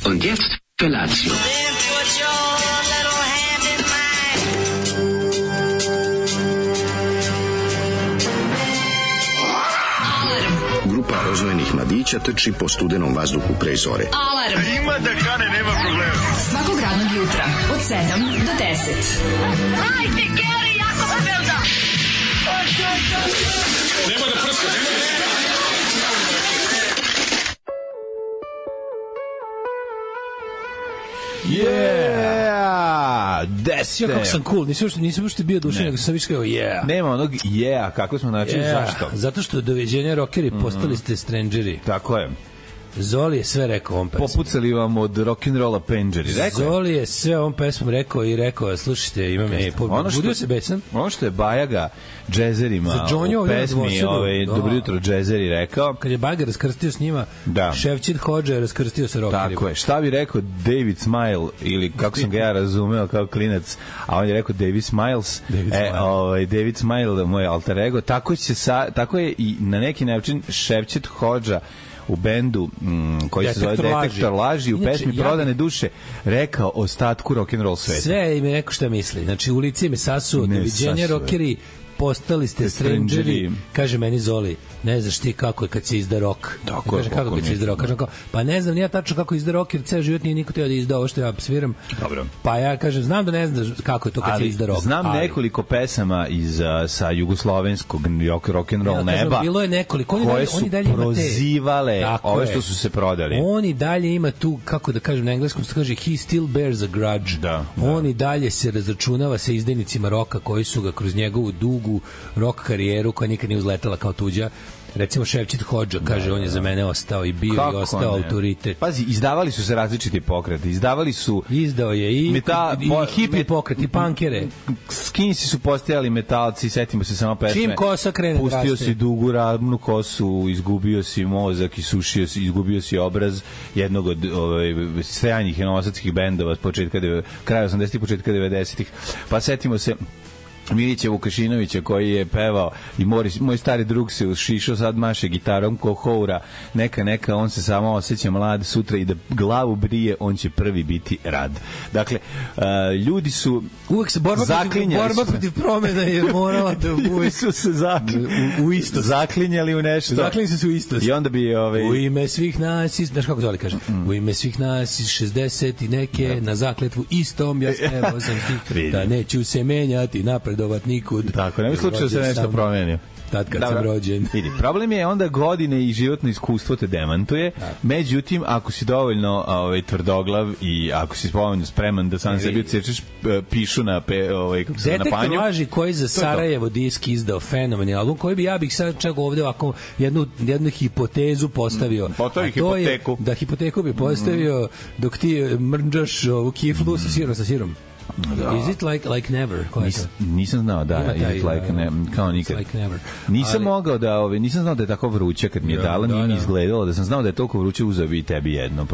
Und jetzt Felatio. Grupa rozvojenih mladića trči po studenom vazduhu pre zore. Alarm! Ima da kane, nema problema. Svakog radnog jutra, od 7 do 10. Hajde, Geri, jako se velda! Nema da prska, nema da... Desite. Kako sam cool, nisam uopšte bio dušan, nego sam više kao Nema onog kako smo načeli, zašto? Zato što doviđenja rockeri, postali ste strangeri. Tako je. Zoli je sve rekao ovom pesmom. Popucali vam od rock'n'rolla penđeri. Zoli je sve ovom pesmom rekao, slušajte, imam budio se besan. Ono što je Bajaga džezerima u pesmi Dobro jutro džezeri rekao. Kad je Bajaga raskrstio s njima, Ševčid Hodža je raskrstio sa rockerima. Tako je. Šta bi rekao David Smile, ili kako sam ga ja razumeo kao klinac, a on je rekao David Smiles. David Smile, moj alter ego. Tako je i na neki način Ševčid Hodža u bendu koji se zove Detektor laži u pesmi Prodane duše rekao ostatku rock'n'roll sveta. Sve im je rekao šta misli. Znači, u lice me sasuo, doviđenje rockeri, postali ste strangeri, kaže meni Zoli, ne znaš ti kako je kad se izda rok. Kaže kako kad se izda rok. Kažem, pa ne znam ja tačno kako izda rok, jer ceo život nije niko teo da izda ovo što ja sviram. Dobro. Pa ja kažem, znam da ne znaš kako je to kad se izda rok. Znam nekoliko pesama sa jugoslovenskog rock and roll neba. Bilo je nekoliko, koje su prozivale ove što su se prodali. On i dalje ima tu, kako da kažem na engleskom, se kaže he still bears a grudge. On i dalje se razračunava sa izdajnicima roka koji su ga kroz njegovu dugu rock karijeru, koja nikad nije uzletala kao tuđa, recimo Ševčit Hodža, kaže, on je za mene ostao i bio i ostao autoritet. Pazi, izdavali su se različiti pokreti, izdao je i hippie pokret, i punkere. Skinsi su postajali metalci, setimo se samo pesme. Čim kosa krene da raste. Pustio si dugu ravnu kosu, izgubio si mozak, isušio si, izgubio si obraz jednog od stranih novosadskih bendova od kraja 80-ih, početka 90-ih. Pa setimo se Milića Vukašinovića koji je pevao i moj stari drug se ušišao, sad maše gitarom ko Houra, neka, on se samo osjeća mlad sutra i da glavu brije, on će prvi biti rad. Dakle, ljudi su uvek se borba protiv promena je morala da uvek su se u isto zaklinjali u nešto. Zaklinjali su u isto. I onda bi u ime svih nas, znaš kako Zoli kaže, u ime svih nas iz 60 i neke na zakletvu istom ja spevao sam stih da neću se menjati napred nikud. Tako, nema slučaja da se nešto promenio. Tad kad sam rođen. Vidi, problem je onda godine i životno iskustvo te demantuje. Međutim, ako si dovoljno tvrdoglav i ako si dovoljno spreman da sam sebi odsečeš pišu na kako se na panju. Detektor laži koji za Sarajevo disk izdao fenomenalni album, koji bih sad čak ovde ovako jednu hipotezu postavio. Hipoteku. Da hipoteku bi postavio dok ti mrnđaš ovu kiflu sa sirom. Is it like never? Nisam znao, is it like never, kao nikad. Like never. Nisam mogao nisam znao da je tako vruće kad mi je dala, nije mi izgledalo, da sam znao da je toliko vruće, uzeo bi i tebi jedno.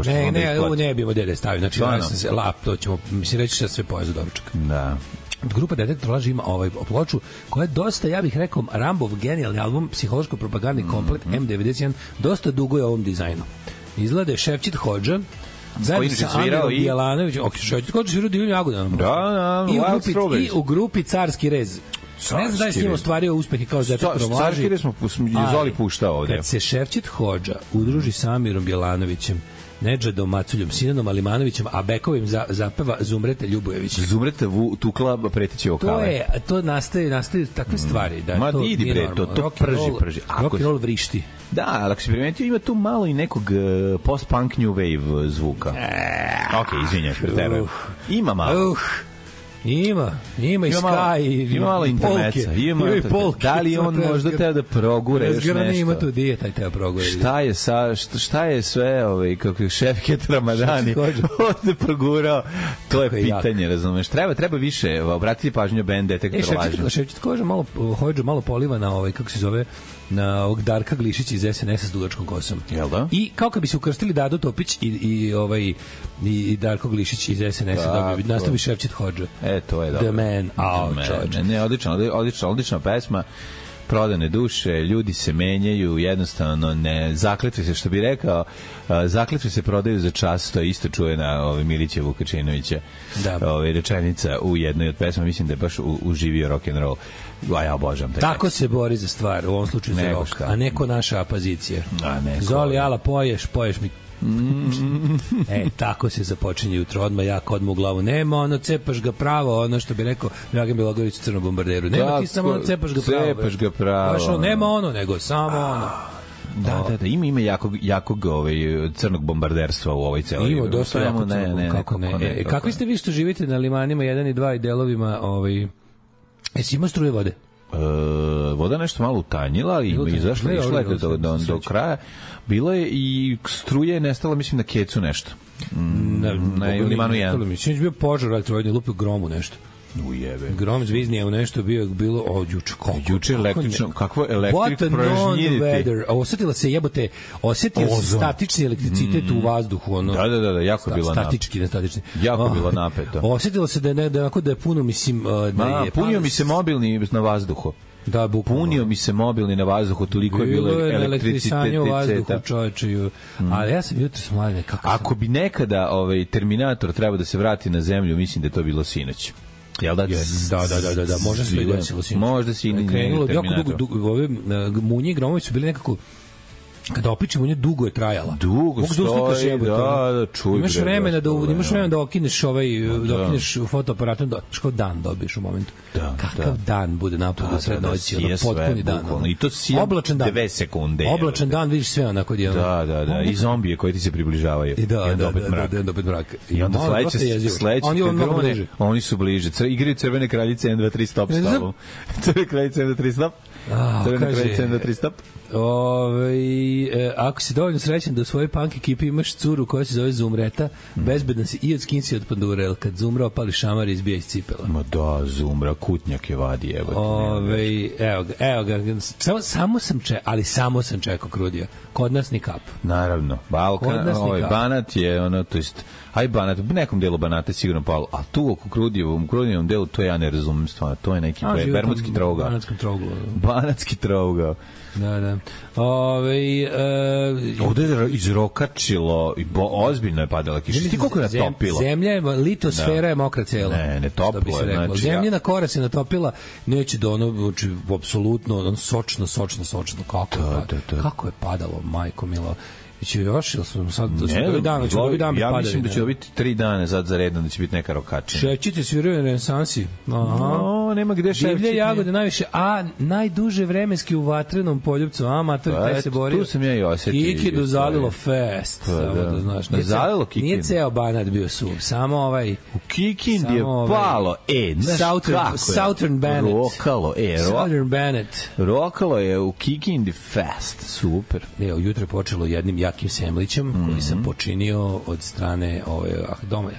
Ovo ne bi modele stavio, znači to ćemo, mislim, reći šta sve poje za doručak. Da. Grupa Detektor laži ima ploču koja je dosta, ja bih rekao, Rambov genijalni album, psihološko-propagandni komplet M91, dosta dugo je ovom dizajnu. Izgleda je Ševčit Hodža, zajedno sa Amirom Bjelanovićem, Ševčit Hodža svirao Divljim Jagodama. I u grupi Carski rez. Ne znam da je s njim ostvario uspehe kao Detektor laži. Carski rez smo Zoli puštao ovde. Kad se Ševčit Hodža udruži sa Amirom Bjelanovićem, Nedžadom Maculjom, Sinanom Alimanovićem, a bekovim zapeva Zumreta Ljubojević. Zumreta tukla preteće vokale. To nastaju takve stvari. Da, ma idi bre, to prži. Rock and roll vrišti. Da, ali ako si primetio, ima tu malo i nekog post-punk new wave zvuka. Okej, izvinjaš, preterujem. Ima malo. Ima i Sky, ima malo intermeca, ima i polke. Da li on možda teo da progure još nešto? Ima tu dijeta i teo progure. Šta je sve, kako je Šefket Ramadani ovde progurao, to je pitanje, razumeš. Treba više obratiti pažnju band Detektor laži. Šefčit Hodža malo poliva na kako se zove, na ovog Darka Glišića iz SNS-a s dugačkom kosom. Jel da? I kao kad bi se ukrstili Dado Topić i Darko Glišić iz SNS-a, nastavi Ševčit Hodža. To je dobro. The Man. Ne, odlična pesma. Prodane duše, ljudi se menjaju, jednostavno ne zakletve se, što bi rekao, zakletve se prodaju za čas, to je isto čujena Milića Vukačinovića rečenica u jednoj od pesma, mislim da je baš uživio rock and roll. Ja obožavam taj. Tako se bori za stvar, u ovom slučaju za rock, a neko naša apazicija. Zoli, ala, poješ mi. Tako se započinje jutro, odmah u glavu. Nema cepaš ga pravo, ono što bi rekao Dragan Bjelogrlić u Crnom bombarderu. Nema ti samo cepaš ga pravo. Nema nego samo ono. Da, ima jakog crnog bombarderstva u ovoj celoj. Ima dosta jako crnog, kako ne. Kakvi ste vi što živite na limanima 1 i 2 i delovima, jesi ima struje vode? Voda nešto malo utanjila i izašla, išla je do kraja. Bilo je i struje nestala, mislim, na Kecu nešto. Na limanu 1. Mislim, bio požar, ali trojni lupio gromu nešto. Ujebe. Grom zviznije u nešto bilo juče električno, kakvo elektrik prožnjiditi. Osetila se statični elektricitet u vazduhu, ono. Da, jako je bilo statični. Jako je bilo napeto. Osetila se da je puno, mislim, punio mi se mobilni na vazduhu. Da, punio mi se mobilni na vazduhu, toliko je bilo elektricitete u vazduhu, čoveče. Ali ja sam jutros mladen, kako ako bi nekada Terminator trebao da se vrati na zemlju, mislim da je to bilo sinoć. Jel da? Da, možda se to desilo. Možda si i krenulo jako dugo, ove Munje i Gromovi su bili nekako kada opičemo, nje dugo je trajala. Dugo stoji, da, čuj. Imaš vremena da okineš da okineš fotoaparatom, što dan dobiješ u momentu. Kakav dan bude napolju sred noći, potpuni dan. I to si 2 sekunde. Oblačan dan, vidiš sve onako dijelo. Da, i zombije koji ti se približavaju. I onda opet mrak. I onda sledeće oni su bliže. Igraju Crvene kraljice 1, 2, 3 stop s tobom. Crvene kraljice 1, 2, 3 stop. Crvene kraljice 1, 2, 3 stop. Ako si dovoljno srećan da u svojoj punk ekipi imaš curu koja se zove Zumreta, bezbedan si i od skinsi od pandure, jer kad Zumra opali šamar i izbija iz cipela. Ma da, Zumra, kutnjak je vadi, evo ga, samo sam čekao Krudija. Kod nas ni kap. Naravno, Balkan, Banat je ono, to jest, Banat, u nekom delu Banata je sigurno palo, a tu oko Krudijevom delu, to ja ne razumem stvarno, to je neki bermudski trougao. Banatski trougao. Da. Ovde je izrokačilo i ozbiljno je padala kiša. Ti koliko je natopilo? Zemlja je, litosfera je mokra cela. Ne toplo je. Znači, zemljina kora se natopila, neće da ono, apsolutno, sočno. Kako je padalo, majko milo. Će još, ili smo sad ja mislim da će biti 3 dana za redom, da će biti neka rokačina. Šećite sviraju na renesansi. Nema gde šećiti. Divlje jagode najviše, najduže vremenski u Vatrenom Poljupcu, matori, taj se borio. Tu sam ja i osetio. Kikidu zalilo fest, samo da znaš. Zalilo Kikidu. Nije ceo Banat bio suv, samo ovaj... U Kikindi je palo, Southern Banat. Southern Banat. Rokalo je u Kikindi fest, super. Jutro je počelo jednim jakim semlićem koji sam počinio od strane doma.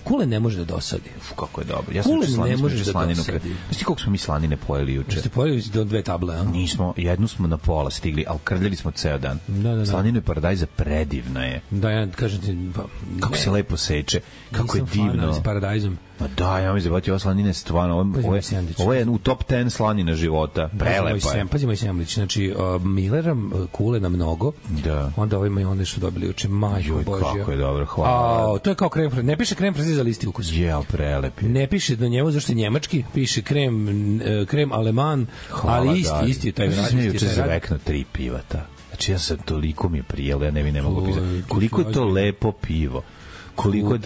Kule ne može da dosadi. Kako je dobro. Ja sam ne može da dosadi. Znaš ti koliko smo mi slanine pojeli juče? Ste pojeli do 2 table, a? Nismo, jednu smo na pola stigli, ali krljali smo ceo dan. Da. Slanina paradajza predivna je. Da, ja kažem ti... Kako se lepo seče, kako je divno. Nisam fan, s paradajzom. Ma da, ja mi zabavati, ova slanina je stvarno, ovo je u top 10 slanina života, prelepa je. Pazi moj semlić, znači Millera kule na mnogo, onda ovaj majonez što dobili juče, majko Božja. Kako je dobro, hvala. To je kao krem, ne piše krem fraziza listi ukus. Prelep je. Ne piše na njemu, zašto je njemački, piše krem aleman, ali isti je taj rad. Ja juče zavekno 3 pivata. Znači ja sam toliko mi je prijelo, ja ne mogu pisati. Koliko je to lepo pivo.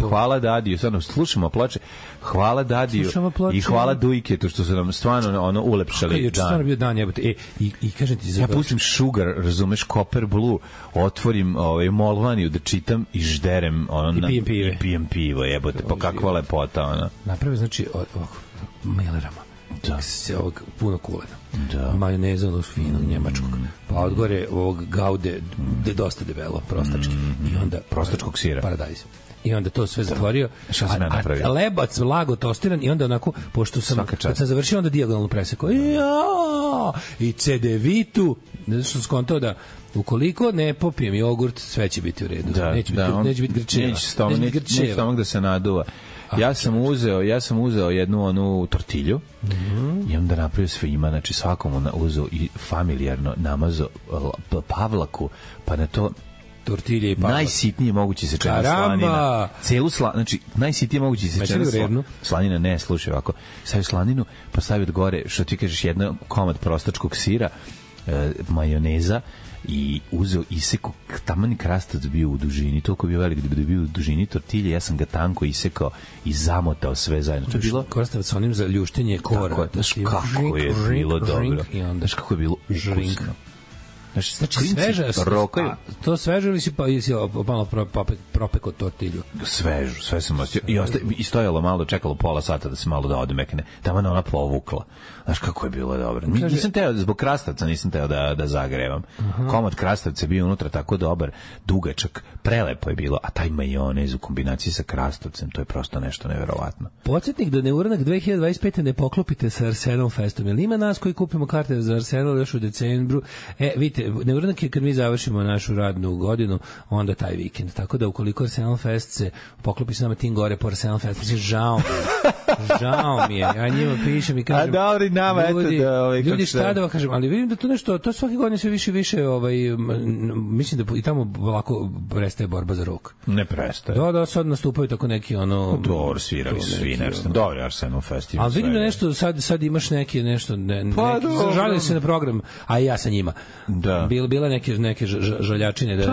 Hvala Dadiju, stvarno slušamo ploče, hvala Dadiju i hvala Dujketu što su nam stvarno ulepšali dan. Stvarno bio dan, jebote. I kažem ti, ja pustim Sugar, razumeš, Copper Blue, otvorim Molvaniju da čitam i žderem i pijem pivo, jebote, pa kakva lepota ona. Naprave, znači, Millerama. Puno kulena. Majoneza onog finog njemačkog. Pa odgore ovog Gaude dosta debelo, prostački. I onda prostačkog sira. Paradajz. I onda to sve zatvorio. Šta sam ja napravio? A lebac lago tostiran i onda onako, pošto sam, kad sam završio, onda dijagonalno presekao. I cedevitu, što sam skontao da ukoliko ne popijem jogurt, sve će biti u redu. Neće biti grčeva. Neće stomak da se naduva. Ja sam uzeo jednu onu tortilju i onda napravio svima, znači svakom uzeo i familijarno namazao pavlaku, pa na to tortilje i pavlak. Najsitnije moguće sečena slanina. Znači, najsitnije moguće sečena slanina. Ne, slušaj ovako. Stavio slaninu, pa stavio od gore, što ti kažeš, jedan komad prostačkog sira, majoneza, i uzeo isekao, taman krastavac bio u dužini, toliko bio velik da bi bio u dužini tortilje, ja sam ga tanko isekao i zamotao sve zajedno. To je bilo krastavac onim za ljuštenje kora. Znaš kako je bilo dobro. Znaš kako je bilo ukusno. Znači sveže, to sveže ili si malo propekao tortilju? Svežu, sve sam ostio. I stojalo malo, čekalo pola sata da se malo da odmekne. Tamo ona povukla. Znaš kako je bilo dobro. Nisam teo, zbog krastavca nisam teo da zagrevam. Komad krastavca je bio unutra tako dobar, dugačak, prelepo je bilo, a taj majonez u kombinaciji sa krastavcem, to je prosto nešto neverovatno. Podsjetnik da Neuranak 2025. ne poklopite sa Arsenal Festom. Jel ima nas koji kupimo karte za Arsenal još u decembru? Vidite, Neuranak je kad mi završimo našu radnu godinu, onda taj vikend. Tako da ukoliko Arsenal Fest se poklopi s nama tim gore po Arsenal Fest, žao Žao mi je, ja njima pišem i kažem... A dobro, nama, ljudi, eto da... Ljudi, šta da vam kažem, ali vidim da to nešto, to svake godine sve više i više, mislim da i tamo lako prestaje borba za rok. Ne prestaje. Da, sad nastupaju tako neki, Dobro, svirali svi nešto. Dobro, Arsenal Festival. Ali vidim da nešto, sad imaš neki, nešto, žalili se na program, a i ja sa njima. Da. Bila neke žaljačine.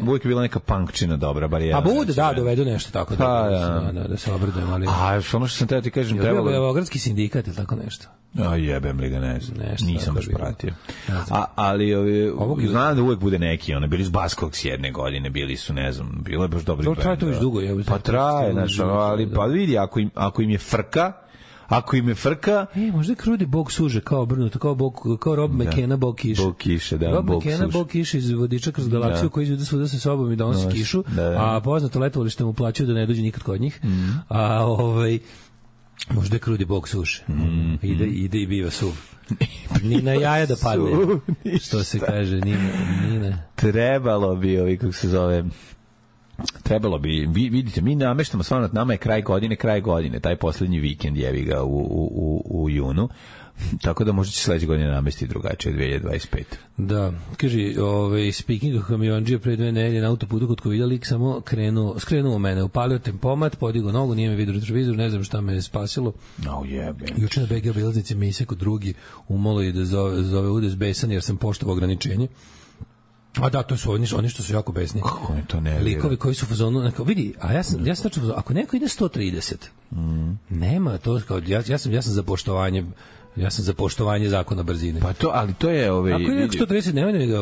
Uvijek je bila neka punkčina dobra, bar jedna. A bude, da, dovedu nešto tako da se obradujem, ali... A ono što sam teo ti kažem, trebalo... Beogradski sindikat ili tako nešto. A jebem li ga, ne znam. Nisam baš pratio. Ali znam da uvek bude neki, bili su Baskoks jedne godine, bili su, ne znam, bilo je baš dobri band. Traje to već dugo. Pa traje, znači, ali pa vidi, ako im je frka, možda je Krudi bog suže, kao obrnuto, kao Rob McKenna bog kiše. Bog kiše, da, Rob McKenna bog kiše iz Vodiča kroz galaksiju, koji izvede svuda sa sobom i donosi kišu, a poznato letovalište mu plaćaju da ne dođe nikad kod njih. A možda je Krudi bog suše. Ide i biva suv. Ni na jaja da padne. Što se kaže, ni na... Trebalo bi, kako se zove... Trebalo bi, vidite, mi nameštamo stvarno, nama je kraj godine, taj poslednji vikend jevi ga u junu, tako da možda će sledeće godine namestiti drugačije 2025. Da, kaži, speaking of kamionđija, pre 2 nedelje na autoputu kod Kovida lik samo skrenuo mene, upalio tempomat, podigao nogu, nije me vidio retrovizor, ne znam šta me je spasilo. Juče na BG obilaznici me isekao drugi, umalo je da zove udes besan jer sam poštovao ograničenje. A da, to su oni što su jako besni. Kako je to ne? Likovi koji su u fazonu, vidi, a ja sam tačno, ako neko ide 130, nema to, kao, ja sam za poštovanje. Ja sam za poštovanje zakona brzine. Pa to, ali to je ako je 130, nema da mi ga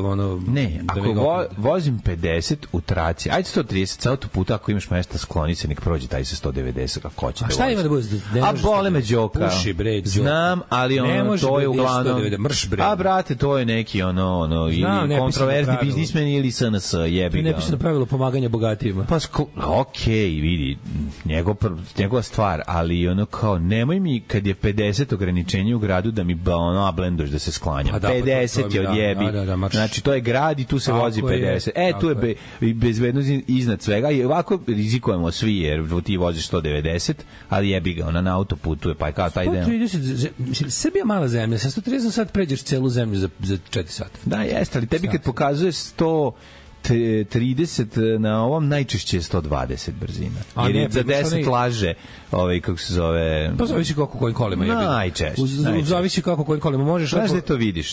Ne, ako vozim 50 u traci, ajde 130 sa autoputa, ako imaš mesta skloni se, nek prođe taj sa 190, kako hoće. A šta ima da bude? A bole me đoka. Puši bre, đoka. Znam, ali to je uglavnom... Mrš bre. A brate, to je neki ili kontroverzni biznismen ili SNS, jebi ga. To je nepisano pravilo pomaganja bogatijima. Pa okej, vidi, njegova stvar, ali kao, nemoj mi kad je 50 ograničenja u gradu da mi ablendoš da se sklanjam. 50 je odjebi. Znači, to je grad i tu se vozi 50. Tu je bezbednost iznad svega i ovako rizikujemo svi jer ti voziš 190, ali jebi ga, na autoputu je, pa je kao taj deo. 130, Srbija mala zemlja, sa 130 sad pređeš celu zemlju za 4 sata. Da, jeste, ali tebi kad pokazuje 130 na ovom najčešće je 120 brzina. Jer je za 10 laže, kako se zove... Pa zavisi kako kojim kolima je. Najčešće. Zavisi kako kojim kolima možeš. Znaš da to vidiš,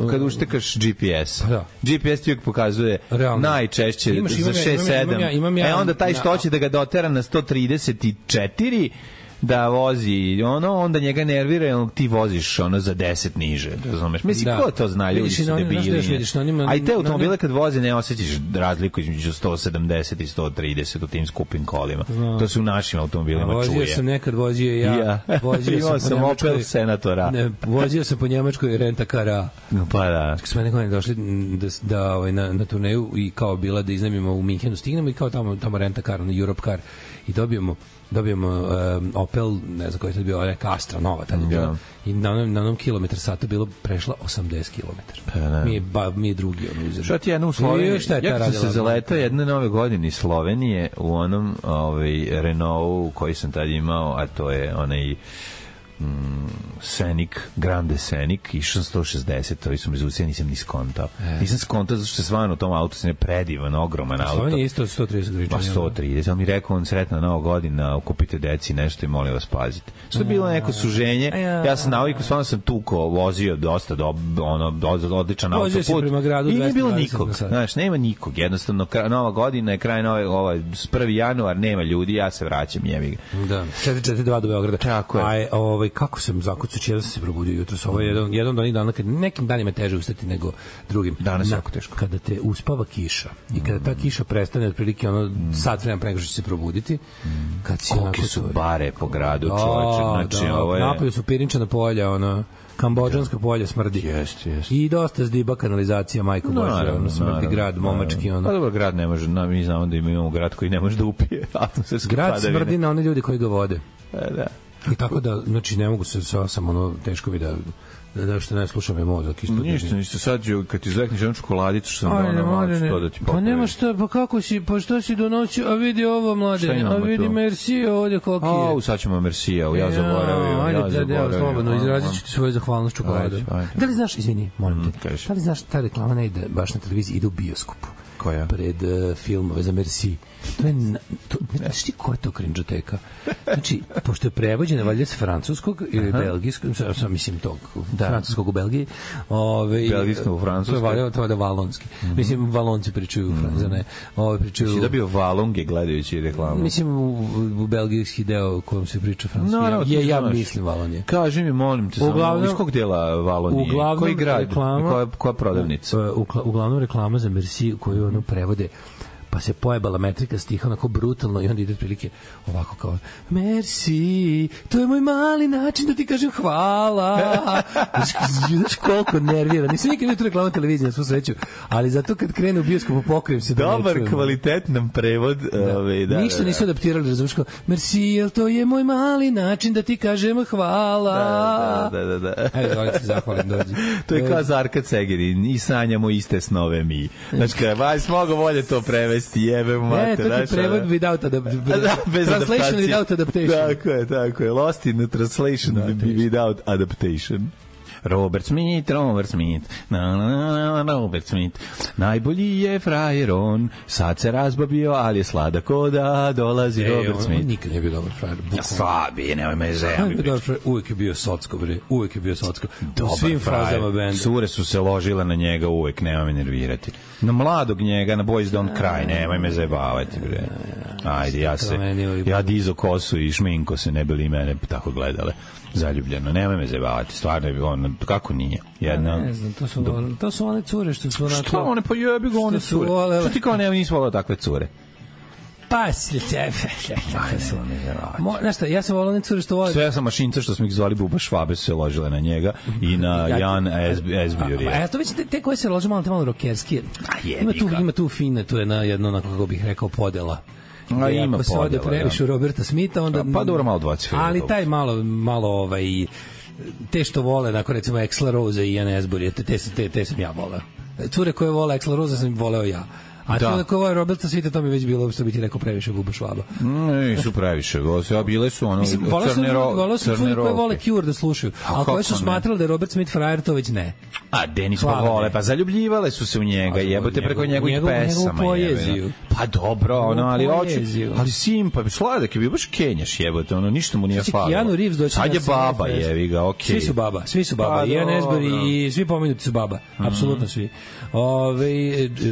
kad uštekaš GPS. GPS ti uvijek pokazuje najčešće za 6-7. Onda taj što hoće da ga dotera na 134 da vozi, onda njega nervira jer ti voziš za 10 niže, razumeš? Mislim, ko to zna, ljudi su debili. A i te automobile kad voze ne osjećaš razliku između 170 i 130 u tim skupim kolima. To se u našim automobilima čuje. Vozio sam nekad, ja. Imao sam Opel Senatora. Vozio sam po Njemačkoj renta-kara. Pa da. Kad smo nekada došli na turneju i kao bila da iznajmimo u Minhenu, stignemo i kao tamo renta-kar, na Europe car i dobijemo Opel, ne znam koji je to bio, neka Astra nova tada je bila. I na onom kilometar sata bilo prešla 80 kilometara. Mi je drugi uzeli. Što ti jedno u Sloveniji? Ja kad sam se zaletao jedne nove godine iz Slovenije u onom Renault koji sam tad imao, a to je onaj Scenic, Grande Scenic, išao 160, ovi su mi zucija, nisam ni skontao. Nisam skontao zato što se stvarno u tom autu se ne predivan, ogroman auto. Slovenija je isto 130 gričanja. Pa 130, ali mi rekao on sretna nova godina, kupite deci nešto i molim vas pazite. Što je bilo neko suženje, ja sam navikao, stvarno sam tuko, vozio dosta odličan autoput i nije bilo nikog, znaš, nema nikog, jednostavno nova godina je kraj nove, 1. januar, nema ljudi, ja se vraćam, jebi ga. Da, 442 do Beograda. Tako je. Kako sam zakucač, jedan sam se probudio jutros. Ovo je jedan od onih dana kad nekim danima teže ustati nego drugim. Danas je jako teško. Kada te uspava kiša i kada ta kiša prestane otprilike sat vremena pre nego što će se probuditi, kad si kolike su bare po gradu, čoveče. Znači, ovo je... Napolju su pirinčana polja, Kambodžanska polja smrdi. Jeste. I dosta zdiba kanalizacija, majko Bože, smrdi grad, momački. Pa dobro, grad ne može, mi znamo da imamo grad koji ne može da upije atmosferske padavine. Grad smrdi na one ljudi koji ga vode. Da. I tako da, znači, ne mogu se sam ono, teško mi da što ne slušam je mozak ispod. Ništa, sad ću, kad ti zvekneš jednu čokoladicu, što sam što da ti popravim. Pa nema šta, pa kako si, pa što si donosio, a vidi ovo, mladene, a vidi Mercija ovdje koliki je. Sad ćemo Mercija, ja zaboravio. Ajde, slobodno, izrazit ću ti svoju zahvalnost čokolade. Da li znaš, izvini, molim te, da li znaš, ta reklama ne ide baš na televiziji, ide u bioskopu. Koja? Pred filmove za Merci. To je, znaš ti koja je to krinđoteka? Znači, pošto je prevođena valjda s francuskog ili belgijskog, mislim tog, francuskog u Belgiji. Belgijskog u francuskog. To je da valonski. Mislim, valonci pričaju u Francuskoj, ne. Pričaju... Si da bio valonge gledajući reklamu? Mislim, u belgijski deo u kojem se priča francuski. Ja mislim Valonije. Kaži mi, molim te, iz kog dela Valonije? Koji grad? Koja prodavnica? Uglavnom reklama za Merci koju ono prevode, pa se pojebala metrika stiha onako brutalno i onda ide otprilike ovako kao Merci, to je moj mali način da ti kažem hvala. Znaš koliko nervira. Nisam nikad vidio tu reklamu televizije na svu sreću, ali zato kad krene u bioskopu pokrijem se da ne čujem. Dobar, kvalitetan prevod. Ništa nisu adaptirali, razumiješ kao Merci, jel to je moj mali način da ti kažem hvala. Da. Evo, dole ti zahvalim, dođi. To je kao Zarka Cegerin, i sanjamo iste snove mi. Znači, kaj, smogo volje to prevesti. Jebe mu mater. To je prevod without translation without adaptation. Tako je. Lost in the translation without adaptation. Robert Smith. Najbolji je frajer on, sad se razbabio, ali je sladak oda, dolazi Robert Smith. On nikad nije bio dobar frajer. Slabi, nemoj me zemlji. Uvijek je bio socko, bre. Uvijek je bio socko. U svim fazama benda. Cure su se ložile na njega uvijek, nemoj me nervirati. Na mladog njega, na Boys Don't Cry, nemoj me zajebavati, bre. Ajde, ja dizo kosu i šminko se, ne bi li mene tako gledale. Zaljubljeno, nemoj me zajebavati, stvarno je ono, kako nije? Ne znam, to su one cure što su onako... Što one, pa jebi ga one cure. Što ti kao nisi volao takve cure? Pa si znaš šta, ja sam volao one cure što vole... Sve ja sam mašinca što smo ih zvali Buba Švabe su se ložile na njega i na Jan Esbjurija. A ja to već te koje se lože malo rokerski. Ima tu fine, tu je jedno, onako kako bih rekao, podela. Ima se ode previše u Roberta Smitha, onda... Pa dobro, malo dvaci. Ali taj malo te što vole, nakon recimo Axl Rose i Ian Asbury, te sam ja voleo. Cure koje vole Axl Rose sam voleo ja. A to koje vole Roberta Smitha, to mi već bilo, što bi ti rekao, previše Buba Švaba. Nisu previše, bile su ono voleo su cure koje vole Cure da slušaju, a koje su smatrali da je Robert Smith frajer, to već ne. A Denis pa vole, pa zaljubljivale su se u njega, jebote preko njegovih pesama. Pa dobro, ali simpa, sladak je bio, baš kenjaš, jebote, ništa mu nije falilo. Sad je baba, jevi ga, okej. Svi su baba, Ian Asbury i svi pomenuti su baba, apsolutno svi.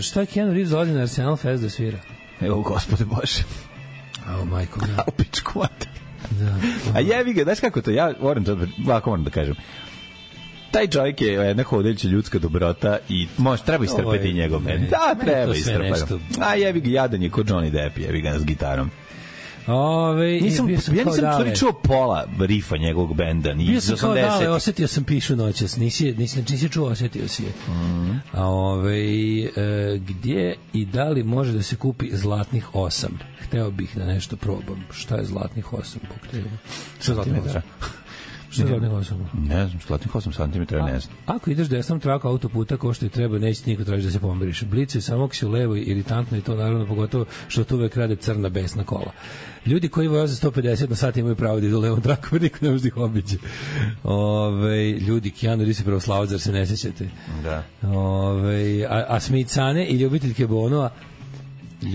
Šta je Keanu Reeves dolazi na Arsenal Fest da svira? Evo, gospode Bože. Ao, majko, da. U pičku mater. A jevi ga, znaš kako to, ja moram da kažem. Taj čovjek je jedna hodeća ljudska dobrota i treba istrpeti njegov bend. Da, treba istrpeti. A jevi ga, jadan je ko Johnny Depp, jevi ga s gitarom. Ja nisam čuo pola rifa njegovog benda ni iz 80. Bio sam kao dale, osetio sam pišu noćas, nisi čuo, osetio si je. Gdje i da li može da se kupi zlatnih 8? Hteo bih da nešto probam. Šta je zlatnih 8? Šta je zlatnih 8? Šta je zlatnih 8? Ne znam, zlatnih 8 cm ne znam. Ako ideš desnom traku autoputa ko što i treba, neće niko traži da se pomiriš. Blicu je samo ako si u levoj, iritantno i to naravno pogotovo što tu uvek rade crna besna kola. Ljudi koji voze 150 na sat imaju pravo da idu u levom traku, jer niko ne može da ih obiđe. Ljudi, Keanu Reeves je pravoslavac, zar se ne sećate? Da. A Smithsane i ljubiteljke Bonova,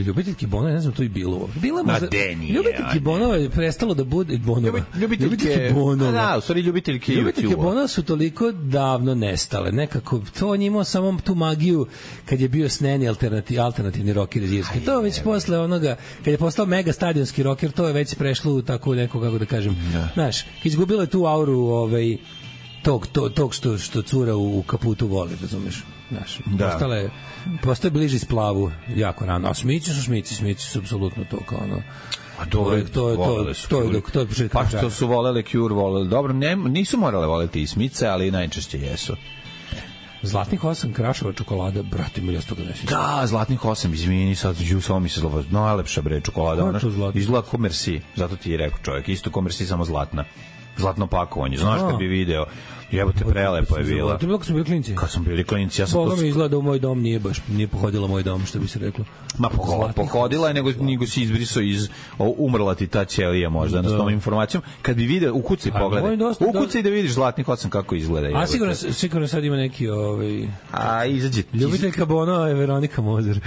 ljubiteljke Bonova, ne znam, to i bilo. Bila možda, ljubiteljke Bonova je prestalo da bude Bonova. Ljubiteljke Bonova. Da, u stvari ljubiteljke Bonova su toliko davno nestale. Nekako, to on imao samo tu magiju kad je bio sneni alternativni rocker iz Irske. To već posle onoga, kad je postao mega stadionski rocker, to je već prešlo u tako neko, kako da kažem, znaš, izgubilo je tu auru tog što cura u kaputu vole, razumeš? Znaš, postaje bliži splavu jako rano. A Smići su apsolutno to kao ono. A dobro, to je početak. Pa što su volele Cure, volele. Dobro, nisu morale voleti i Smice, ali najčešće jesu. Zlatnih 8 krašova čokolada, brate mi, ja sto ga ne sjećam. Da, Zlatnih 8, izvini, sad samo mi se zlova, najlepša bre čokolada, ona izgleda ko Merci, zato ti je rekao čovjek, isto ko Merci, samo zlatna. Zlatno pakovanje, znaš kad bi video, jebote, prelepo je bila. To je bilo kad smo bili klinci? Kad smo bili klinci, ja sam Boga mi izgleda u moj dom, nije pohodila moj dom, što bi se reklo. Ma pohodila je, nego si izbrisao umrla ti ta ćelija možda, s tom informacijom. Kad bi video, ukucaj pogledaj. Ukucaj da vidiš Zlatnih 8 kako izgleda. A sigurno sad ima neki... A izađe... Ljubiteljka Bono je Veronika Mozer.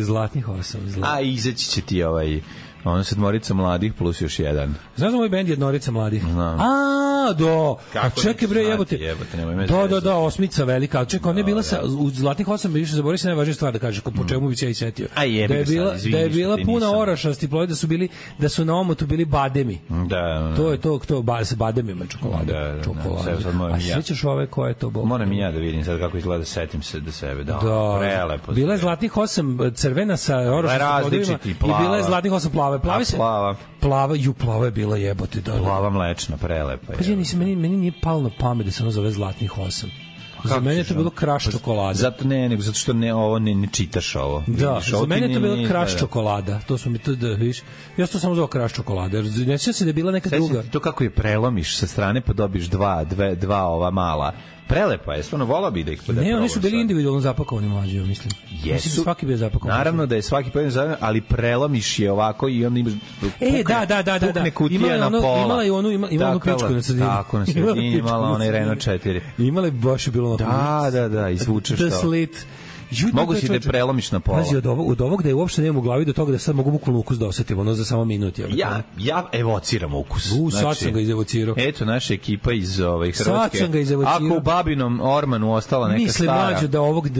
Zlatnih 8. A izaći će ti ono sedmorica mladih plus još jedan. Znaš da moj bend Jednorica mladih? Znam. A čekaj bre, jebote. Da, osmica velika. A čekaj, ona je bila u Zlatnih 8, više zaboravio se najvažnija stvar da kažeš, po čemu bi se ja i setio. Da je bila puna orašasti ploj, da su na omotu bili bademi. Da. To je to sa bademima čokolada. A sjećaš ove koje je to bilo? Moram i ja da vidim sad kako izgleda, setim se da sebe. Da, prelepo. Bila je Zlatnih 8 crvena sa orašastim plodovima i bila je Zlatnih 8 plava. Plava je bila, jebote. Plava mlečna, prelepa. Pa meni nije palo na pamet da se ono zove Zlatnih 8. Za mene je to bilo kraš čokolada. Zato što ovo ne čitaš ovo. Da, za mene je to bilo kraš čokolada. To smo mi to da viš. Ja to samo zove kraš čokolada. Ne sjećam se da je bila neka druga. To kako je prelomiš sa strane pa dobiš dva ova mala. Prelepa je, stvarno volao bi da ih podati. Ne, oni su bili individualno zapakovani mlađi, mislim. Jesu. Mislim da svaki bio zapakovan. Naravno da je svaki pojedin zapakovan, ali prelomiš je ovako i onda imaš pukne kutija na pola. Imala je onu pičku na sredini. Tako, na sredini imala onaj Renault 4. Imala je baš je bilo na Da, izvučeš to. The Slit. Mogu si da je prelomiš na pola. Pazi, od ovog da je uopšte nemam u glavi do toga da sad mogu bukvalno ukus da osetim, ono za samo minut. Ja evociram ukus. Sad sam ga izevocirao. Eto, naša ekipa iz Hrvatske. Sad sam ga izevocirao. Ako u Babinom Ormanu ostala neka stara... Mislim, mlađo,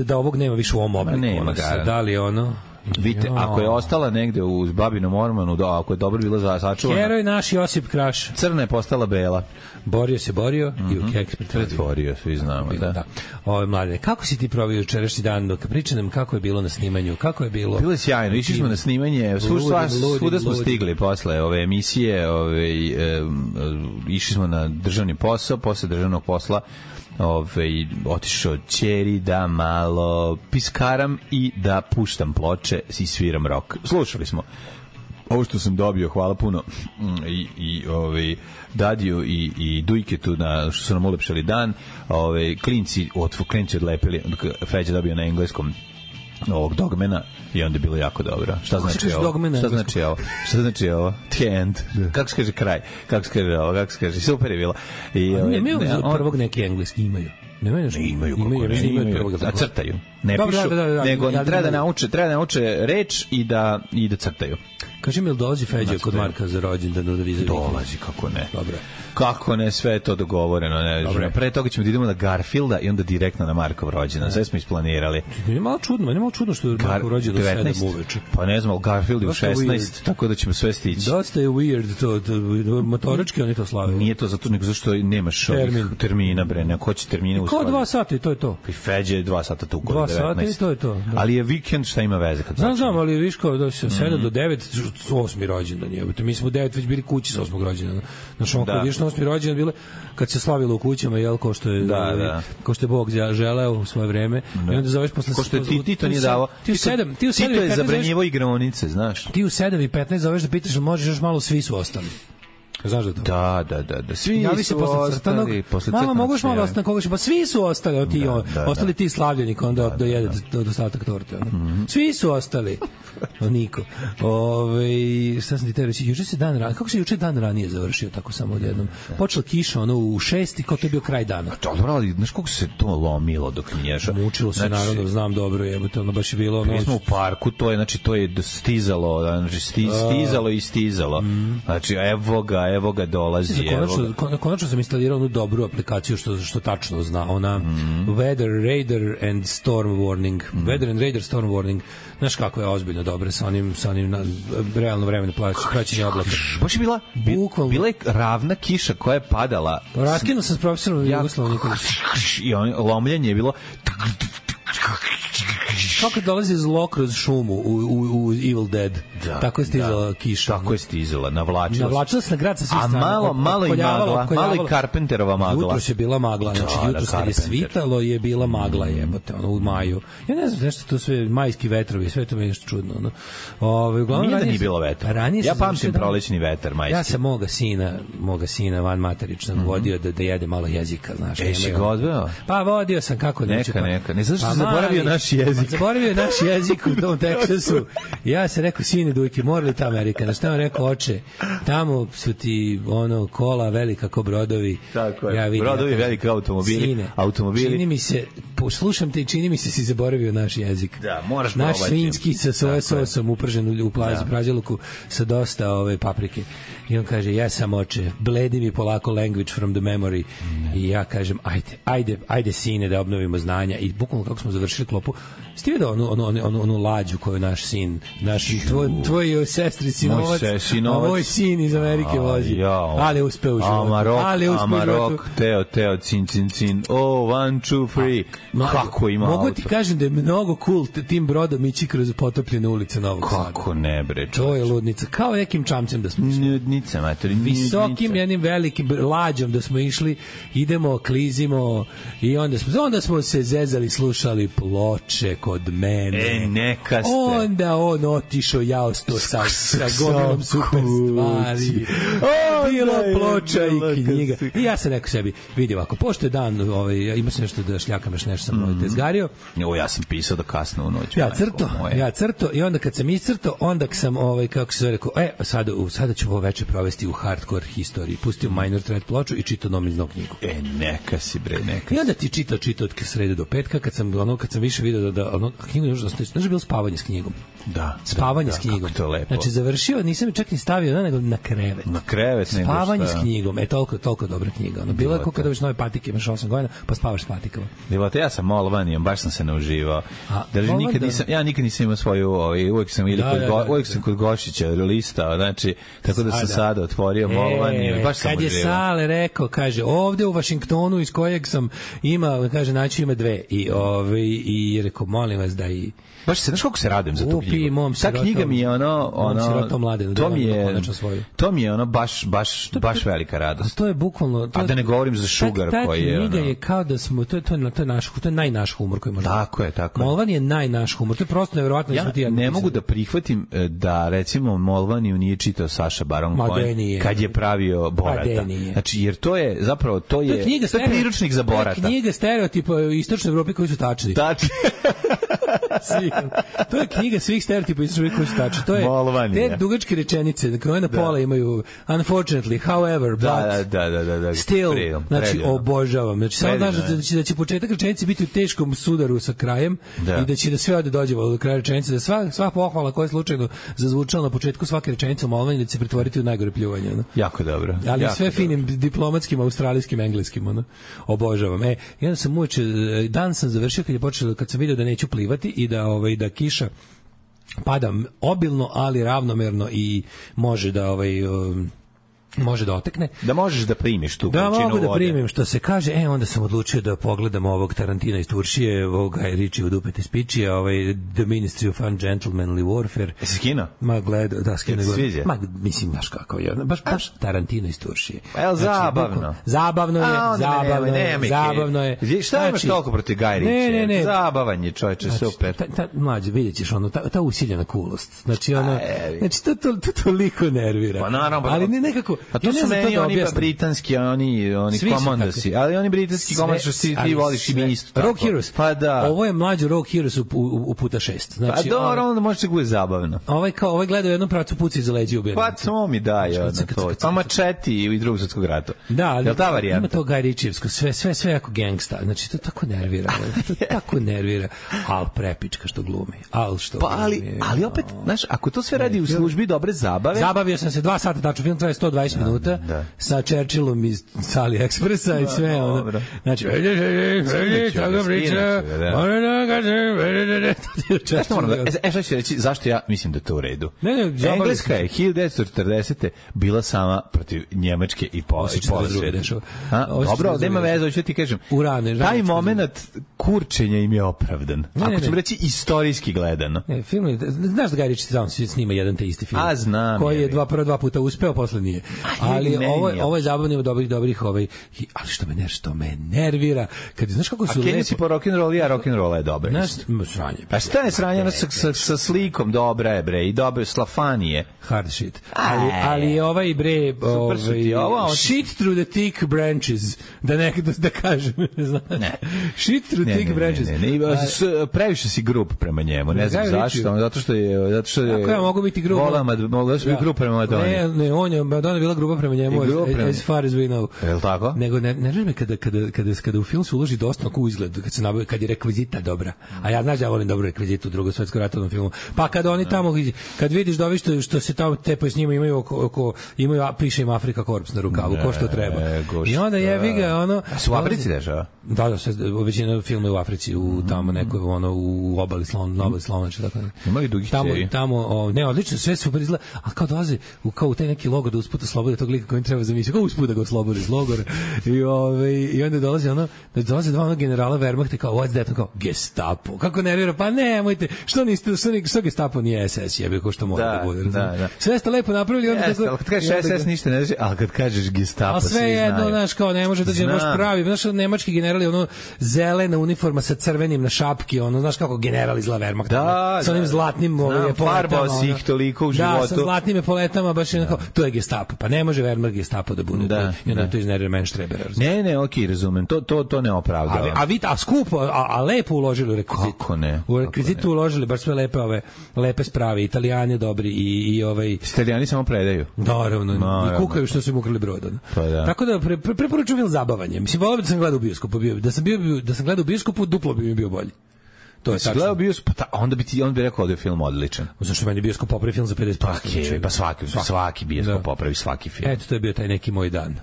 da ovog nema više u ovom obliku. Nema ga. Da li ono... Vidite, ako je ostala negde u Babinom Ormanu, ako je dobro bila sačuvana... Heroj naš Josip Kraš. Crna je postala bela. Borio i u keks pretvorio, svi znamo, da. Mladine, kako si ti provio jučerašnji dan? Dok priča nam kako je bilo na snimanju, kako je bilo... Bilo je sjajno, išli smo na snimanje, svuda smo stigli posle ove emisije, išli smo na državni posao, posle državnog posla otišao ćeri da malo piskaram i da puštam ploče i sviram rock. Slušali smo ovo što sam dobio, hvala puno i Dadiju i Dujketu što su nam ulepšali dan. Klinci odlepili, Feđa dobio na engleskom ovog Dogmana i onda je bilo jako dobro. Šta znači ovo? Šta znači ovo? The end. Kako se kaže kraj? Kako se kaže ovo? Kako se kaže? Super je bilo. Nemaju prvog neki engleski imaju. Imaju a crtaju. Ne pišu, nego treba da nauče reč i da crtaju. Kaži mi, ili dolazi Feđa kod Marka za rođendan? Dolazi, kako ne. Dobro. Kako ne, sve je to dogovoreno. Pre toga ćemo da idemo na Garfielda i onda direktno na Markov rođendan. Sve smo isplanirali. Meni je malo čudno što je Markov rođendan do 7 uveče. Pa ne znam, Garfield je u 16, tako da ćemo sve stići. Dosta je weird to, motorički oni to slave. Nije to zato, nego zašto nemaš termina, bre, neko hoće termine u stvari. Kao 2 sata i to je to. I Feđa je 2 sata tu kod 19. 2 sata i to je to. Ali je vikend, šta ima veze? Znam, ali viš kao da se 7 do 9, 8. rođendan je. Mi smo u 9 već bili kući sa 8. rođendana. Znaš, on kad viš na 8. rođendan bile, kad se slavilo u kućama, jel, ko što je Bog želeo u svoje vreme. I onda zoveš posle... Ko što je Tito nije davo. Tito je zabranjivo igronice, znaš. Ti u 7:15 zoveš da pitaš, možeš još malo, svi su ostali. Znaš da to? Da. Svi su ostali. Mama, moguš malo ostati na koga pa svi su ostali. Ostali ti slavljenik, onda dojede do ostatak torte. Svi su ostali. Niko. Šta sam ti te reći? Juče se dan ranije, kako se juče dan ranije završio, tako samo odjednom? Počela kiša, u 6 i kao to je bio kraj dana. Dobro, ali znaš kako se to lomilo dok nješa? Mučilo se, naravno, znam dobro, jebote, ono baš je bilo... Mi smo u parku, to je stizalo, stizalo i stizalo. Znači, evo ga dolazi. Konačno sam instalirao onu dobru aplikaciju što tačno zna. Ona Weather Radar and Storm Warning. Weather and Radar Storm Warning. Znaš kako je ozbiljno dobro sa onim realno vremena praćenja oblaka. Baš je bila je ravna kiša koja je padala. Raskinuo sam s profesorom Jugoslavom Nikolićem. I lomljenje je bilo kako dolazi zlo kroz šumu u Evil Dead. Tako je stizala kiša. Tako je stizala, navlačila se na grad sa svih strana. A malo i magla, malo i Carpenterova magla. Jutros je bila magla, znači jutros kad je svitalo je bila magla, jebote, ono u maju. Ja ne znam nešto to sve, majski vetrovi, sve to mi je nešto čudno. Uglavnom, nije da nije bilo vetra. Ja pamtim prolećni vetar, majski. Ja sam moga sina van materičnog vodio da jede malo jezika, znaš. Si ga odveo? Pa vodio sam, kako neću. Neka. Ne znaš što zaboravio naš jezik. Zaboravio naš jezik u tom Teksasu. Ja sam rekao, sine Dujke, mora li ta Amerika? Znaš, tamo rekao, oče, tamo su ti kola velika ko brodovi. Tako je, brodovi veliki automobili. Sine, čini mi se, slušam te i čini mi se si zaboravio naš jezik. Da, moraš probati. Naš svinjski sa soja sosom upržen u praželuku sa dosta paprike. I on kaže, ja sam oče, bledi mi polako language from the memory. I ja kažem, ajde sine da obnovimo znanja. I bukvalno kako smo završili klopu, ste vidio onu lađu koju naš sin, tvoj sestri sinovac, a moj sin iz Amerike vozi. Ali je uspeo u životu. Amarok, Teo, cin. Oh, 1, 2, 3. Kako ima auto? Mogu ti kažem da je mnogo cool tim brodom ići kroz potopljene ulice Novog Sada. Kako ne, bre. To je ludnica. Kao nekim čamcem da smo išli. Ludnica, mater. Visokim jednim velikim lađom da smo išli, idemo, klizimo i onda smo se zezali, slušali ploče kod mene. Neka ste. Onda on otišao jaosto sa gomilom super stvari. Bilo ploča i knjiga. I ja sam rekao sebi, vidi ovako, pošto je dan, ima se nešto da šljakam još nešto sam tezgario. Ja sam pisao da kasno u noć. Ja crto i onda kad sam iscrto, onda sam, kako se rekao, sada ću ovo večer provesti u hardcore historiji. Pustio Minor Threat ploču i čitao Nomiznu knjigu. Neka si bre, neka. I onda ti čitao od srede do petka, kad sam više video da knjigu još dosta, znači bilo spavanje s knjigom. Da. Spavanje s knjigom. Kako to lepo. Znači završio, nisam čak ni stavio nego na krevet. Na krevet, nego šta. Spavanje s knjigom, toliko dobra knjiga. Bilo je kako kada viš nove patike, imaš 8 godina, pa spavaš s patikama. Bilo te, ja sam Molvanijom, baš sam se nauživao. Ja nikad nisam imao svoju, uvek sam kod Gošića listao, znači, tako da sam sada otvorio Molvaniju, baš sam uživao. Kad je Sale rekao, kaže, ovde u Vašingtonu iz kojeg sam kaže, naći ima 2 i rekao, molim vas da i baš se, znaš kako se radujem za tu knjigu. Ta knjiga mi je to mi je baš velika radost. To je bukvalno... A da ne govorim za Sugar koji je... Ta knjiga je kao da smo... To je najnaš humor koji možemo... Tako je. Molvan je najnaš humor. To je prosto nevjerovatno. Ja ne mogu da prihvatim da, recimo, Molvaniju nije čitao Saša Baron Cohen kad je pravio Borata. Znači, jer to je, zapravo, to je priručnik za Borata. To je knjiga stereotipa istočne Evrope koji su tačni. To je knjiga svih stereotipa istočne Evrope koji su tačni. To je te dugačke rečenice koje na pola imaju unfortunately, however, but still, znači obožavam. Znači samo znaš da će početak rečenice biti u teškom sudaru sa krajem i da će da sve dođe do kraja rečenice, da sva pohvala koja je slučajno zazvučala na početku svake rečenice u Molvanji da će se pretvoriti u najgore pljuvanje. Jako dobro. Ali sve finim diplomatskim, australijskim, engleskim. Obožavam. Jedan sam dan sam završio kad sam vidio da neću plivati i da kiša pada obilno, ali ravnomerno i može da otekne. Da možeš da primiš tu količinu vode. Da mogu da primim, što se kaže. Onda sam odlučio da pogledam ovog Tarantina iz Turšije, ovog Guy Ritchie od Upete Spičije, The Ministry of Ungentlemanly Warfare. Jesi skino? Ma gledao, da skino. Ma, mislim, znaš kako je. Baš Tarantino iz Turšije. Evo, zabavno. Zabavno je. Šta imaš toliko protiv Guy Ritchie? Ne. Zabavan je, čovječe, super. Mlađe, vidjet ćeš ta usiljena kulost. Znači, to toliko nervira. Pa naravno, ali ne nekako. A to su meni oni britanski, oni komandosi, ali oni britanski komandosi ti voliš i mi isto tako. Rogue Heroes. Pa da. Ovo je mlađo Rogue Heroes u puta 6. Znači, pa dobro, onda može se bude zabavno. Ovaj gleda u jednom pravcu puci za leđe ubijeni. Pa to mi daje na to. Pa Machete i Drugog svjetskog rata. Da, ali ima to Guy Ritchievsko, sve jako gangsta. Znači, to tako nervira. Al prepička što glumi. Pa ali opet, znaš, ako to sve radi u službi dobre zabave. Zabavio sam se 2 sata, tačno film traje 120 6 minuta sa Churchillom iz Sali Ekspresa i sve ono. Znači, tako priča. Šta ću reći, zašto ja mislim da to u redu? Engleska je 1940. bila sama protiv Njemačke i pola sveta. Dobro, nema veze, hoću ti kažem. Taj moment kurčenja im je opravdan. Ako ćemo reći istorijski gledano. Film je, znaš da Guy Ritchie sam snima jedan te isti film. Znam. Koji je dva puta uspeo, posle nije. Ali ovo je zabavno dobrih ali što me nervira, kad znaš kako su lepo. A Kenny po rock'n'roll, ja rock'n'roll je dobar. Sranje. A šta je sranje sa slikom, dobra je bre, i dobro slafanije. Hard shit. Ali je ovaj bre, shit through the thick branches, da kažem. Shit through thick branches. Previše si grup prema njemu, ne znam zašto, zato što je ako ja mogu biti grup, mogu da biti grup prema Madoni. Ne, on je Madonna bila grupa prema njemu, as far as we know. Je li tako? Nego ne želim kada u film se uloži dosta u izgled, kad je rekvizita dobra. A ja znaš da ja volim dobru rekvizitu u Drugom svetskom ratovnom filmu. Pa kad oni tamo, kad vidiš da ovi što se tamo tepaju s njima imaju piše im Afrika Korps na rukavu, ko što treba. I onda jebi ga ono. Su u Africi dešava? Da, većina filma je u Africi, u tamo nekoj u obali Slonovače, tako. Imali dugih cevi? Tamo, ne, odlično, sve super izgleda, a kao dolaze u taj neki logor da usput oslobode tog lika kojim treba zamisliti, kao usput da ga oslobode iz logora. I onda dolaze dva generala Wehrmachta kao, what's that? Kao, Gestapo. Kako nervira? Pa nemojte, što Gestapo nije SS, jebi, ko što mora da bude. Da. Sve ste lepo napravili. Ali kad kažeš SS ništa ne znači, ali kad kažeš Gestapo svi znaju. Sve jedno, znaš, kao ne može da je baš pravi. Znaš, nemački generali, ono, zelena uniforma sa crvenim na šapki, ono, znaš kako general iz Wehrmachta. Sa onim zlatnim farbao si ih toliko u životu. Da, sa zlatnim epoletama, baš jednako, to je Gestapo. Pa ne može Wehrmacht Gestapo da bude. I onda to iznervira Menštrebera. Ne, okej, razumem. To ne opravdava. A skupo, a lepo uložili u rekvizitu. Kako ne? U rekvizitu uložili baš sve lepe sprave. Italijani dobri i ovaj... Italijani samo predaju. Naravno. I kukaju što su im ukrali brod. Tako da preporučujem film zabavanje. Mislim, volio da sam gledao u bioskopu. Da sam gledao u bioskopu, duplo bi mi bio bolji. To je tačno. Gledao bioskop, onda bi rekao da je film odličan. Zašto meni bioskop popravi film za 50%? Pa svaki bioskop popravi svaki film. Eto, to je bio taj neki moj dan.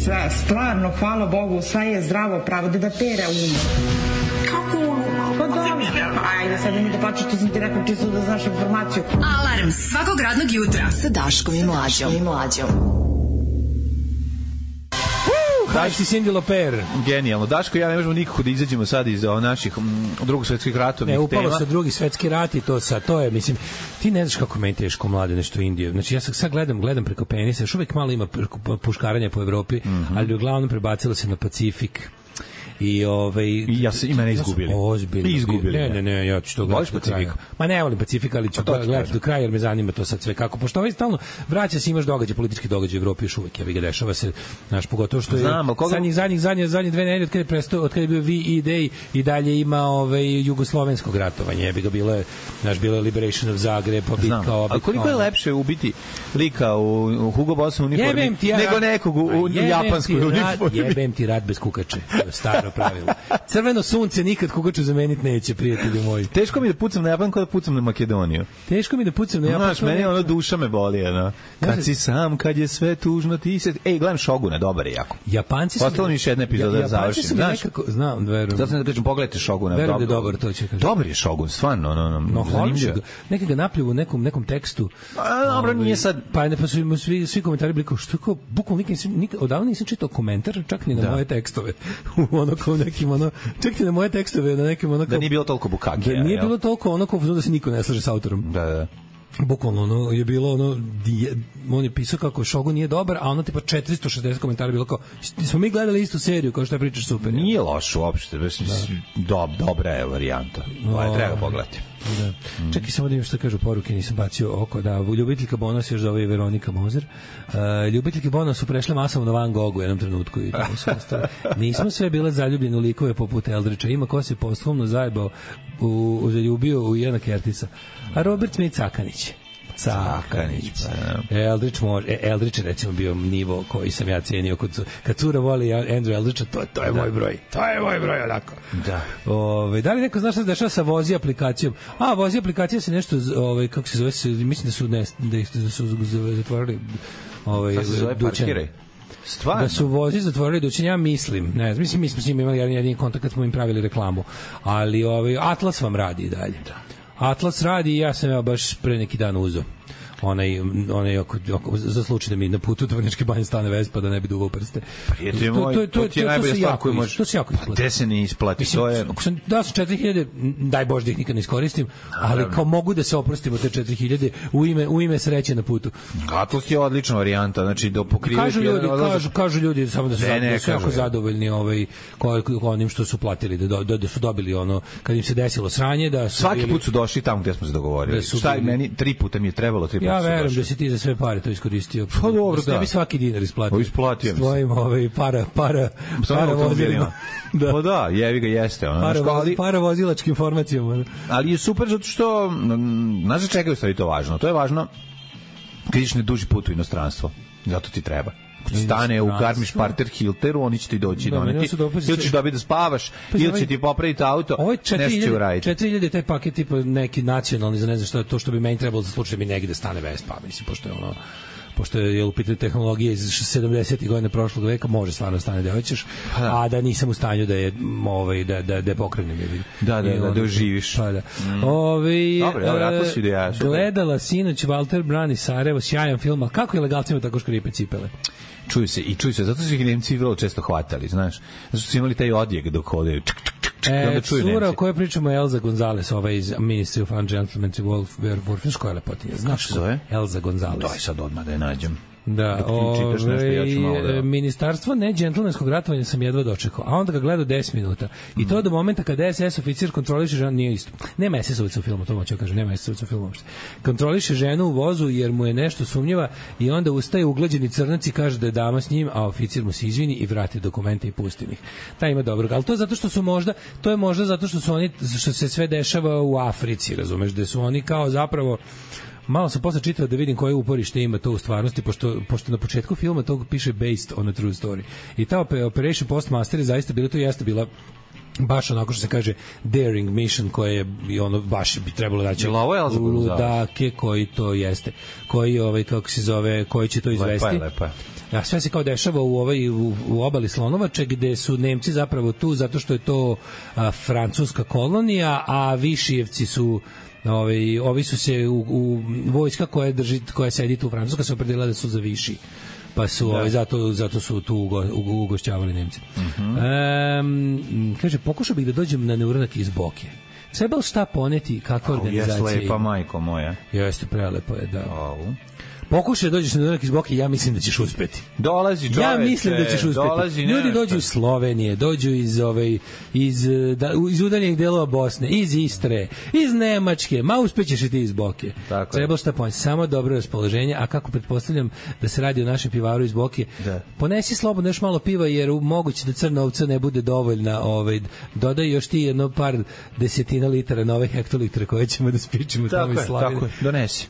Sve, stvarno, hvala Bogu, sve je zdravo, pravo da pere Kako? Pa dobro. Ajde, sad mi da plaću što sam ti rekao čisto da znaš informaciju. Alarm svakog radnog jutra sa Daškom i Mlađom. Daš ti Cindy Lauper. Genijalno. Daško i ja ne možemo nikako da izađemo sad iz naših drugog svetskih ratovnih tema. Upalo se drugi svetski rat i to je, mislim, ti ne znaš kako meni teško mlade nešto Indije. Znači, ja sad gledam preko penisa, još uvek malo ima puškaranja po Evropi, ali uglavnom prebacilo se na Pacifik. I mene izgubili. Ozbiljno. Ne, ja ću to gledati do kraja. Ma ne volim Pacifika, ali ću gledati do kraja jer me zanima to sad sve kako. Pošto ovaj stalno vraća se, imaš politički događaj u Evropi još uvek, ja bih ga dešava se, znaš, pogotovo što je zadnjih 2 nedelje od kada je bio VE Day i dalje ima jugoslovenskog ratovanja, ja bih ga bilo je Liberation of Zagreb, pa bitka ova. A koliko je lepše ubiti lika u Hugo Boss uniformi nego nekog u japanskoj uniformi? Jebem ti rat bez kukače, staro pravilo. Crveno sunce nikad kukaču zameniti neće, prijatelji moji. Teško mi da pucam na Japan kao da pucam na Makedoniju. Teško mi da pucam na Japan. Znaš, meni ono duša me boli, ono. Kad si sam, kad je sve tužno, ti se... Gledam Šoguna, dobar je jako. Japanci su... Ostalo mi još jedna epizoda da završim. Znaš, znam, verujem. Zato sam da kažem, pogledajte Šoguna. Verujem da je dobar, to će kažem. Dobar je Šogun, stvarno, zanimljivo. Neki ga napljuju u nekom tekstu. Dobro, nije sad... Pa su svi komentari bili kao, što je kao, bukvalno odavno nisam čitao komentar, čak ni na moje tekstove. Ono kao nekim, čak ni na moje tekstove, na nekim, ono kao... Da nije bilo toliko bukake. Da nije bilo toliko, ono kao da se niko ne slaže sa autorom. Da. Bukvalno, je bilo, on je pisao kako Shogun nije dobar, a ono tipa 460 komentara bilo kao, smo mi gledali istu seriju, kao što je pričaš super. Nije loš uopšte, dobra je varijanta. Treba pogledati. Da. Čekaj samo da im što kažu poruke, nisam bacio oko, da ljubiteljka Bonos još zove Veronika Mozer. Ljubiteljke Bonos su prešle masovno Van Gogh u jednom trenutku i tamo su ostale. Nismo sve bile zaljubljene u likove poput Eldriča, ima ko se posthumno zajebao zaljubio u Jana Kertisa. A Robert Smith Cakanić. Cakanić. Eldrić je recimo bio nivo koji sam ja cenio kad cura voli Andrew Eldrića, to je moj broj. To je moj broj, onako. Da. Da li neko zna šta se dešava sa Vozi aplikacijom? Vozi aplikacija se nešto, kako se zove, mislim da su zatvorili dućan. Stvarno? Da su Vozi zatvorili dućan, ja mislim, ne znam, mislim s njim imali jedini kontakt kad smo im pravili reklamu, ali Atlas vam radi i dalje. Da. Atlas radi i ja sam baš pre neki dan uzeo onaj za slučaj da mi na putu do Vrnjačke Banje stane Vespa da ne bi duvao prste. Prijatelj moj, to ti je najbolja stvar koju možeš. To se jako isplati. Gde se ne isplati? Mislim, ako sam dao sam 4000, daj Bože da ih nikad ne iskoristim, ali kao mogu da se oprostimo te 4000 u ime sreće na putu. Atlas je odlična varijanta, znači do pokriveš kažu ljudi samo da su jako zadovoljni onim što su platili, da su dobili ono kad im se desilo sranje, da su svaki put su došli tamo gde smo se dogovorili. Šta meni 3 puta mi je trebalo, 3 puta. Ja verujem da si ti za sve pare to iskoristio. Pa dobro, da. Tebi svaki dinar isplatio. Isplatio mi se. Tvojim para vozilima. Da. Pa da, jevi ga jeste. Para vozilačkim informacijama. Ali je super zato što, znaš za čega je u stvari to važno? To je važno kad ideš na duži put u inostranstvo. Zato ti treba. Stane u Garmisch-Partenkirchen Hilteru, oni će ti doći doneti. Ili ćeš dobiti da spavaš, ili će ti popraviti auto, nešto će uraditi. 4000 taj paket tipa neki nacionalni, za ne znam što je to što bi meni trebalo za slučaj da mi negde stane Vespa, mislim, pošto je u pitanju tehnologije iz 70. godina prošlog veka, može stvarno stane da hoćeš, a da nisam u stanju da je da pokrenem. Da oživiš. Pa da. Gledala sinoć Walter Brani Sarajevo, sjajan film, kako je legalcima tako škripe cipele? Čuju se, zato su ih Nemci vrlo često hvatali, znaš. Zato su imali taj odjek dok hodaju. Cura o kojoj pričamo je Elza Gonzalez, iz Ministry of Ungentlemanly Warfare, koja je lepotinja. Znaš kako zove? Elza Gonzalez. Daj sad odmah da je nađem. Da, ministarstvo nedžentlmenskog ratovanja sam jedva dočekao, a onda ga gledao 10 minuta. I to do momenta kada SS oficir kontroliše ženu, nije isto. Nema SS-ovica u filmu, to moću kažem, nema SS-ovica u filmu uopšte. Kontroliše ženu u vozu jer mu je nešto sumnjiva i onda ustaje uglađeni crnac i kaže da je dama s njim, a oficir mu se izvini i vrati dokumente i pusti ih. Taj ima dobrog, ali to je zato što su možda zato što su oni, što se sve dešava u Africi, razumeš, da su oni kao zapravo. Malo sam posle čitao da vidim koje uporište ima to u stvarnosti, pošto na početku filma to piše based on a true story. I ta Operation Postmaster je zaista bila, to jeste bila baš onako što se kaže daring mission koje je baš bi trebalo naći ludake koji to jeste, koji kako se zove, koji će to izvesti. Lepa. Ja, sve se kao dešava u obali Slonovače gde su Nemci zapravo tu zato što je to francuska kolonija, a Višijevci su ovi su se u vojska koja sedi tu u Francuska se opredelila da su za Viši, pa su zato su tu ugošćavali Nemci. Kaže, pokušao bih da dođem na neuranak iz Boke. Trebalo šta poneti, kakva organizacija. Jeste lepa, majko moja. Jeste, prelepo je, da. Pokušaj da dođeš na neuranak iz Boke, ja mislim da ćeš uspeti. Dolazi čoveče. Ja mislim da ćeš uspeti. Ljudi dođu iz Slovenije, dođu iz udaljenih delova Bosne, iz Istre, iz Nemačke, uspećeš i ti iz Boke. Treba šta poneti, samo dobro raspoloženje, a kako pretpostavljam da se radi o našem pivaru iz Boke, ponesi slobodno još malo piva, jer moguće da crna ovca ne bude dovoljna, dodaj još ti jedno par desetina litara nove hektolitra koje ćemo da spičimo tamo iz Slavine. Tako je, donesi.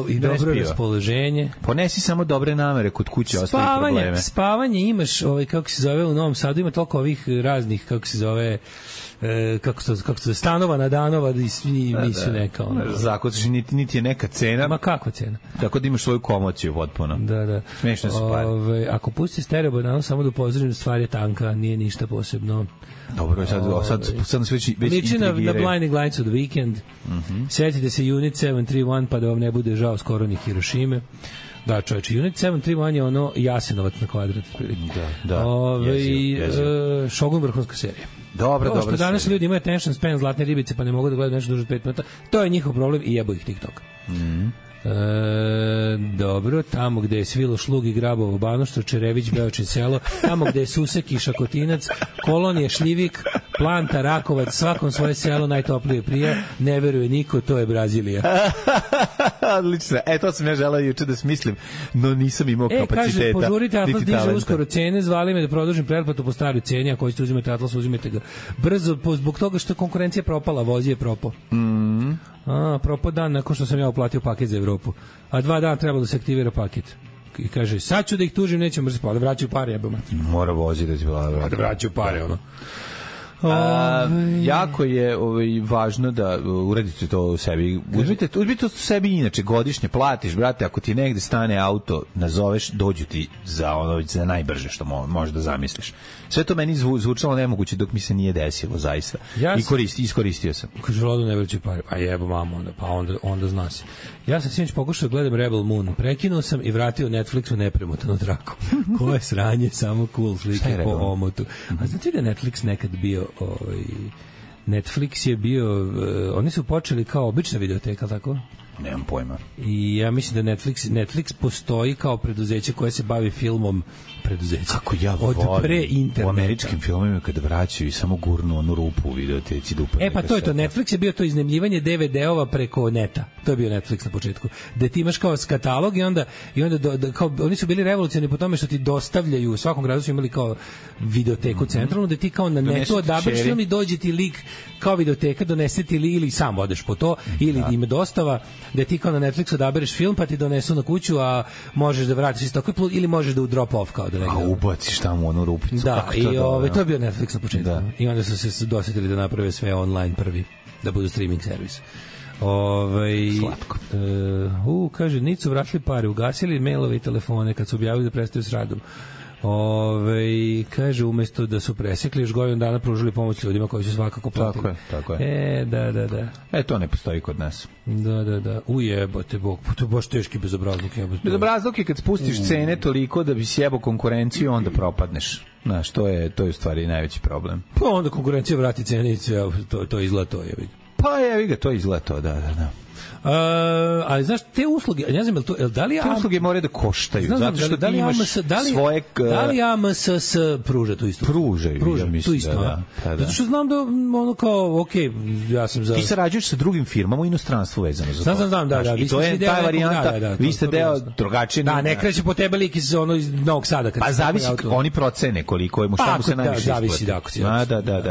I dobro raspoloženje. Ponesi samo dobre namere kod kuće, ostali probleme. Spavanje imaš, kako se zove u Novom Sadu, ima toliko ovih raznih, kako se zove, kako se stanova na danova i svi nisu neka. Zakucaš, niti je neka cena. Ma kakva cena? Tako da imaš svoju komociju potpuno. Da. Smešno su pare. Ako pusti stereo bananu, samo da upozorim, stvar je tanka, nije ništa posebno. Dobro, sad nas već liči na Blinding Lights of the Weekend. Sjetite se Unit 731 pa da vam ne bude žao skoro ni Hirošime. Da, čovječe, Unit 731 je ono Jasenovac na kvadrat. Da. Shogun vrhunska serija. Dobro. Što danas ljudi imaju attention span zlatne ribice pa ne mogu da gledaju nešto duže od 5 minuta, to je njihov problem i jebo ih TikTok. Dobro, tamo gde je svilo šlug i grabovo Banoštro, Čerević, Beočin selo, tamo gde je Susek i Šakotinac, Kolonije, Šljivik, Planta, Rakovac, svakom svoje selo najtoplije prija, ne veruje niko, to je Brazilija. Odlično. To sam ja želao juče da smislim, no nisam imao kapaciteta. Kaže, požurite, Atlas diže uskoro cene, zvali me da produžim pretplatu po staroj ceni, ako hoćete uzimati Atlas, uzimajte ga brzo, zbog toga što konkurencija propala, Vozi je propao. Propao dan nakon što sam ja uplatio paket za Evropu. A 2 dana trebalo da se aktivira paket. I kaže, sad ću da ih tužim, nećem mrziti, pa da vraćaju pare, jebama. Mora voziti da će da vraćaju pare, ono. Jako je važno da uredite to u sebi. Uzmite to u sebi inače, godišnje platiš, brate, ako ti negde stane auto, nazoveš, dođu ti za najbrže što možeš da zamisliš. Sve to meni zvučalo nemoguće dok mi se nije desilo, zaista. I iskoristio sam. Kaže, Vlado, ne vraćaju pare. Pa jebo mamo, onda zna se. Ja sam sinoć pokušao da gledam Rebel Moon. Prekinuo sam i vratio Netflixu nepremotanu traku. Koje sranje, samo cool slike po omotu. A znate da Netflix nekad bio Netflix je bio oni su počeli kao obična videoteka, tako? Nemam pojma. I ja mislim da Netflix postoji kao preduzeće koje se bavi filmom preduzeće. Kako ja volim u američkim filmovima kada vraćaju i samo gurnu onu rupu u videoteci da upadne. Pa to je to. Netflix je bio to iznajmljivanje DVD-ova preko neta. To je bio Netflix na početku. Da ti imaš kao katalog i onda kao, oni su bili revolucionarni po tome što ti dostavljaju, u svakom gradu su imali kao videoteku centralnu, da ti kao na netu odabereš film i dođe ti lik kao videoteka, donese ti ili sam odeš po to, ili ima dostava, da ti kao na Netflixu odabereš film pa ti donesu na kuću, a možeš da vratiš isto tako, ili možeš da u drop off kao da negdje. A ubaciš tamo onu rupicu. Da, i to je bio Netflix na početku. Da. I onda su se dosetili da naprave sve online prvi, da budu streaming servis. Slatko. Kaže, nisu vratili pare, ugasili mailove i telefone kad su objavili da prestaju s radom. Kaže, umesto da su presekli, još godinu dana pružili pomoć ljudima koji su svakako platili. Tako je. Da. To ne postoji kod nas. Da. Ujebote Bog, to je baš teški bezobrazluk. Bezobrazluk je kad spustiš cene toliko da bi sjebao konkurenciju, onda propadneš. Znaš, to je u stvari najveći problem. Pa onda konkurencija vrati cene i to izgleda to je. Pa jevi ga, to izgleda to, da. Ali znaš, te usluge, ne znam, da li te usluge moraju da koštaju, zato što ti imaš svoje... Da li AMSS pruža tu isto? Pružaju, ja mislim, da. Zato što znam da ono kao, okej, ja sam za... Ti sarađuješ sa drugim firmama u inostranstvu vezano za to. Znam, da. I to je ta varijanta, vi ste deo drugačije... Da, ne kreće po tebe lik iz Novog Sada. Pa zavisi, oni procene koliko je mu, šta mu se najviše isplati.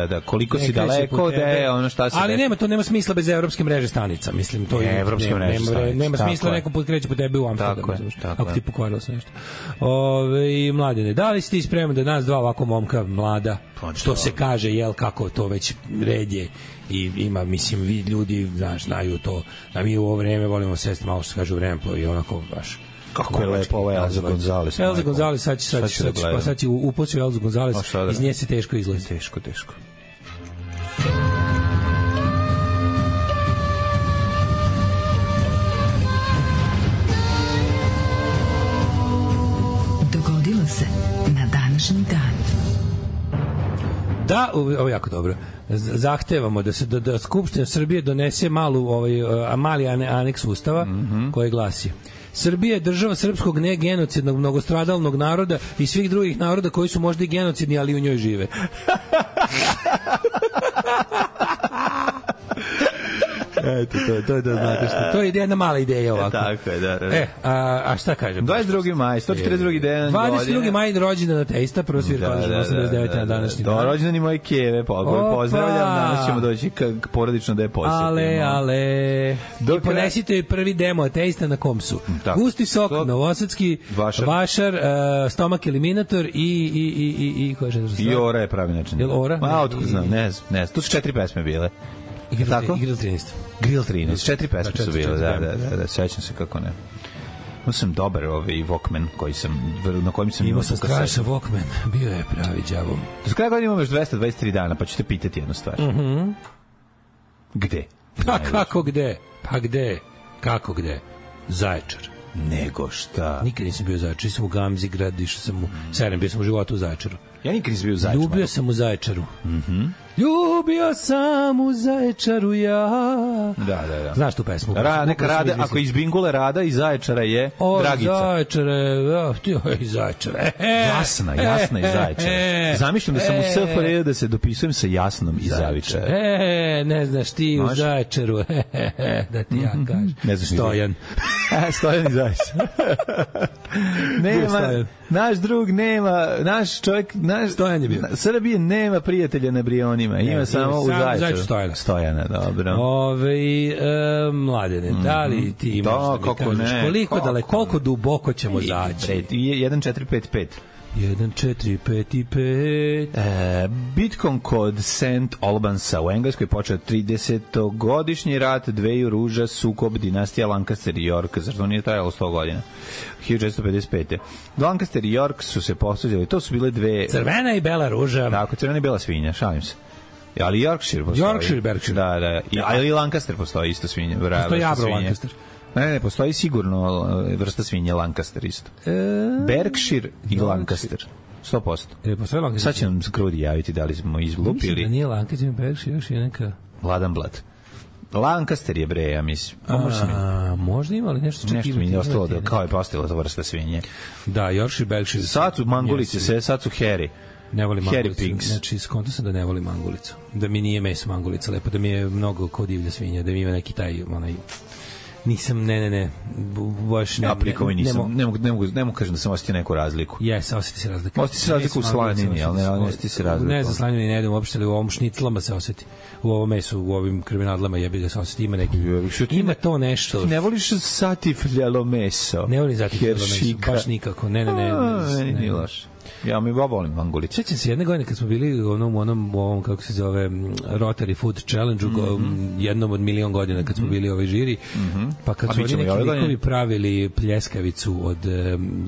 Da, koliko si daleko, da je ono šta se... Ali nema smisla bez evropske mreže stanica, mislim, to je evropske mreže stanica. Nema smisla neko put kreće po tebi u Amsterdamu. Ako ti pokvarilo se nešto. Mladine, da li si ti spreman da nas dva ovako momka mlada, što se kaže, jel, kako to već red je i ima, mislim, vi ljudi, znaš, znaju to, da mi u ovo vreme volimo sesti malo, što se kaže, u vreme i onako baš... Kako je lepo ovo Elza Gonzales. Elza Gonzales, sad će upoći Elza Gonzales, iz nje se teško izlazi. Teško. Dogodilo se na današnji dan. Da, ovo je jako dobro. Zahtevamo da Skupština Srbije donese mali aneks Ustava koji glasi: Srbija je država srpskog negenocidnog mnogostradalnog naroda i svih drugih naroda koji su možda i genocidni, ali u njoj žive. Eto, to je da znate što. To je jedna mala ideja ovako. Tako je, da. A šta kažem? 22. maj, 142. dan. 22. maj rođendan ateista, prvo svirka 89. na današnji dan. Rođendan i moje keve, pozdravljam, danas ćemo doći porodično da je posjetimo. Ale. I ponesite joj prvi demo ateista na Komsu. Gusti sok, Novosadski, Vašar, Stomak Eliminator i koja je I Ora je pravi način. Je li Ora? Otkud znam, ne znam. Tu su 4 pesme bile. Grill 13. Grill 13, 4 pesme su bile, da, sećam se kako ne. Imao sam dobar Walkman na kojim sam imao sam strašan Walkman, bio je pravi đavo. Do kraja godine imamo još 223 dana, pa ću te pitati jednu stvar. Gde? Pa kako gde? Kako gde? Zaječar. Nego šta? Nikad nisam bio u Zaječaru, sam u Gamzi grad, išao sam u Seren, bio sam u životu u Zaječaru. Ja nikad nisam bio u Zaječaru. Ljubio sam u Zaječaru. Ljubio sam u Zaječaru ja. Da. Znaš tu pesmu? Neka Rada, ako iz Bingule Rada iz Zaječara je Dragica. Zaječare, iz Zaječara. Jasna iz Zaječara. Zamišljam da sam u SFRJ da se dopisujem sa Jasnom iz Zaječara. Ne znaš ti u Zaječaru. Da ti ja kažem. Ne znaš Stojan. Stojan iz Zaječara. Naš drug nema, naš čovjek, Stojan je bio. Srbije nema prijatelja na Brioni. Limjanima, ima samo u Zaječaru. Stojana, dobro. Mladene, da li ti imaš da mi kažeš koliko daleko, koliko duboko ćemo zaći? 1455. 1455. Bitkom kod St. Albansa u Engleskoj počeo 30-godišnji rat dveju ruža, sukob dinastija Lancaster i York, zašto nije trajalo 100 godina. 1455. Lancaster i York su se posvađali, to su bile dve... Crvena i bela ruža. Tako, crvena i bela svinja, šalim se. Ali Yorkshire postoji. Berkshire. Da. Ali i Lancaster postoji isto svinja. Postoji Abro Lancaster. Ne, postoji sigurno vrsta svinje Lancaster isto. Berkshire i Lancaster. 100%. Sad će nam Krudi javiti da li smo izlupili. Mislim da nije Lancaster, Berkshire, još je neka... Vladanblad. Lancaster je bre, ja mislim. Možda ima, ali nešto čak nešto mi je ostalo da kao je postala ta vrsta svinje. Da, Yorkshire, Berkshire. Sad su mangulice, sad su Harry. Ne volim mangulicu. Znači, skonto sam da ne volim mangulicu. Da mi nije meso mangulica lepo, da mi je mnogo kao divlja svinja, da mi ima neki taj, onaj... Nisam, ne. Baš ne. Ja prikovi nisam. Ne mogu kažem da sam osjetio neku razliku. Jes, osjeti se razlika. Osjeti se razliku u slanini, ali ne osjeti se razliku. Ne za slanini ne jedem uopšte, ali u ovom šniclama se osjeti. U ovom mesu, u ovim krvinadlama jebi ga se osjeti. Ima neki. Ima to nešto. Ne voliš satifljalo meso? Ne volim satifljalo meso, baš nikako. Ne. Nije loše. Ja mi volim mangulice. Sjećam se jedne godine kad smo bili u ovom kako se zove Rotary Food Challenge jednom od milion godina kad smo bili žiri, pa kad su oni neki likovi pravili pljeskavicu od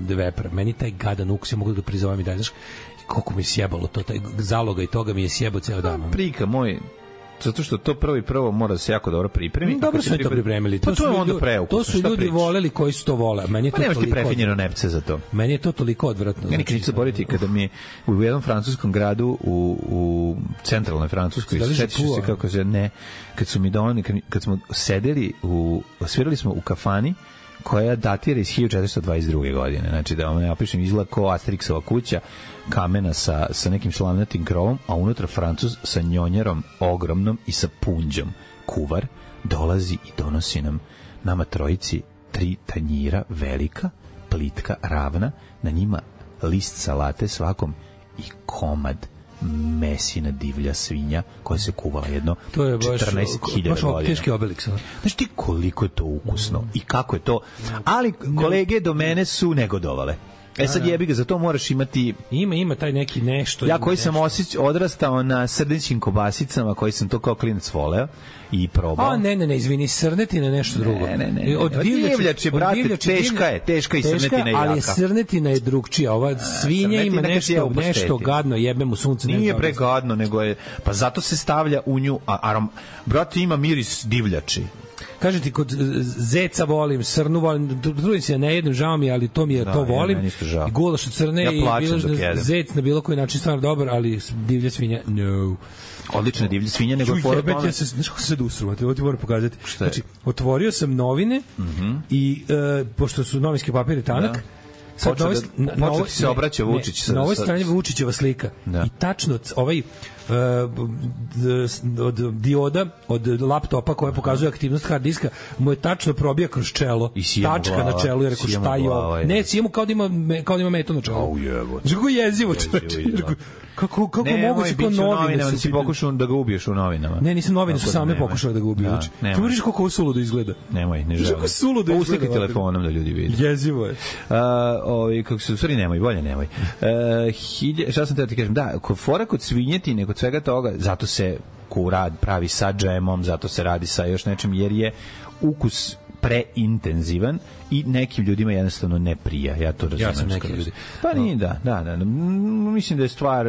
vepra, meni taj gadan ukus, ja mogu da ga prizovem i dalje, znaš koliko mi je sjebalo to, taj zaloga i toga mi je sjebao ceo dan. Prika moj, zato što to prvo mora da se jako dobro pripremi. Dobro su to pripremili. Pa to je onda preukusno. To su ljudi voleli koji su to vole. Meni je to nemaš ti prefinjeno nepce za to. Meni je to toliko odvratno. Ja nikad neću zaboraviti kada mi je u jednom francuskom gradu u centralnoj Francuskoj, sećaš se kako se kad su mi doneli, kad smo sedeli svirali smo u kafani koja datira iz 1422. godine. Znači da vam ja pišem izgleda kao Asterixova kuća, kamena sa nekim slavnatim krovom, a unutra Francuz sa njonjerom ogromnom i sa punđom. Kuvar dolazi i donosi nama trojici 3 tanjira velika, plitka, ravna, na njima list salate svakom i komad mesina divlja svinja koja se kuvala jedno 14.000 godina. Teški Obelix. Znaš ti koliko je to ukusno i kako je to, ali kolege do mene su negodovale. Sad jebi ga, za to moraš imati... Ima taj neki nešto... Ja koji sam odrastao na srnećim kobasicama, koji sam to kao klinac voleo i probao. Ne, izvini, srnetina je nešto drugo. Ne. Od divljači, brate, teška i srnetina je jaka. Ali srnetina je drugčija. Ova svinja ima nešto gadno, jebe mu sunce. Nije bre gadno, nego je... Pa zato se stavlja u nju... Brate, ima miris divljači. Kažem ti, kod zeca volim, srnu volim, trudim se, ne jedem, žao mi, ali to mi je, to volim. I gulaš od crne i zec na bilo koji način stvarno dobar, ali divlja svinja, no. Odlična divlja svinja, nego je fora tome. Znaš kako se dusruvate, ovo ti moram pokazati. Znači, otvorio sam novine i, pošto su novinski papir tanak, počeo ti se obraća Vučić. Na ovoj strani Vučićeva slika. I tačno ovaj od dioda, od laptopa koja pokazuje aktivnost hard diska, mu je tačno probija kroz čelo. Tačka na čelu, jer rekao šta je ovo. Ne, sjemu kao da ima meto na čelu. Kako jezivo, čoveče. Kako moguće ko novine su... Si pokušao da ga ubiješ u novinama. Ne, nisam, novine su same pokušale da ga ubiju. Ti možeš kako ovo suludo izgleda. Nemoj, ne želim. Kako suludo izgleda. Uslikaj telefonom da ljudi vidi. Jezivo je. Kako se, u stvari nemoj, bolje nemoj. Šta sam teo ti kažem, da, fora kod svinjetine, kod svega toga, zato se pravi sa džemom, zato se radi sa još nečim, jer je ukus preintenzivan i nekim ljudima jednostavno ne prija. Ja to razumijem. Ja sam neki ljudi. Pa nije, da. Mislim da je stvar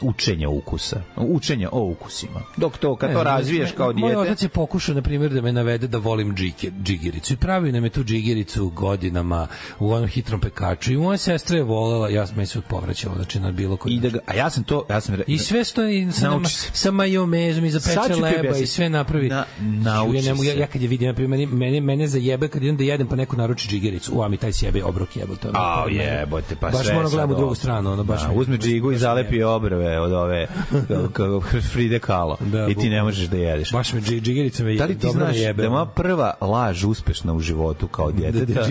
učenja ukusa. Učenja o ukusima. Dok to, kad to razviješ kao dijete... Moj otac je pokušao, na primjer, da me navede da volim džigericu. I pravio nam je tu džigericu godinama u onom hitrom pekaču. I moja sestra je volela, ja sam se povraćala, znači na bilo koji način. A ja sam to... I sve stoji sa majomezom i za peče leba i sve napravi. Nauči se. Ja kad je vidim, na primjer, mene zajebe kad idem da jedem pa neko naruči džigericu, a mi taj sjebe obrok jebote. A jebote, pa baš sve. Baš gledam u drugu stranu, ono baš. Uzme džigu i zalepi obrve od ove Fride Kahlo i ti ne možeš da jedeš. Baš me džigerica me da li ti znaš da je moja prva laž uspešna u životu kao djeteta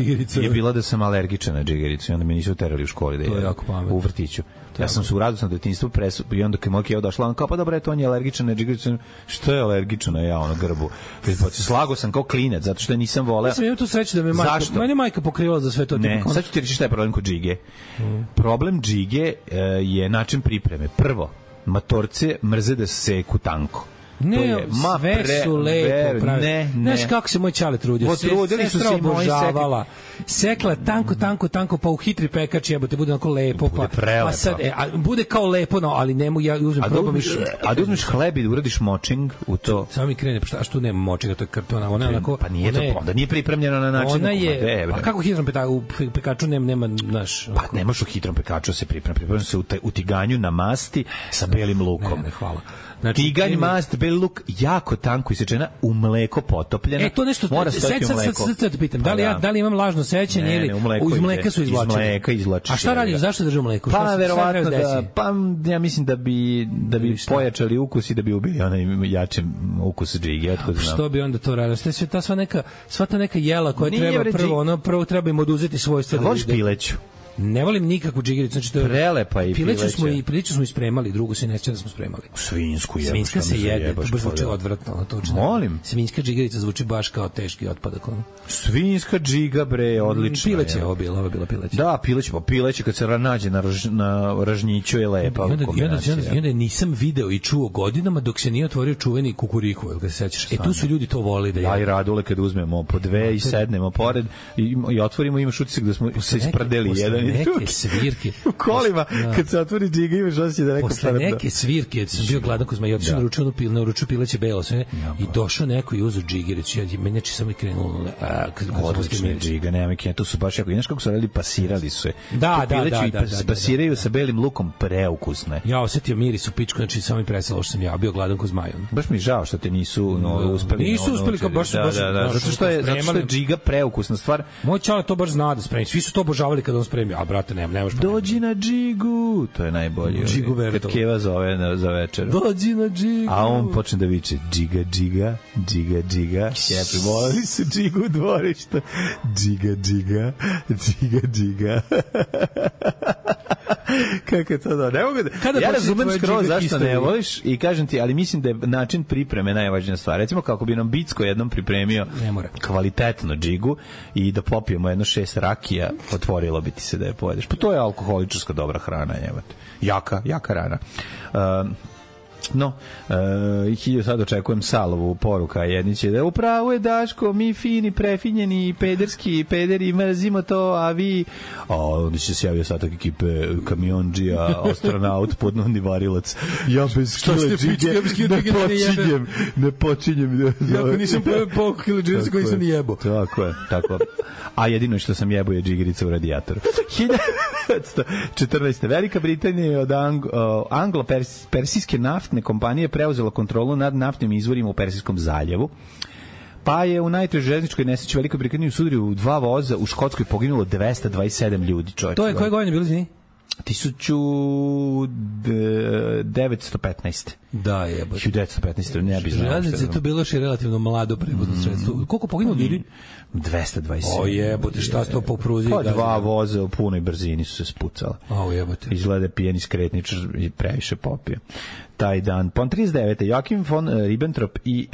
je bila da sam alergičan na džigericu i onda me nisu terali u školi da jedem u vrtiću. Ja sam se u radosnom detinjstvu i onda kad moj keo došla, on kao pa dobro, on je alergičan na džigericu. Što je alergičan na ja, ono grbu? Slago sam kao klinac, zato što nisam voleo. Ja sam imao tu sreću da me majka pokrivala za sve to. Ne, sad ću ti reći šta je problem kod džige. Problem džige je način pripreme. Prvo, matorce mrze da se seku tanko. Ne, sve su lepo pravi. Znaš kako se moj čale trudio? Potrudili su se i moji obožavala. Sekla tanko, pa u hitri pekač jebote, bude onako lepo. Pa sad, bude kao lepo, no, ali ne mogu, ja uzmem probam. A da uzmeš hleb i da uradiš močing u to? Samo mi krene, a što nema močinga, to je kartona. Ona je onako... Pa nije to, onda nije pripremljeno na način. Ona je, a kako hitrom pekaču nema, znaš... Pa nemaš u hitrom pekaču se pripremljeno se u tiganju na masti sa belim lukom. Ne, hvala. Znači, tiganj, mast, beli luk, jako tanko isečena, u mleko potopljena. To nešto, mora stojati u mleku. Sad te pitam, da li imam lažno sećanje ili iz mleka su izvlačili? Iz mleka izvlačiš. A šta radi, zašto drže u mleku? Pa, verovatno ja mislim da bi pojačali ukus i da bi ubili onaj jači ukus džige. Što bi onda to radio? Sva ta neka jela koja treba prvo treba im oduzeti svojstva. Voliš pileću? Ne volim nikakvu džigericu, znači to je prelepa i pileću smo ispremali, drugu se neće da smo spremali. Svinsku je. Svinska se jede, to baš zvuči odvratno, to molim. Svinska džigerica zvuči baš kao teški otpadak ono. Svinska džiga bre, odlično. Pileće je bila pileće. Da, pileće kad se nađe na ražnjiću je lepa. I onda nisam video i čuo godinama dok se nije otvorio čuveni kukuriku, jel ga se sećaš? Tu su ljudi to voli da jedu. Ja i Radule kad uzmemo po dve i sednemo pored i otvorimo, imaš utisak da smo se isprdeli jedan neke svirke u kolima, kad se otvori džiga imaš osjećaj da neko posle neke svirke, sam bio gladan ko zma i otišao naručio pileće belo sve i došao neko i uzeo džigericu, meni samo i krenulo odlične džiga, nema mi tu su baš jako, inaš kako su radili, pasirali su je. Da. Pasiraju sa belim lukom, preukusne. Ja osetio miris u pičku, znači samo mi presalo što sam ja bio gladan ko zmaj. Baš mi žao što te nisu uspeli. Nisu uspeli kao baš zato što je džiga preukusna stvar. Moj čale to baš zna da spremi. Svi su to obožavali kad on spremi. A brate, nemaš. Dođi na džigu, to je najbolje. Kad Keva zove za večer. Dođi na džigu. A on počne da viče džiga. Jepi, volili su džigu u dvorištu. Džiga. Kako to da? Ne mogu da... Ja razumem skroz zašto ne voliš i kažem ti, ali mislim da je način pripreme najvažnija stvar. Recimo kako bi nam Bicko jednom pripremio kvalitetno džigu i da popijemo jedno 6 rakija, otvorilo bi ti se da je pojedeš. Pa to je alkoholičarska dobra hrana, jebate. Jaka rana. Sad očekujem Salovu poruka, jedni će da upravo je Daško, mi fini, prefinjeni, pederski, pederi, mrzimo to, a vi onda će se javio satak ekipe kamionđija, astronaut, podnodni varilac, ja bez kile džige ne počinjem jako nisam pojel kile džige koji sam jebo. Tako. A jedino što sam jebo je džigerica u radijatoru. 1914. Velika Britanija je od anglo-persijske naftne kompanije preuzela kontrolu nad naftnim izvorima u Persijskom zaljevu. Pa je u najtežoj željezničkoj nesreći Velikoj Britaniji sudrio u 2 voza, u Škotskoj poginulo 227 ljudi, čovječe. To je koje godine bilo, izvini? 1915. Da, jebote. 1915, ne bi znao. Železnice to bilo še relativno mlado prevodno sredstvo. Koliko poginulo ljudi? 227. O jebote, šta sto po pruzi? Pa 2 voza u punoj brzini su se spucala. O jebote. Izgleda pijeni skretničar i previše popio. Taj dan. Pon 39. Joachim von Ribbentrop i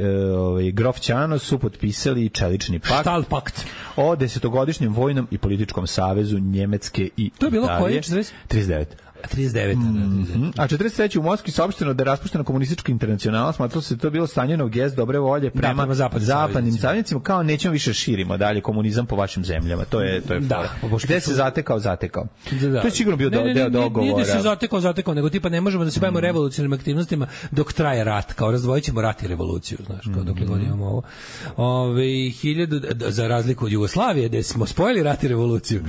Grof Ćano su potpisali čelični pakt. Štalpakt. O 10-godišnjem vojnom i političkom savezu Njemecke i Italije. To je bilo koje? 39. 39. A 43. u Moskvi saopšteno da je raspuštena komunistička internacionala, smatralo se da to bilo stanjeno gest dobre volje prema zapadnim saveznicima, kao nećemo više širimo dalje komunizam po vašim zemljama. To je fora. Gde se zatekao. To je sigurno bio deo dogovora. Nije da se zatekao, nego tipa ne možemo da se bavimo revolucionarnim aktivnostima dok traje rat, kao razdvojit ćemo rat i revoluciju, znaš, kao dok god imamo ovo. Za razliku od Jugoslavije, gde smo spojili rat i revoluciju.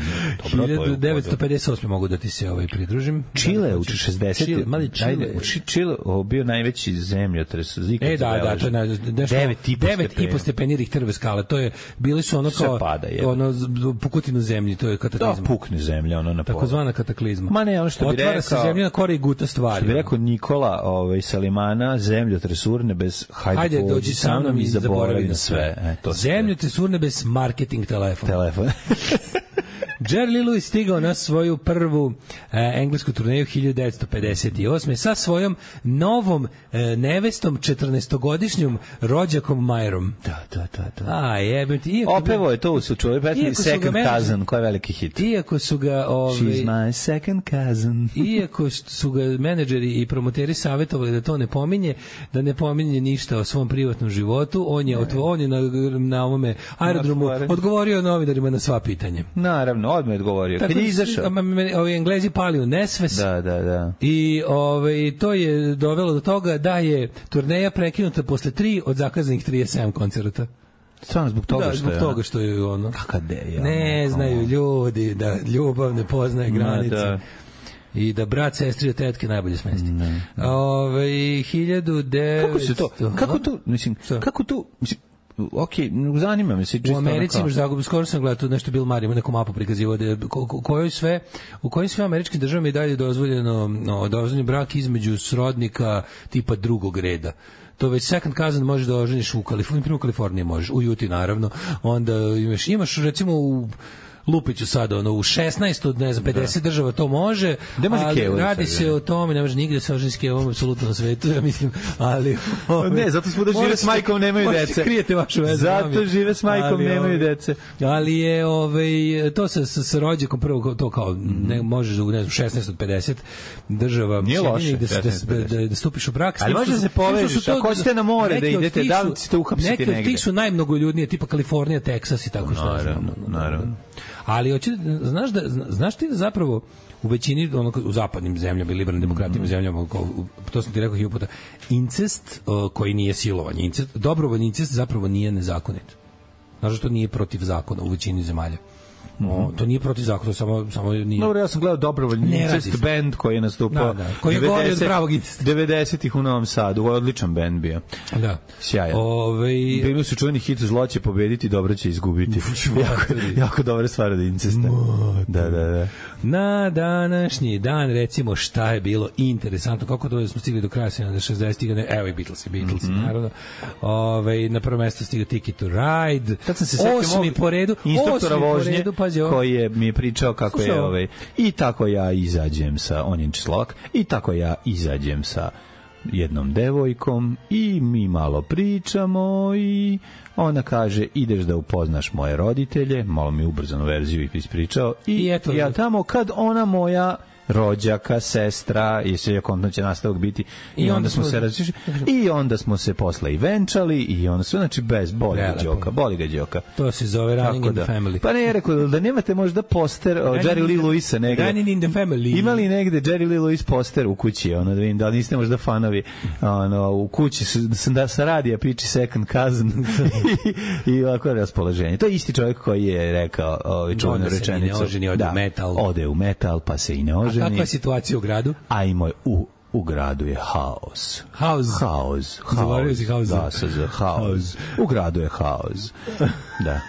1958. mogu da ti se pridružim. Čile u 60. Čile, mali Čile. Ajde, Čile bio najveći zemljotres. Da, to je 9,5 stepeni Richterove skale. To je, bili su ono kao ono pukotinu zemlji, to je kataklizma. Da, pukne zemlja, ono na pola. Takozvana kataklizma. Ma ne, ono što bi rekao. Otvara se zemlja na kore i guta stvari. Što bi rekao Nikola Salimana, zemljotres urnebes, hajde dođi sa mnom i zaboravi na sve. Zemljotres urnebes, marketing telefon. Jerry Lee Lewis stigao na svoju prvu englesku turneju 1958. sa svojom novom nevestom, 14-godišnjom rođakom Majerom. Da. A, jebem ti. Opevo je to u čovjek pesmi Second Cousin, koja je veliki hit. Iako su ga... She's my second cousin. Iako su ga menadžeri i promoteri savjetovali da to ne pominje, da ne pominje ništa o svom privatnom životu, on je na ovome aerodromu odgovorio novinarima na sva pitanja. Naravno, odmah je odgovorio. Kad je izašao... Ovi Englezi pali u nesves. Da. I to je dovelo do toga da je turneja prekinuta posle 3 od zakazanih 37 koncerta. Stvarno zbog toga što je... Zbog toga što je ono... Kaka deja. Ne znaju ljudi da ljubav ne poznaje granice. Da. I da brat, sestri od tetke najbolje smesti. 1900... Kako to... zanima me se čisto. U Americi imaš zagubi, skoro sam gledao nešto Bill Murray, ima neku mapu prikazivao u kojim sve američkim državama je dalje dozvoljeno brak između srodnika tipa drugog reda. To već second cousin možeš da oženiš u Kaliforniji možeš, u Utah naravno. Onda imaš recimo u Lupiću sada, u 16 od 50 država to može, ali radi se o tome, ne može nigde se oženi s kevom apsolutno na svetu, ja mislim, ali... Ne, zato smo da žive s majkom, nemaju dece. Možete krijete vašu vezu. Zato žive s majkom, nemaju dece. Ali je, to sa rođakom prvo, to kao, ne možeš u 16 od 50 država... Nije loše, da stupiš u brak. Ali može da se povežiš, ako hoćete na more da idete, da li ćete uhapsiti negde? Neki od tih su najmnogoljudnije, tipa Kalifornija, Teksas i tako što. Naravno. Ali znaš ti da zapravo u većini u zapadnim zemljama i liberalnim demokratijama zemljama, to sam ti rekao 1000 puta, incest koji nije silovanje, dobrovoljni incest zapravo nije nezakonit. Znaš da to nije protiv zakona u većini zemalja. To nije protiv zakona, samo nije. Dobro, ja sam gledao dobrovoljni incest band koji je nastupao. Koji je gori od pravog incesta. 90-ih u Novom Sadu, odličan band bio. Da. Sjajan. Bili su čuveni hit zlo će pobediti, dobro će izgubiti. jako dobra stvar od incesta. Da. Na današnji dan, recimo, šta je bilo interesantno, kako to smo stigli do kraja 60-ih, evo i Beatlesi, naravno. Na prvo mesto stigao Ticket to Ride. Kad sam se setio po redu, instruktora vožnje, koji mi je pričao kako je i tako ja izađem sa, on je Slovak, i tako ja izađem sa jednom devojkom i mi malo pričamo i ona kaže ideš da upoznaš moje roditelje, malo mi ubrzanu verziju ispričao i ja tamo kad ona moja rođaka, sestra, i sve kontno će nastavak biti i onda smo se različili i onda smo se posle i venčali i onda sve, znači bez boli ga đoka. To se zove Running in the Family. Pa ne, rekao da nemate možda poster Jerry Lee Lewisa negde. Running in the Family. Ima li negde Jerry Lee Lewis poster u kući, da vidim, da li niste možda fanovi, u kući da sa radija piči Second Cousin i ovako raspoloženje. To je isti čovjek koji je rekao čuvenu rečenicu. Ode u metal, pa se i ne oženi. A kakva je situacija u gradu? U gradu je haos. Zaboravio si haos. Da, haos. U gradu je haos. Da.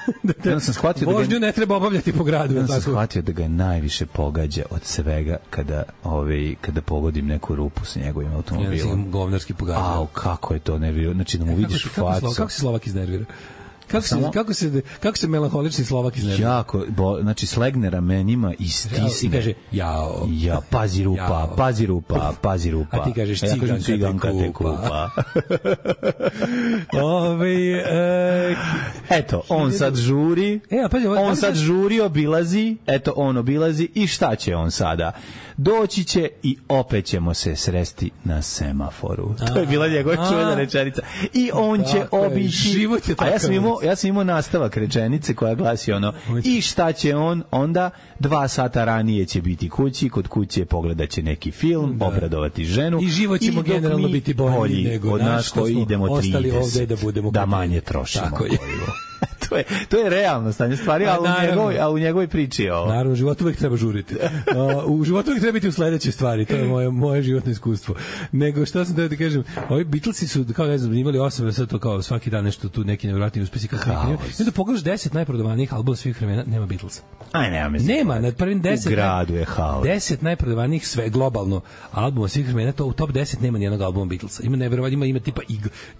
Ja sam shvatio vožnju ne treba obavljati po gradu. Ja sam shvatio da ga najviše pogađa od svega kada pogodim neku rupu sa njegovim automobilom. Ja sam govnarski pogađao. Kako je to nervio. Znači da mu vidiš facu. Kako se Slovak iznervira? Kako se melanholični Slovak iznervira? Jako, znači slegne ramenima i stisne. I kaže, jao. Pazi rupa. A ti kažeš, ciganka te kupa. Eto, on sad žuri, obilazi, on obilazi i šta će on sada? Doći će i opet ćemo se sresti na semaforu. To je bila njegova čuvena rečenica. I on će obići. A ja sam imao nastavak rečenice koja glasi i šta će on onda? 2 sata ranije će biti kući, kod kuće pogledat će neki film, obradovati ženu. I život ćemo generalno biti bolji nego od nas koji idemo 30, da budemo da manje trošimo. Tako je. to je realno stanje stvari, a u njegovoj priči je ovo. Naravno, u životu uvek treba žuriti. U životu uvek treba biti u sledećoj stvari, to je moje životno iskustvo. Nego što sam da ti kažem, ovi Beatlesi su, kao ne znam, imali 8, sad to kao svaki dan nešto tu neki nevjerojatni uspesi. I da pogledaš 10 najprodavanijih albuma svih vremena, nema Beatlesa. Nema, na prvim 10. U gradu je haos. 10 najprodavanijih sve globalno albuma svih vremena, to u top 10 nema nijednog albuma Beatlesa. Ima neverovatno, ima tipa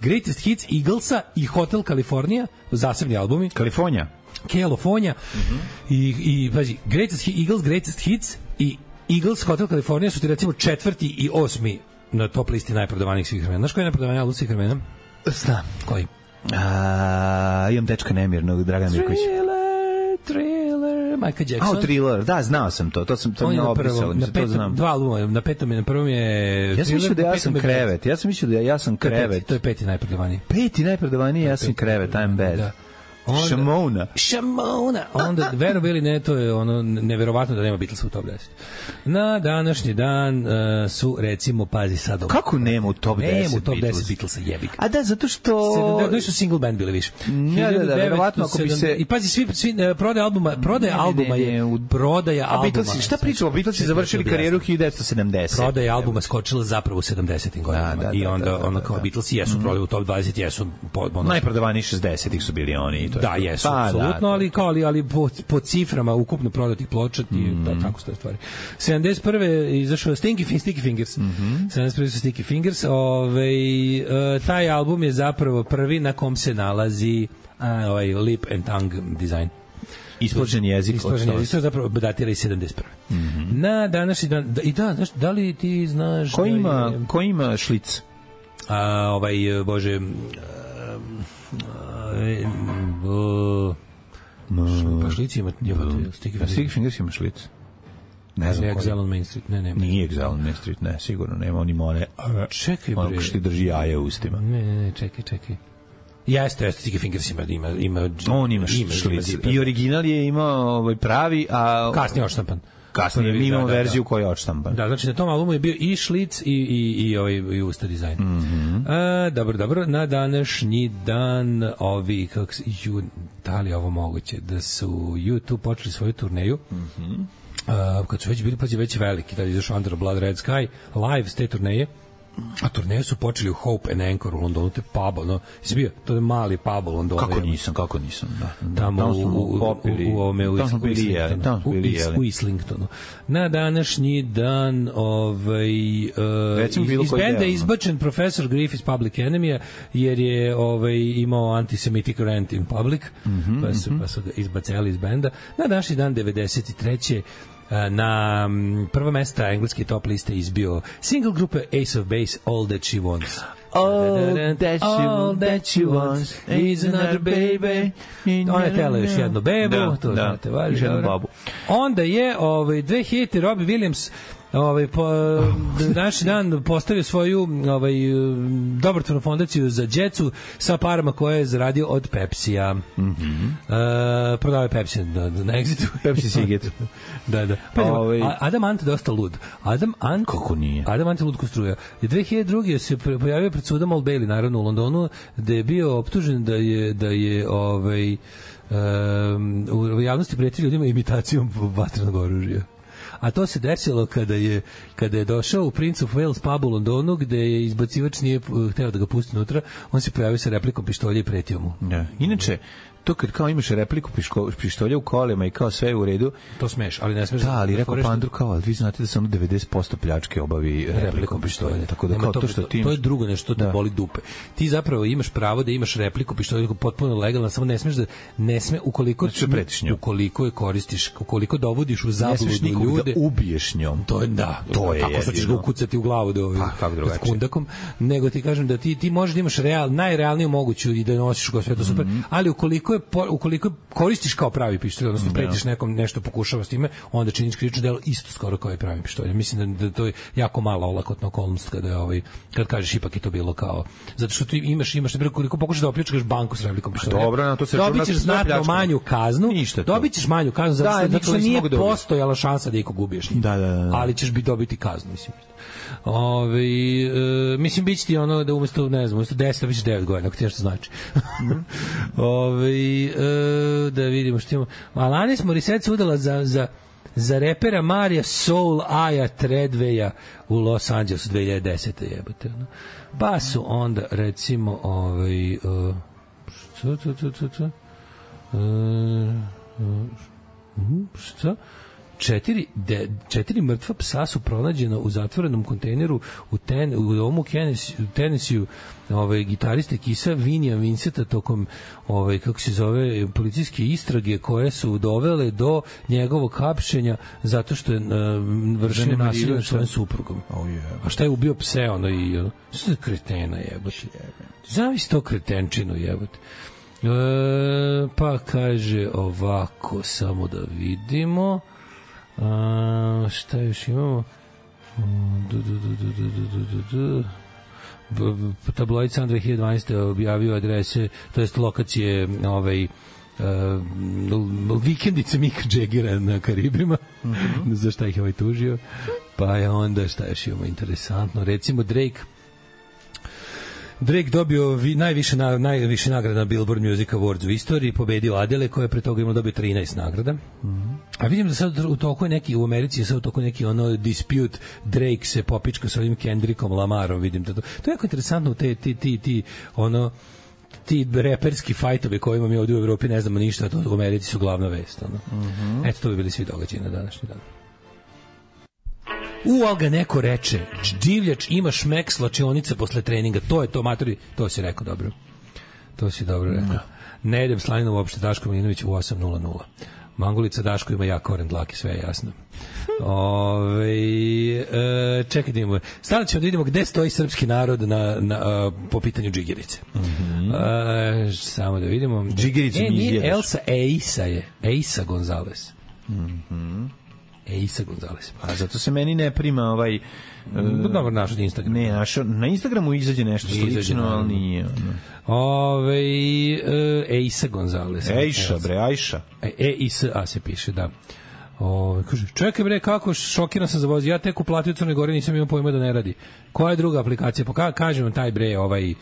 Greatest Hits Eaglesa i Hotel California, zasebni albumi. California. I pazi, Greatest Hits i Eagles, Hotel California su ti recimo 4. i 8. na top listi najprodavanijih svih vremena. Znaš koji je najprodavaniji album svih vremena? Znam. Koji? Imam dečka nemirnog, Dragana Mirkovića. Thriller, Michael Jackson. Thriller, da, znao sam to. To sam mi opisao, to znam. Dva albuma, na prvom je Ja sam mislio da ja sam krevet. Ja sam krevet. To je 5. najprodavaniji. 5. najprodavaniji, ja sam krevet, I'm bad. Da. Šamona. Onda, verovali ne, to je ono neverovatno da nema Beatlesa u top 10. Na današnji dan su, recimo, pazi sad ovo. Kako nema u top 10 Beatlesa? Nema u top 10 Beatlesa, jebi ga. A da, zato što... Da su single band bili više. Da, verovatno ako bi se... I pazi, svi prodaja albuma je... A Beatlesi, šta pričamo? Beatlesi završili karijeru 1970. Prodaja albuma skočila zapravo u 70-im godinama. I onda kao Beatlesi jesu prodali u top 20, jesu... Najprodavaniji 60-ih su bili oni. Da, jesu, apsolutno, ali po ciframa ukupno prodatih ploča tako stoje stvari. 71. je izašao Sticky Fingers. 71. su Sticky Fingers. Taj album je zapravo prvi na kom se nalazi lip and tongue design. Ispložen jezik. To je zapravo datira iz 71. Na današnji dan, znaš, da li ti znaš... Ko ima šlic? Bože... Pa šlici ima Sticky Fingers ima šlic. Ne znam Exile on Main Street. Ne. Nije Exile on Main Street, ne, sigurno nema. On ima one... Čekaj, bre. Ono što ti drži jaje u ustima. Ne, čekaj. Jeste, Sticky Fingers ima... On ima šlic. I original je imao pravi, a... Kasnije odštampan. Kasnije mi imamo verziju koja je odštampan. Da, znači na tom albumu je bio i šlic i usta dizajn. Dobro. Na današnji dan da li je ovo moguće da su YouTube počeli svoju turneju kad su već bili već veliki, da je izašao Under Blood Red Sky live s te turneje. A turneje su počeli u Hope and Anchor u Londonu, to je pub, to je mali pub u Londonu. Kako nisam, da. Tamo u Islingtonu. Na današnji dan iz benda je izbačen Professor Griff iz Public Enemy, jer je imao antisemitic rant in public, pa su ga izbacali iz benda. Na današnji dan 93. Na prva mesta engleske top liste izbio single grupe Ace of Base, All That She Wants. All that she wants is another baby. Ona je tela još jednu bebu, to znate, važi. Onda je 2000 Robbie Williams naš dan postavio svoju dobrotvornu fondaciju za djecu sa parama koje je zaradio od Pepsija. Prodao je Pepsi na Exitu. Pepsi Siget. Da. Adam Ant dosta lud. Kako nije? Adam Ant je lud ko struja. 2002. se pojavio pred sudom Old Bailey, naravno u Londonu, da je bio optužen da je u javnosti pretio ljudima imitacijom vatrenog oružja. A to se desilo kada je došao u Prince of Wales pub u Londonu, gde je izbacivač nije hteo da ga pusti unutra, on se pojavio sa replikom pištolja i pretio mu. Da. Inače, to kad kao imaš repliku pištolja u kolima i kao sve je u redu, to smeš, ali ne smeš. Da, ali rekao Pandur kao, ali vi znate da se ono 90% pljačke obavi replikom pištolja. Tako da kao to što ti imaš... To je drugo nešto, te boli dupe. Ti zapravo imaš pravo da imaš repliku pištolja potpuno legalno, samo ne smeš ukoliko je koristiš, ukoliko dovodiš u zabludu ljude, da ubiješ njom. To je tako što ćeš ga ukucati u glavu s kundakom, nego ti kažem da ti možeš da imaš najrealniju moguću i da nosiš go sve to super, ali ukoliko koristiš kao pravi pištolj, odnosno pretiš nekom nešto pokušava s time, onda činiš krivično delo isto skoro kao i pravi pištolj. Mislim da to je jako mala olakotna okolnost kad kažeš ipak je to bilo kao, zato što ti imaš na koliko pokušaš da opljačkaš banku s replikom pištolja. Dobro, to se dobićeš znatno manju kaznu. Dobićeš manju kaznu zato što nije postojala šansa da ikog ubiješ. Da. Ali ćeš dobiti kaznu, mislim. Mislim, bit će ti ono da umesto 10, da biš 9 godina, ako ti nešto znači. Da vidimo što imamo. Alanis Morissette se udala za repera Marija Soul Aya Treadwaya u Los Angelesu 2010. jebote. Pa su onda recimo šta? Četiri mrtva psa su pronađena u zatvorenom kontejneru u Tennesseeu gitariste Kisa Vinija Vincenta tokom kako se zove policijske istrage koje su dovele do njegovog hapšenja zato što je vršio nasilje nad svojim suprugom. A šta je ubio pse što je kretena jebote. Zavisi to kretenčinu jebote. Pa kaže ovako, samo da vidimo šta još imamo. Tabloid Sun 2012. objavio adrese, to jest lokacije vikendice Mika Jaggera na Karibima. Za šta ih je tužio. Pa je onda šta još imamo interesantno, recimo Drake dobio najviše nagrada na Billboard Music Awards u istoriji, pobedio Adele koja je pre toga imala dobio 13 nagrada. A vidim da sad u toku neki u Americi je sad u toku neki dispute, Drake se popička sa ovim Kendrickom Lamarom, vidim da to je jako interesantno, ti reperski fajtovi koje imamo mi ovdje u Evropi, ne znamo ništa, a to u Americi su glavna vest. Eto, to bi bili svi događaji na današnji dan. Ali ga neko reče, divljač ima šmek slačionica posle treninga, to je to, matori, to si rekao dobro. To si dobro rekao. Ne jedem slaninu uopšte, Daško Milinović u 8:00. Mangulica Daško ima jak koren dlake, sve je jasno. Čekaj da imamo. Sada ćemo da vidimo gde stoji srpski narod po pitanju džigerice. Samo da vidimo. Džigerice mi izjedaš. Nije Elsa, Eisa je. Eisa Gonzalez. Eisa Gonzalez. A zato se meni ne prima dobro, našao Instagram. Ne, na Instagramu izađe nešto slično, ali nije. Eisa Gonzalez. Ejša, bre, Ajša. E-I-S-A se piše, da. Kaže, čekaj bre, kako šokiran sam za voz. Ja tek uplatio u Crnoj Gori, nisam imao pojma da ne radi. Koja je druga aplikacija? Kažem taj bre,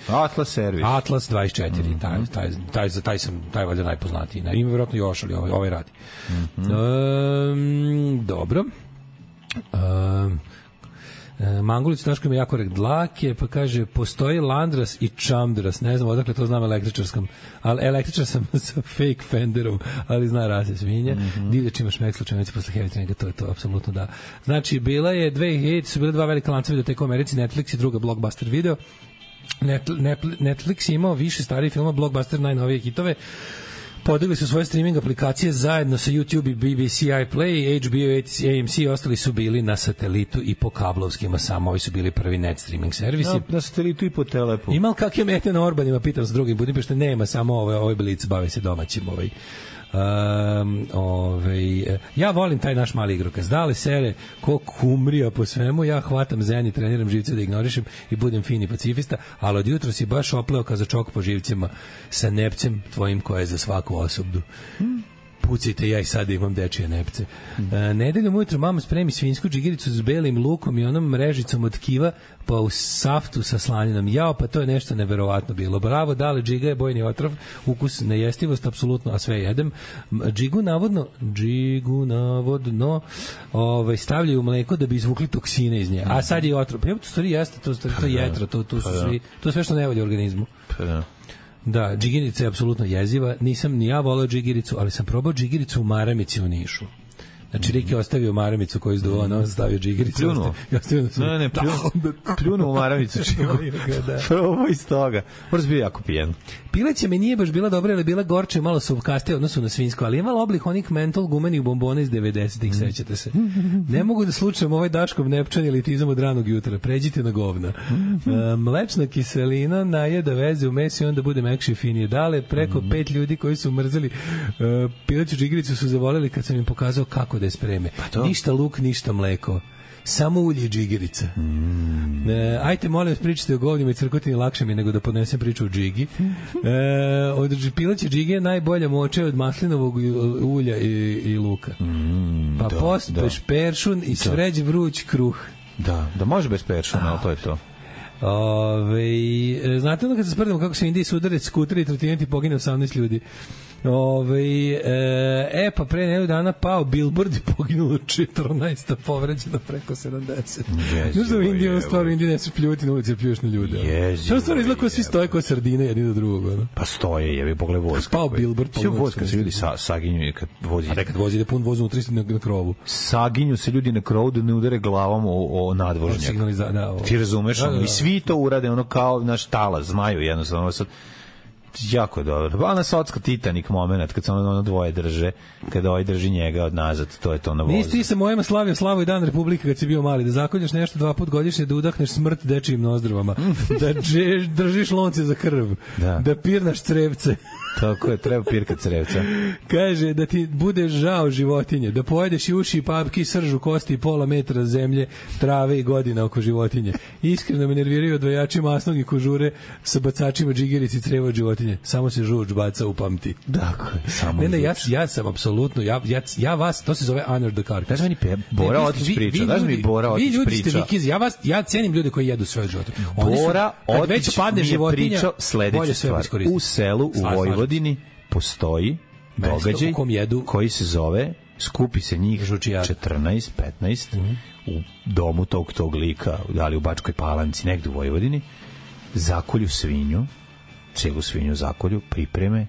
Atlas servis. Atlas 24, taj valjda najpoznatiji. Ima vjerojatno još, ali ovaj radi. Dobro. Mangulić Daško ima jako dlake, pa kaže, postoji Landras i Čamdras, ne znam odakle to znam električarskom, ali električar sam sa fake fenderom, ali zna rase svinja. Divljač ima šmek slučajnici posle heavy treninga, to je to, apsolutno da. Znači, bila je 2000, su bile dva velika lanca videoteka u Americi, Netflix i druga Blockbuster video. Netflix je imao više starih filma, Blockbuster najnovije hitove, podigli su svoje streaming aplikacije zajedno sa YouTube i BBC iPlay, HBO, AMC i ostali su bili na satelitu i po kablovskima, samo ovi su bili prvi net streaming servisi. Na satelitu i po telepu. Ima li kakve mete na Orbanima, pitam s drugim Budimpešte, nema, samo ovaj Blic bavi se domaćim ja volim taj naš mali igrokaz. Dale sere ko kumrija po svemu, ja hvatam zen i treniram živce da ignorišem i budem fini pacifista, ali od jutro si baš opleo kazačok po živcima sa nepcem tvojim koje je za svaku osobu. Pucajte, ja i sada imam dečije nepce. Nedeljom ujutro mama spremi svinjsku džigericu s belim lukom i onom mrežicom od kiva pa u saftu sa slaninom. Jao, pa to je nešto neverovatno bilo. Bravo, dale, džiga je bojni otrov, ukus nejestivost, apsolutno, a sve jedem. Džigu navodno stavljaju u mleko da bi izvukli toksine iz nje. A sad je otrov. Pa to stvari jeste, to je jetra, to je sve što ne volje u organizmu. Da, džigerica je apsolutno jeziva. Nisam ni ja volao džigericu, ali sam probao džigericu u maramici u Nišu. Znači, Rik je ostavio maramicu koju izduva, on stavio džigericu. Pljunuo? Pljunuo u maramicu. Probao iz toga. Moraš bio jako pijen. Pileća mi nije baš bila dobra, ali bila gorče i malo suvkaste odnosu na svinjsko, ali imala oblik onih mentol gumenih bombona iz 90-ih, sećate se. Ne mogu da slučajem ovaj Daškov nepčan ili tizam od ranog jutra. Pređite na govna. Mlečna kiselina najeda veze u mesu i onda bude mekše i finije. Dale, preko 5 ljudi koji su mrzeli pileću džigericu su zavoleli kad sam im pokazao kako da je spreme. Ništa luk, ništa mleko. Samo ulje i džigerica. Ajte, molim vas, pričajte o govnjima i crkotini, lakše mi nego da podnesem priču o džigi. Od pileće džige je najbolja moče od maslinovog ulja i luka. Pa pospeš peršun i sveđ vruć kruh. Da može bez peršuna, ali to je to. Znate ono kad se sprdamo kako se Indiji sudare skuteri i trotineti pogine 18 ljudi? Pa pre nedelju dana pao Billboard i poginulo 14, povređeno preko 70. Znaš da u Indiji ono stvar, u Indiji ne se pljuti na ulici, pljuješ na ljude. To stvar izgleda kao svi stoje kao sardine jedni do drugog. Ono. Pa stoje, jebi, pogledaj vojska. Pao Billboard. Sve vojska se ljudi saginju kad vozi. A nekad vozi da pun voz unutra na krovu. Saginju se ljudi na krovu da ne udare glavom o nadvožnjak. Ti razumeš? I svi to urade, ono kao naš tala, zmaju jednostavno. Jako je dobro. Ona socka Titanic moment kad se ono dvoje drže, kada ovaj drži njega od nazad, to je to na vozu. Nisi ti sa mojima slavio slavu i dan Republike kad si bio mali, da zakoljaš nešto 2 puta godišnje, da udahneš smrt dečijim nozdrvama, da držiš lonce za krv, da pirnaš crevce. Tako je, treba pirkat crevca. Kaže da ti bude žao životinje, da pojedeš i uši i papki, sržu, kosti i pola metra zemlje, trave i godina oko životinje. Iskreno me nerviraju odvajači masnog i kožure sa bacačima džigerici i creva od životinje. Samo se žuč baca u pamti. Dakle, samo ne, ja sam apsolutno, ja vas, to se zove Honor the Carcass. Daš meni Bora Otić priča, daš mi Bora Otić priča. Vi ljudi ste vikizi, ja cenim ljude koji jedu sve od životinje. Bora Otić mi je pričao sledeću stvar. U selu, u Vojvodini postoji događaj koji se zove, skupi se njih 14, 15 u domu tog lika, da li u Bačkoj Palanci, negde u Vojvodini, zakolju svinju, celu svinju zakolju, pripreme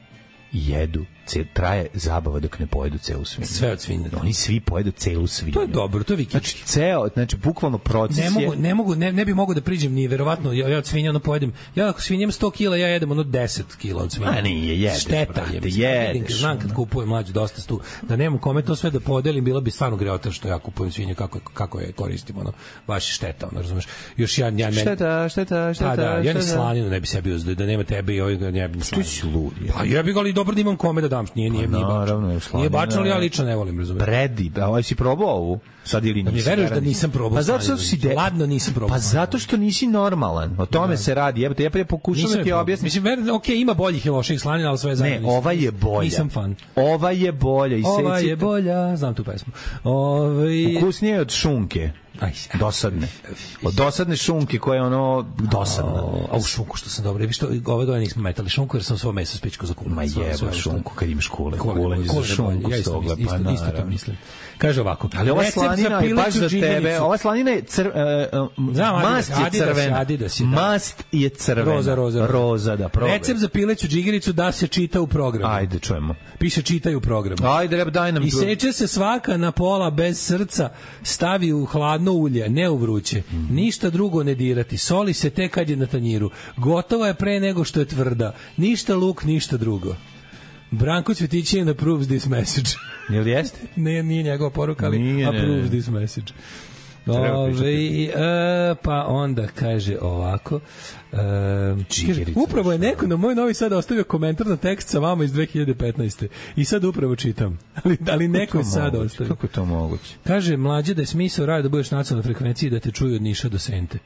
i jedu. Traje zabava dok ne pojedu celu svinju. Sve od svinje. Oni svi pojedu celu svinju. To je dobro, to je vikički. Znači bukvalno proces ne bi mogu da priđem ni verovatno, ja od svinja ono pojedem. Ja ako svinjem 100 kila, ja jedem ono 10 kila od svinja. A nije, jedeš. Šteta je. Znam kad kupujem mlađu dosta stu, da nemam kome to sve da podelim, bila bi stvarno greota što ja kupujem svinje, kako je koristim, ono, baš je šteta, ono, razumeš. Još ja Šteta. Ja ni slaninu ne bi sebi uzeo, da nema tebe i ovih ne bi slaninu. Što si lud? Pa ja bih ga ali dobro da imam kome da dam, nije bačno, ali ja lično ne volim, razumiješ. Predi, a si probao ovu? Sad ili nisi? Ne veruješ da nisam probao. Pa zato što si ladno nisam probao. Pa zato što nisi normalan. O tome se radi. Ja pokušam da ti objasnim. Mislim, okej, ima boljih i loših slanina, ali sve zajedno. Ne, ova je bolja. Nisam fan. Ova je bolja. Ova je bolja, znam tu pesmu. Ukusnije od šunke. Dosadne. Od dosadne šunke koja je ono dosadna. A u šunku što sam dobro. Vi što ove dole nismo metali šunku jer sam svo meso spičko za kulen. Ma jeba šunku kad imaš kulen. Kulen za šunku. Ja isto to mislim. Kaže ovako. Ali ova slanina je baš za tebe. Ova slanina je mast je crvena. Mast je crvena. Roza, da probaj. Recept za pileću džigericu da se čita u programu. Ajde, čujemo. Piše čitaju u programu. Ajde, daj nam. Iseče se svaka na pola bez srca, stavi u hladno ulje, ne u vruće. Ništa drugo ne dirati. Soli se tek kad je na tanjiru. Gotova je pre nego što je tvrda. Ništa luk, ništa drugo. Branko Cvetićin approves this message. Jel jeste? Nije njegova poruka, ali approves this message. Pa onda kaže ovako, upravo je neko na moj Novi Sad ostavio komentar na tekst sa vama iz 2015. I sad upravo čitam. Ali neko je sad ostavio. Kako je to moguće? Kaže, mlađe da je smisao rada da budeš na nacionalnoj frekvenciji da te čuju od Niša do Sente.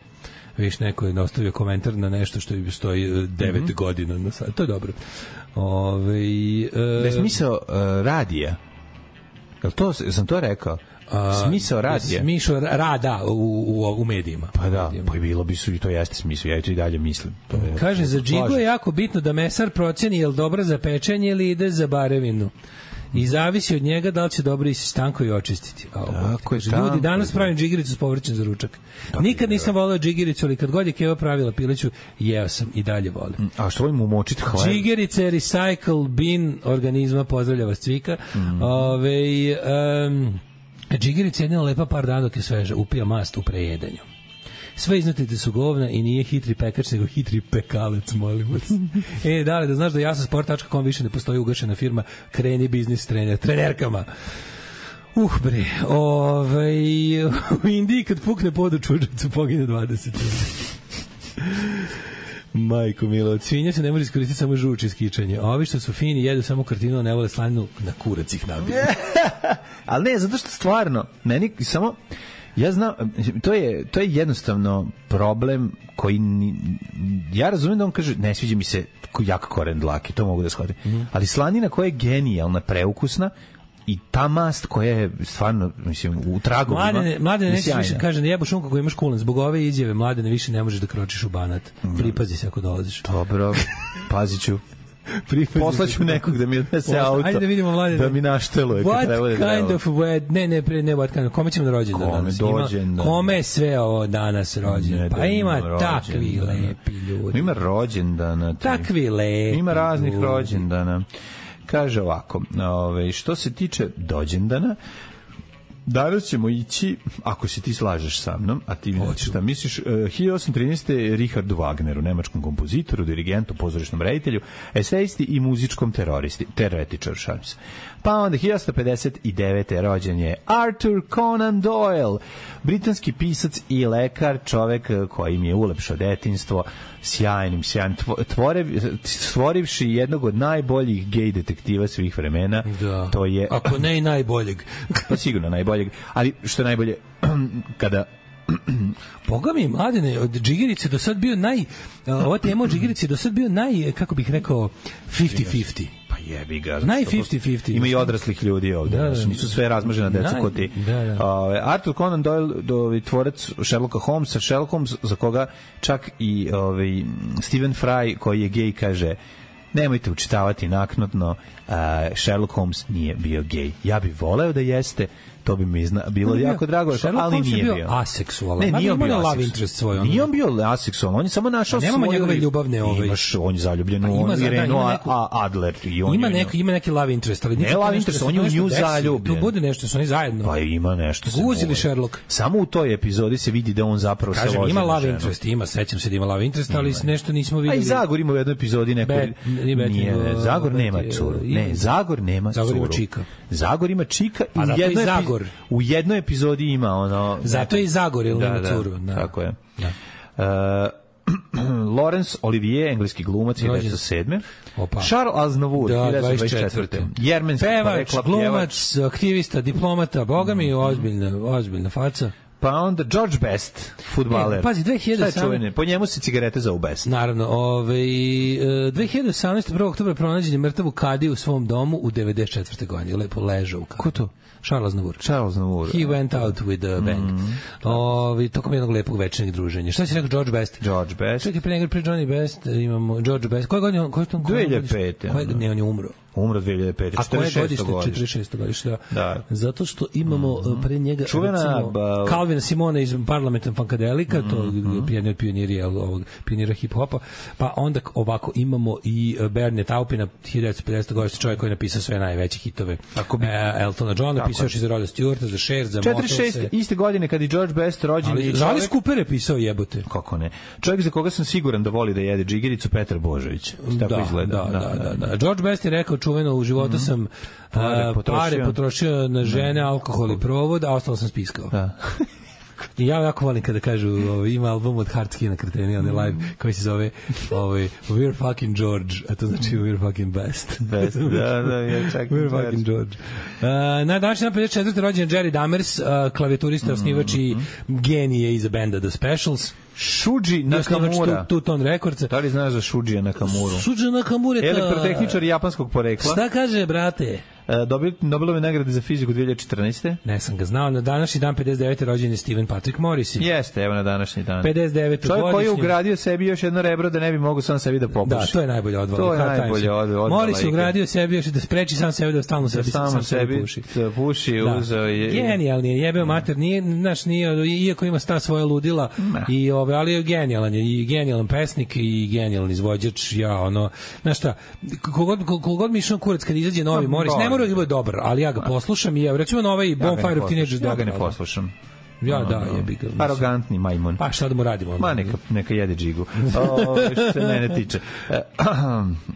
Viš, neko je ostavio komentar na nešto što stoji 9 godina na sad. To je dobro. Da je smisao radija. Jel to, sam to rekao? Smisao radija. Smisao rada u medijima. Pa da, pa i bilo bi su i to jeste smisao. Ja i dalje mislim. Kaže, za džigo je jako bitno da mesar proceni je li dobra za pečenje ili ide za barevinu. I zavisi od njega da li će dobro isi stanko i očistiti. Ljudi, danas pravim džigericu s povrćem za ručak. Nikad nisam voleo džigericu, ali kad god je Keva pravila pileću, jeo sam i dalje volim. A što volim umočiti hleb? Džigerica je recycle bin organizma, pozdravlja vas Cvika. Džigerica je jedina lepa par dana dok je sveža, upija mast u prejedanju. Sve iznutite su govna i nije hitri pekač, nego hitri pekalec, molim vas. Da znaš da jasasport.com više ne postoji ugašena firma, kreni biznis trenerkama. Bre, u Indiji kad pukne pod u čuđacu pogine 20. Majko milo, od svinja se ne može iskoristiti samo žuč i skičanje. A ovi što su fini jedu samo kartinu, ne vole slaninu, na kurac ih nabiju. Ali ne, zato što stvarno, meni samo... Ja znam, to je jednostavno problem koji ja razumijem da on kaže ne sviđa mi se jak koren dlake, to mogu da shvatim. Ali slanina koja je genijalna, preukusna i ta mast koja je stvarno, mislim, u tragovima. Mladene nećeš više, kaže, ne jebo šunku koju imaš kulen. Zbog ove izjave, Mladene, više ne možeš da kročiš u Banat. Pripazi se ako dolaziš. Dobro, pazit ću. Poslaću nekog da mi odnese auto. Ajde da vidimo, Mladene. Da mi našteluje. What kind of what what kind of, kome ćemo na rođendan danas? Kome je sve ovo danas rođendan? Pa ima takvi lepi ljudi. Ima rođendana. Takvi lepi. Ima raznih rođendana. Kaže ovako, što se tiče dođendana, danas ćemo ići, ako se ti slažeš sa mnom, a ti šta misliš, 1813. Richardu Wagneru, nemačkom kompozitoru, dirigentu, pozorišnom reditelju, esejisti i muzičkom teoretičaru, šalim se. Pa onda 1859. rođen je Arthur Conan Doyle, britanski pisac i lekar, čovek koji mi je ulepšao detinjstvo, sjajnim, stvorivši jednog od najboljih gej detektiva svih vremena. Da. To je, ako ne i najboljeg. Pa sigurno najboljeg, ali što je najbolje, kada Boga mi, Mladene, od Džigerice do sad bio ova tema od Džigerice do sad bio kako bih rekao, 50-50. Pa jebi ga. Naj 50-50. Ima i odraslih ljudi ovde, znači nisu sve razmažena deca kod ti. Arthur Conan Doyle, tvorac Sherlocka Holmesa, Sherlock Holmes, za koga čak i Stephen Fry, koji je gej, kaže: nemojte učitavati naknadno, Sherlock Holmes nije bio gej. Ja bih voleo da jeste, to bi mi bilo jako drago, ali nije bio. Bio aseksualan. Ne, nije on bio love interest svoj. Nije on bio aseksualan, on je samo našao svoju... Nemamo njegove ljubavne on je zaljubljen u Irenu Adler. Ima neki love interest, ali ne love interest, on je u nju zaljubljen. Tu bude nešto, su oni zajedno. Pa ima nešto. Guzili Sherlock. Samo u toj epizodi se vidi da on zapravo se loži. Ima love interest, sećam se da ima love interest, ali nešto nismo videli. A i Zagor ima u jednoj epizodi neko... Zagor nema curu. Ne, Zagor nema curu. Zagor ima čika. Zagor ima čika i u jednoj epizodi ima ono... Zato je i Zagor, ili nema curu. Tako je. Laurence Olivier, engleski glumac, 1907. Charles Aznavour, 1924. Jermenski pevač, glumac, aktivista, diplomata, boga mi, ozbiljna faca. Pa onda George Best, fudbaler. Pazi, 2007. Po njemu se cigarete zovu Best. Naravno, 2018. 1. oktobra pronađen je mrtav u kadi u svom domu u 94. godini. Lepo ležao u kadi. Ko to? Charles Aznavour. He went out with a bang. Tokom jednog lepog večernjeg druženja. Šta si rekao, George Best? Čekaj, pre Johnny Best imamo George Best. Koje godine? 2005. Ne, on je umro. Umro 2005. A koje godište? 46. godište. Da. Zato što imamo pre njega Calvina Simona iz Parlamentarnog Funkadelika, to je jedan od pionira hip-hopa, pa onda ovako imamo i Bernie Taupina, 1950. godište, čovjek koji je napisao sve najveće hitove. Eltona Johna, napisao još i za Roda Stewarta, za Cher, za Motelse. 46. iste godine kad je George Best rođen. Ali Cooper je pisao, jebote. Kako ne? Čovjek za koga sam siguran da voli da jede džigericu, Petar Božović. Tako izgleda. Da. George Best je rekao čuveno: u životu sam pare potrošio na žene, alkohol i provod, a ostalo sam spiskao. Da. I ja jako volim kada kažu, ima album od Hardskina Kreteni, on je live, koji se zove We're fucking George, a to znači We're fucking best. Best, ja čak. We're fucking George. Na današnji 54. rođen Jerry Dammers, klavijaturista, osnivač i genije iza benda The Specials. Shuji Nakamura. Two-Tone Records. Da li znaš za Shujija Nakamuru? Shuji Nakamura je elektrotehničar japanskog porekla. Šta kaže, brate? Nobelove nagrade za fiziku 2014. Ne sam ga znao. Na današnji dan 59. rođen je Stephen Patrick Morrissey. Jeste, evo na današnji dan. 59. Čovjek koji je ugradio sebi još jedno rebro da ne bi mogao sam sebi da popuši. Da, to je najbolje odvala. Morrissey ugradio sebi još da spreči sam sebi da stalno sebi puši. Genijalni je, jebeo mater. Iako ima sta svoja ludila, ali je genijalan je. I genijalan pesnik i genijalan izvođač. Znaš šta, kogod mi išao kurac kad izađe novi Morrissey, ne mora da bude dobar, ali ja ga poslušam i recimo na ovaj Bonfire of Teenagers ja ga ne poslušam. Jebi ga. Arogantni majmun. Pa šta da mu radimo? Neka jede džigu. Što se mene tiče.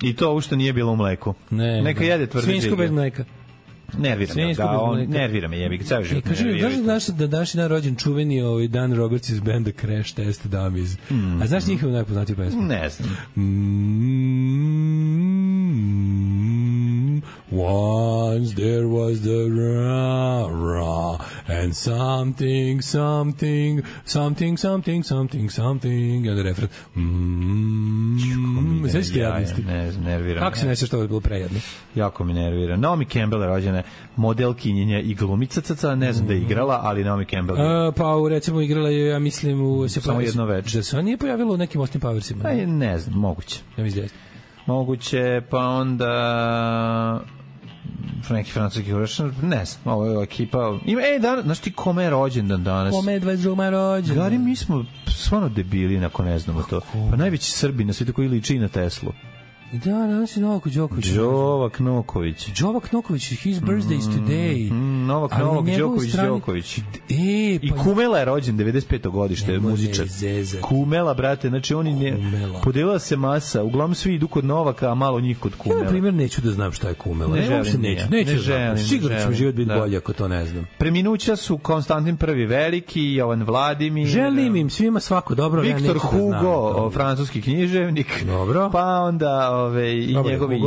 I to ovo što nije bilo u mleku. Neka jede tvrde džige. Svinjsko bez mleka. Nervira me jebi ga, ceo život. Kaži mi, znaš da današnji dan rođen čuveni Dan Roberts iz benda Crash Test Dummies. A znaš njihovu najpoznatiju pesmu? Ne znam. Once there was the ra and something and the refren. Sveći ti jadnosti? Nervira. Kako se neće što je bilo prejedno? Jako mi nervira. Naomi Campbell je rođena modelkinjenja i glumica, ne znam da je igrala, ali Naomi Campbell je. Pa recimo igrala je, ja mislim, samo jedno večer. Da se ona nije pojavila u nekim Austin Powersima. Ne znam, moguće. Ja mislim da je. moguće, pa onda neki francuski hurašan, ne znam, ovo je ekipa. Ima, znaš ti kome je rođendan danas? Kome je 22. rođendan? Gari, mi smo stvarno debili ako ne znamo to. Pa najveći Srbi na svijetu koji liči na Teslu. Da, danas je Novak Đoković. Novak Noković. Novak Noković, his birthday is today. Novak Đoković. I Kumela je rođen 95. godište, muzičar. Kumela, brate, znači oni podelila se masa, uglavnom svi idu kod Novaka, a malo njih kod Kumela. Ja, na primjer, neću da znam šta je Kumela. Ne želim. Sigurno ćemo život biti bolje ako to ne znam. Preminuća su Konstantin I Veliki, Jovan Vladimir. Želim im svima svako dobro. Viktor Hugo, francuski književnik. Dobro. Pa onda i njegovi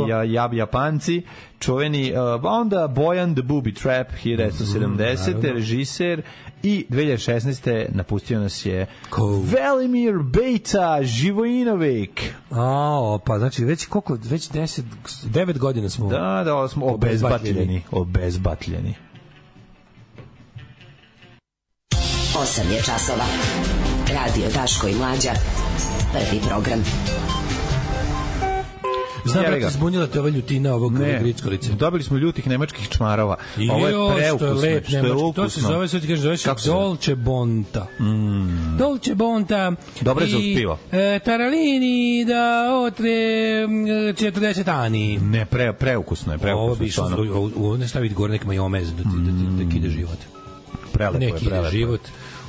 Japanci, čuveni, onda Bojan the Booby Trap 1970. Režiser, i 2016. napustio nas je Velimir Bejta Živojinović. Pa znači već 9 godina smo. Da, smo obezbatljeni. 8 je časova. Radio Daško i Mlađa. Prvi program. Znam, brate, zbunjila te ova ljutina ovog grickolice. Dobili smo ljutih nemačkih čmarova. Ovo je preukusno, što je ukusno. To se zove, sve ti kažeš, zove se Dolce Bonta. Dolce Bonta. Dobro je za uspivo. Taralini da otre 40 ani. Ne, preukusno je. Ovo bi što, ovo ne staviti gore nek majomez da kide život. Prelepo je, prelepo. Ne kide život.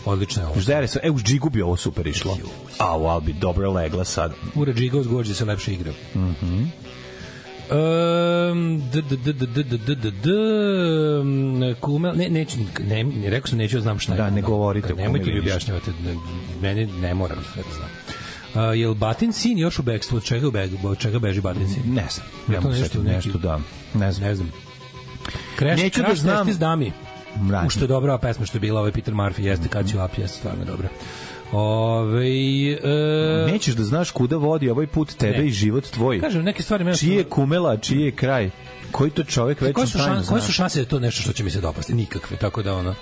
Odlično je ovo. Ždere se, u Džigu bi ovo super išlo. Al bi dobro legla sad. Ura Džiga uzgođe se lepše igra. Kumel, ne, rekao sam neću znam šta je. Da, ne govorite. Nemojte mi objašnjavati, meni ne moram da znam. Je li Batin sin još u bekstvu? Od čega beži Batin sin? Ne znam. Nešto da. Ne znam. Neću da znam. Što je dobra pesma što je bila, Peter Murphy, jeste kad ću up, jeste stvarno dobra. Nećeš da znaš kuda vodi ovaj put tebe i život tvoj. Kažem, neke stvari... Čiji je Kumela, čiji je kraj? Koji to čovjek već tajno znaš? Koje su šanse da je to nešto što će mi se dopasti? Nikakve, tako da ono...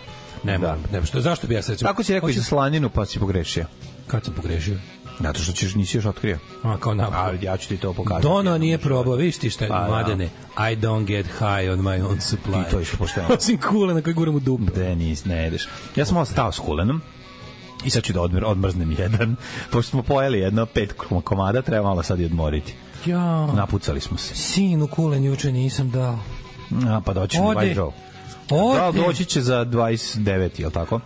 Ne moram. Zašto bi ja se... Tako si rekao i za slaninu, pa si pogrešio. Kad sam pogrešio? Zato što nisi još otkrio. Kao napad. Ali ja ću ti to pokazati. Dono nije probao, vidiš ti šta je mladene. I don't get high on my own supply. I to je što pošteno. Osim kulena koji guram u dupe. Ne jedeš. Ja sam malo stao s kulenom i sad ću da odmrznem jedan. Pošto smo pojeli jedno 5 komada, treba malo sad i odmoriti. Napucali smo se. Sinu kulen juče nisam dao. Pa doći mi Vajdrao. Da, doći će za 29, je li tako?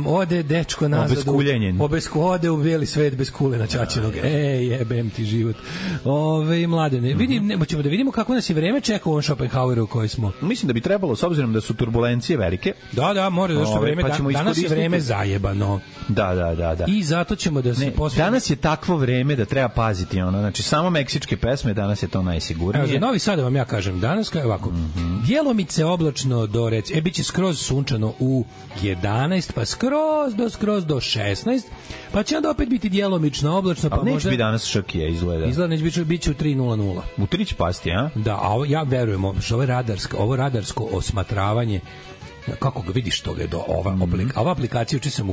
Ode dečko nazad. Obeskuljenjen. Ode u bijeli svet bez kulena čačinog. Jebem ti život. Mladene, ćemo da vidimo kako nas je vreme čeka u ovom Schopenhaueru u kojoj smo. Mislim da bi trebalo, s obzirom da su turbulencije velike. Da, mora da što vreme. Danas je vreme zajebano. Da. I zato ćemo da se posvetimo. Danas je takvo vreme da treba paziti. Znači, samo meksičke pesme, danas je to najsigurnije. Za Novi Sad vam ja kažem, danas je ovako. Djelomice oblačno do biće skroz sunčano u 11, pa skroz do 16, pa će onda opet biti djelomično oblačno. Pa neće biti danas šrkije, izgleda. Neće biti u 3:00. U 3 će pasti, a? Da, a ja verujem, ovo radarsko osmatravanje, kako ga vidiš toga je ova aplikacija uči sam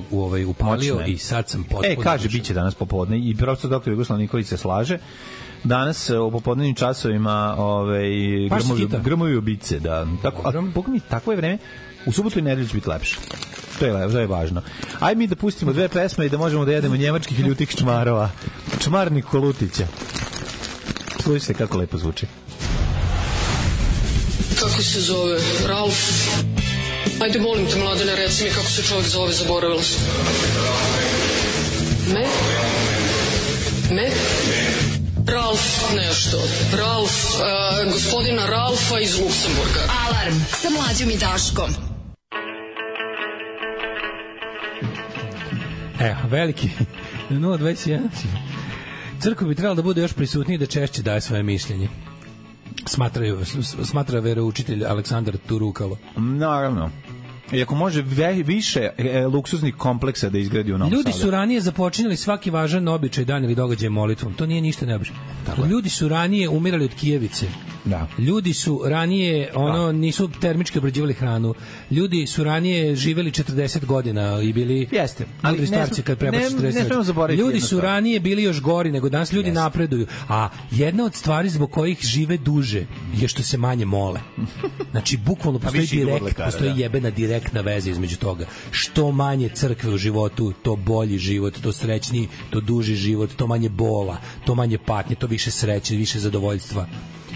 upalio i sad sam potpuno... kaže, biće danas popodne i profesor dr. Jugoslav Nikolić se slaže. Danas u popodnevnim časovima grmovi ubice, da. Tako je vreme. U subotu i nedelju će biti lepše. To je važno. Ajde mi da pustimo 2 pesme i da možemo da jedemo njemačkih ljutih čmarova. Čmarnik Kolutića. Slušajte kako lepo zvuči. Kako se zove? Ralf? Ajde, molim te, Mladene, reci mi kako se čovjek zove, zaboravila sam. Me? Ralf nešto. Gospodina Ralfa iz Luksemburga. Alarm sa Mlađom i Daškom. Veliki 021. Crkva bi trebala da bude još prisutniji i da češće daje svoje mišljenje. Smatra veroučitelj Aleksandar Turukalo. Naravno. I ako može više luksuznih kompleksa da izgradi u Novom Sadu. Ljudi su ranije započinjali svaki važan običaj, dan ili događaj molitvom. To nije ništa neobično. Ljudi su ranije umirali od kijevice. Da. Ljudi su ranije nisu termički obrađivali hranu. Ljudi su ranije živeli 40 godina i bili mudri starci kad prebaci 40. Ljudi su ranije bili još gori nego danas. Ljudi napreduju. A jedna od stvari zbog kojih žive duže je što se manje mole. Znači, bukvalno postoji jebena direktna veza između toga. Što manje crkve u životu, to bolji život, to srećniji, to duži život, to manje bola, to manje patnje, to više sreće, više zadovoljstva.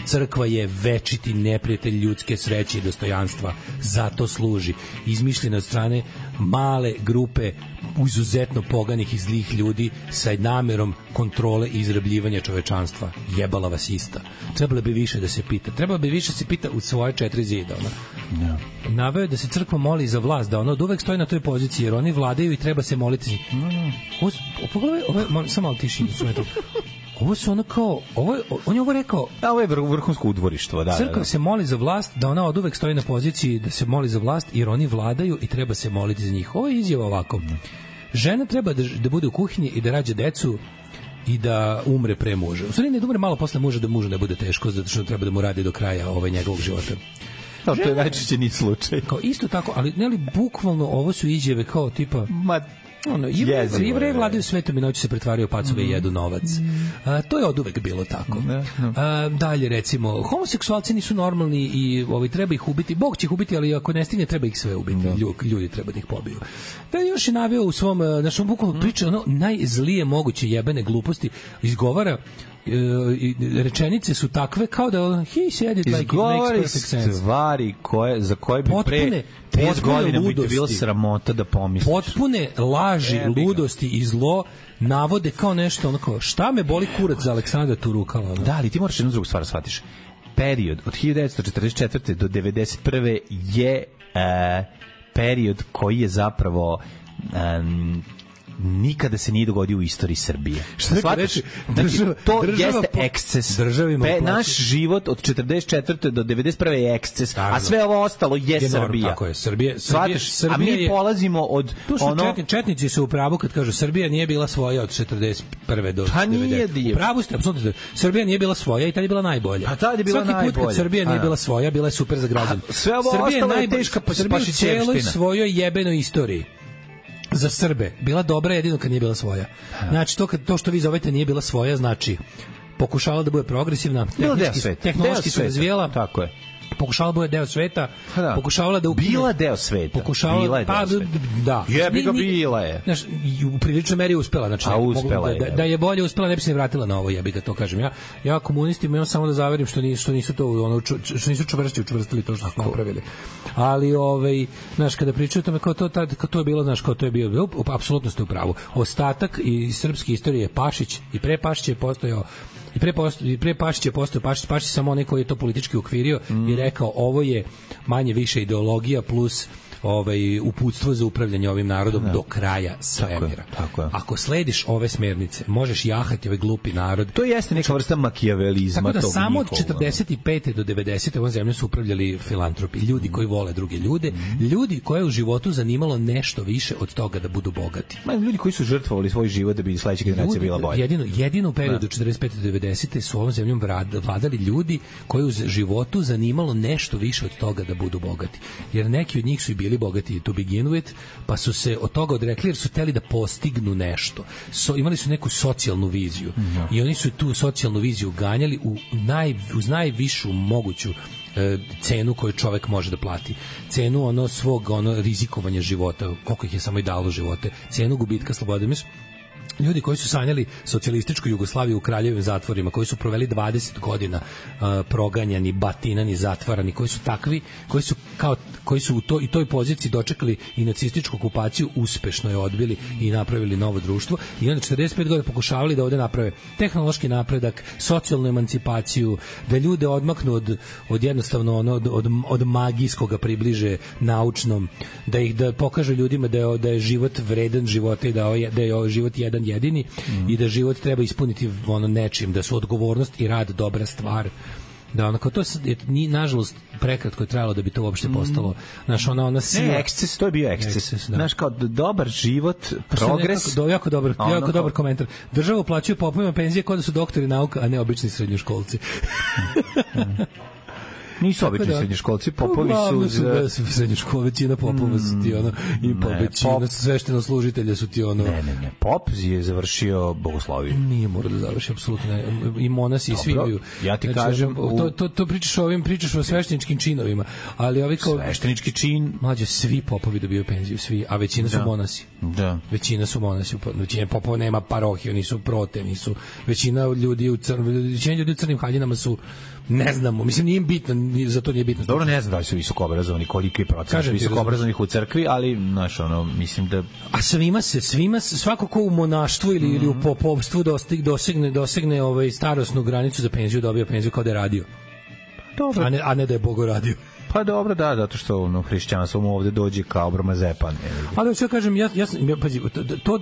Crkva je večiti neprijatelj ljudske sreće i dostojanstva. Zato služi. Izmišljena od strane male grupe izuzetno poganih i zlih ljudi sa namerom kontrole i izrabljivanja čovečanstva. Jebala vas ista. Trebalo bi više da se pita. Trebalo bi više da se pita u svoje 4 zida. Naveo je da se crkva moli za vlast, da ona od uvek stoji na toj poziciji, jer oni vladaju i treba se moliti. Pogledaj, samo malo tiši instrumentu. Ovo su ono kao, on je ovo rekao... Ovo je vrhunsko udvorištvo, da. Crkva se moli za vlast, da ona od uvek stoji na poziciji da se moli za vlast, jer oni vladaju i treba se moliti za njih. Ovo je izjava ovako. Žena treba da bude u kuhinji i da rađa decu i da umre pre muža. U stvari ne da umre malo posle muža, da mužu ne bude teško, zato što treba da mu radi do kraja njegovog života. To je najčešće ni slučaj. Kao isto tako, ali bukvalno ovo su izjave kao tipa... Jevreji vladaju svetom i noću se pretvaraju pacove i jedu novac. To je oduvek bilo tako. Dalje, recimo, homoseksualci nisu normalni i treba ih ubiti. Bog će ih ubiti, ali ako ne stigne, treba ih sve ubiti. Ljudi treba da ih pobiju. Da još je naveo u svom, našom bukvalno priče, najzlije moguće jebene gluposti izgovara. Rečenice su takve kao da he said it like it makes perfect sense. Stvari za koje bi pre 5 godina bi te bilo sramota da pomisliš. Potpune laži, ludosti i zlo navode kao nešto onako, šta me boli kurac za Aleksandra Turukala. Da, ali ti moraš jednu drugu stvar shvatiš. Period od 1944. do 1991. je period koji je zapravo nikada se nije dogodio u istoriji Srbije. Šta reći? To jeste eksces. Naš život od 44. do 91. je eksces, a sve ovo ostalo je Srbija. Tako je, Srbija a mi polazimo od Četnici su u pravu kad kažu Srbija nije bila svoja od 41. do 90. U pravu ste, apsolutno. Srbija nije bila svoja i tad je bila najbolja. A tad je bila najbolja. Svaki put kad Srbija nije bila svoja, bila je super za građane. Sve ovo ostalo je teška pašićevština. Srbija u celoj svojoj jebenoj istoriji za Srbe bila dobra jedino kad nije bila svoja. Znači, to što vi zovete nije bila svoja, znači pokušavala da bude progresivna, tehnološki se razvijela. Tako je. Pokušavala da bude deo sveta, pokušavala da bila deo sveta. Da. Jebi ga, bila je. Znaš, u priličnoj meri uspela, znači da je bolje uspela, ne bi se vratila na ovo, jebi ga, to kažem. Ja komunistima imam samo da zaverim što nisu to što nisu učvrstili to što su napravili. Ali znaš, kada pričaju o tome kao to je bilo, znaš, kao to je bio, apsolutno ste u pravu. Ostatak i srpske istorije je Pašić i pre Pašića je postojao I pre Pašić je postao Pašić samo onaj koji je to politički ukvirio i rekao ovo je manje više ideologija plus uputstvo za upravljanje ovim narodom do kraja svemira. Ako slediš ove smernice, možeš jahati ovaj glupi narod. To jeste neka vrsta makijavelizma. Tako da samo od 45. do 90. ovom zemljom su upravljali filantropi, ljudi koji vole druge ljude, ljudi koje u životu zanimalo nešto više od toga da budu bogati. Ljudi koji su žrtvovali svoj život da bi sledeća generacija bila bolja. Jedino u periodu 45. do 90. su ovom zemljom vladali ljudi koji u životu zanimalo nešto više od toga da budu bogati. Jer neki od njih su i bili bogati to begin with, pa su se od toga odrekli jer su hteli da postignu nešto. Imali su neku socijalnu viziju i oni su tu socijalnu viziju ganjali uz najvišu moguću cenu koju čovek može da plati. Cenu svog rizikovanja života, koliko ih je samo i dalo živote, cenu gubitka slobode. Ljudi koji su sanjali socijalističku Jugoslaviju u kraljevim zatvorima, koji su proveli 20 godina proganjani, batinani, zatvarani, koji su takvi, koji su u toj poziciji dočekali i nacističku okupaciju, uspešno je odbili i napravili novo društvo i onda 45 godina pokušavali da ovde naprave tehnološki napredak, socijalnu emancipaciju, da ljude odmaknu od jednostavno od magijskoga približe naučnom, da pokažu ljudima da je život vredan života i da je život jedan jedini i da život treba ispuniti nečim, da su odgovornost i rad dobra stvar. Da, onako, to je nažalost prekratko je trajalo da bi to uopšte postalo. Znaš, ona sila... Ne, eksces, to je bio eksces. Znaš, kao dobar život, progres... Jako dobar komentar. Država uplaćuje popovima penzije kao da su doktori nauka, a ne obični srednjoškolci. Nisu obični srednjoškolci, popovi su... Srednjoškola, većina popova su ti ono, i većina svešteno služitelja su ti ono... Ne, pop je završio bogosloviju. Nije morao da završi, apsolutno ne. I monasi i svi imaju. Ja ti kažem... To pričaš o svešteničkim činovima, ali ovi kao... Sveštenički čin... Mlađe, svi popovi dobiju penziju, svi, a većina su monasi. Da. Većina su monasi, većina popova nema parohiju, nisu prote, nisu... Većina ljudi u crnim haljinama su... Ne znamo, mislim nije im bitno, za to nije bitno. Dobro, ne znam da li su visoko obrazovani, koliki je procenat visoko obrazovanih u crkvi, ali znaš, ono, mislim da... A svima se, svako ko u monaštvu ili u popovstvu dosegne starosnu granicu za penziju, dobija penziju kao da je radio. Dobro. A ne da je Bogo radio. Pa dobro, da, zato što hrišćanstvo mu ovde dođe kao bromazepan. Ali hoću da kažem, pazi,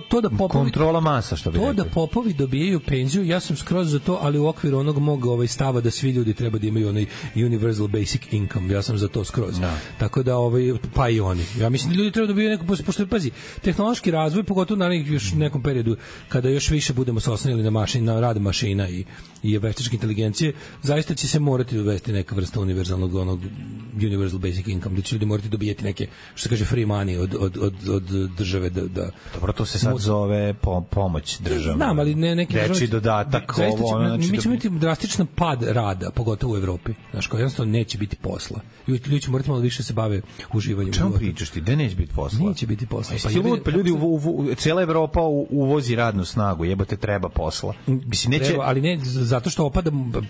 to da popovi... Kontrola masa, što bi rekli. To da popovi dobijaju penziju, ja sam skroz za to, ali u okviru onog mog stava da svi ljudi treba da imaju onaj universal basic income, ja sam za to skroz. No. Tako da, pa i oni. Ja mislim da ljudi treba da dobijaju neko, pošto, pazi, tehnološki razvoj, pogotovo na još nekom periodu, kada još više budemo se oslanjali na rad mašina i veštačke inteligencije, zaista će se morati uvesti neka vrsta univerzalnog onog universal basic income, da će ljudi morati dobijeti neke, što se kaže, free money od države da... Dobro, to se sad zove pomoć države. Znam, ali neki dečiji dodatak, mi ćemo imati drastičan pad rada, pogotovo u Evropi. Znaš, kao jednostavno neće biti posla. Ljudi će morati malo više se bave uživanjem. Čemu pričaš ti? Gde neće biti posla? Neće biti posla. Pa ljudi, cijela Evropa uvozi radnu snagu, jebote, treba posla. Mislim, neće... Treba, ali ne, zato što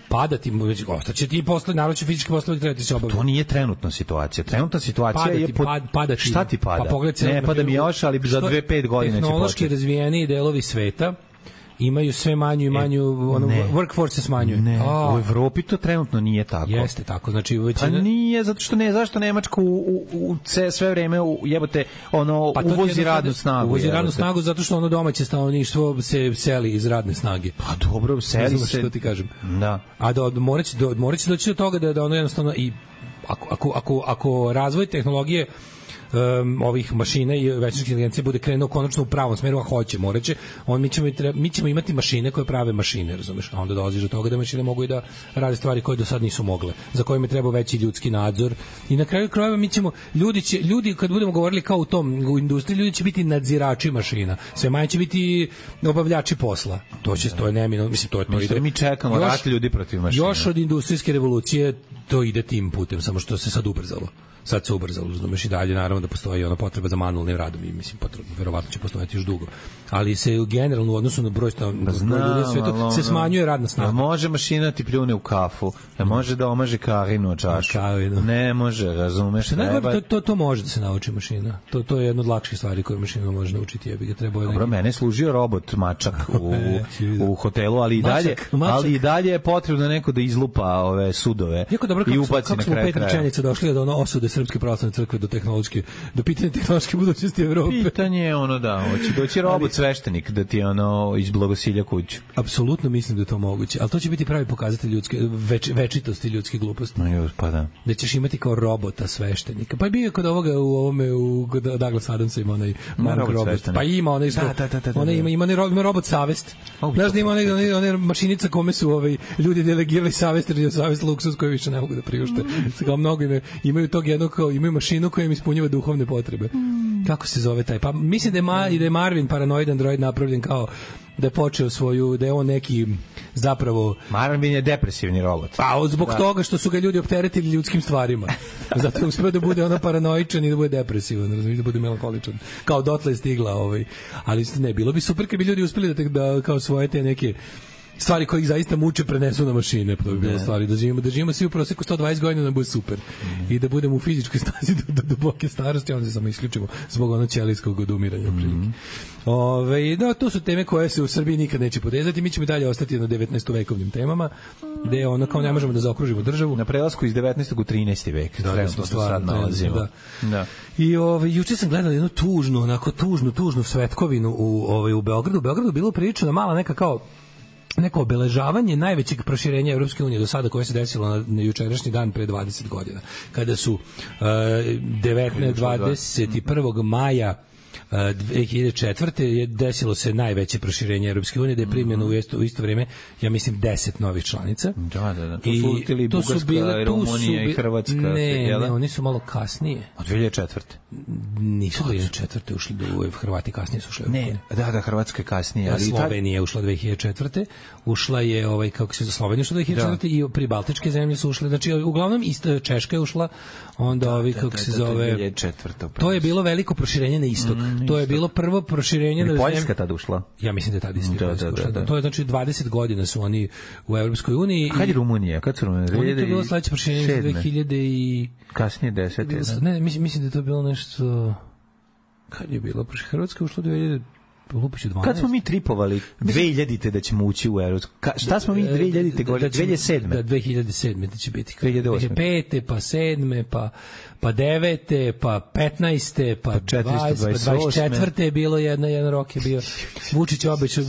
padati, ostaće ti posle, naravno će fizički poslovi trebati se obaviti. To nije trenutna situacija. Trenutna situacija je... Padati. Šta ti pada? Pa ne pada mi još, ali za 2-5 godina će početi. Tehnološki razvijeni delovi sveta imaju sve manju i manju, workforce se smanjuje. Ne, u Evropi to trenutno nije tako. Jeste tako, znači većina... Pa nije, zato što ne, zašto Nemačka sve vreme jebote, uvozi radnu snagu. Uvozi radnu snagu zato što domaće stanovništvo se seli iz radne snage. Pa dobro, seli se. Što ti kažem. Da. A moraće doći do toga da ono jednostavno i ako razvoj tehnologije ovih mašina i veštačke inteligencije bude krenuo konačno u pravom smeru, a hoće, moraće, mi ćemo imati mašine koje prave mašine, razumeš? A onda dolaziš do toga da mašine mogu i da rade stvari koje do sad nisu mogle, za kojima treba veći ljudski nadzor. I na kraju krajeva ljudi kad budemo govorili kao u industriji, ljudi će biti nadzirači mašina. Sve manje će biti obavljači posla. To je neminovno, mislim to ide. Mi čekamo rat ljudi protiv mašina. Još od industrijske revolucije to ide tim putem, samo što se sad ubrzalo. Sad se ubrzalo, razumeš, i dalje naravno da postoji ona potreba za manualnim radom i mislim verovatno će postojati još dugo. Ali se generalno u odnosu na broj ljudi svetu se smanjuje radna snaga. Može mašina ti pljune u kafu, može da omaže Karinu čašu. Ne može, razumeš? To može da se nauči mašina. To je jedna od lakših stvari koje mašina može naučiti. Ja bih ga trebao. Dobro, mene služio robot mačak u hotelu, ali i dalje je potrebno neko da izlupa ove sudove i ubaci na kraj kraja. Kako smo 5 rečenica došli do osude Srpske pravoslavne crkve do pitanja tehnološke budućnosti Evrope. Pitanje je hoće doći robot sveštenik da ti izblagosilja kuću. Apsolutno mislim da je to moguće, ali to će biti pravi pokazatelj ljudske večitosti i ljudske gluposti. Pa da. Da ćeš imati kao robota sveštenika. Pa je bio kod ovoga kod Douglas Adamsa ima onaj robot. Pa ima ima robot savest. Znaš da ima onaj mašinica kome su ljudi delegirali savest, jer je savest luksuz koji više ne mogu da priušte. Kao mnogo imaju tog jednog, imaju mašinu koja im ispunjava duhovne potrebe. Kako se zove taj? Pa mislim da je Marvin paranoid android napravljen kao da je počeo da je on neki zapravo... Marvin je depresivni robot. Pa zbog toga što su ga ljudi opteretili ljudskim stvarima. Zato je uspeo da bude paranoičan i da bude depresivan, da bude melankoličan. Kao dotle je stigla ali ne, bilo bi super kad bi ljudi uspeli da kao svoje te neke stvari koje ih zaista muče prenesu na mašine, to bi bilo stvari, da živimo svi u proseku 120 godina, da bude super. I da budemo u fizičkoj snazi do duboke starosti, onda se samo isključimo zbog ćelijskog odumiranja. To su teme koje se u Srbiji nikad neće podezati, mi ćemo dalje ostati na 19. vekovnim temama, gde kao ne možemo da zaokružimo državu. Na prelasku iz 19. u 13. vek, trenutno se sad nalazimo. Da. I juče sam gledao jednu tužnu svetkovinu u Beogradu. U Beogradu bilo pričano mala neka kao neko obeležavanje najvećeg proširenja Evropske unije do sada koje se desilo na jučerašnji dan pre 20 godina. Kada su 21. maja 2004. je desilo se najveće proširenje Evropske unije, da je primljeno u isto vrijeme, ja mislim, 10 novih članica. Da. To su utili Bugarska, Rumunija i Hrvatska. Ne, oni su malo kasnije. Od 2004. Nisu 2004. ušli do Hrvati, kasnije su ušli. Ne, da, Hrvatska je kasnije. Ali Slovenija je ušla 2004. Ušla je, kako se za Sloveniju ušla 2004. i pribaltičke zemlje su ušle. Znači, uglavnom, Češka je ušla, onda kako se zove... 2004. To je bilo veliko proširenje na istok. To je bilo prvo proširenje na Poljska tada ušla. Ja mislim da je tada isto ušla. To je znači 20 godina su oni u Evropskoj uniji. Kad je Rumunija? Kad su Rumunija? To je bilo sledeće proširenje 2000 i... Kasnije 10. Ne, mislim da je to bilo nešto... Kad je bilo? Hrvatska ušla 2000... Kad smo mi tripovali 2000-te da ćemo ući u Evropsku? Šta smo mi 2000-te govorili? 2007. Da, 2007. da će biti. 2008. 2005. pa 7. pa 9. pa 15. pa 20. pa 24. je bilo jedan rok je bio.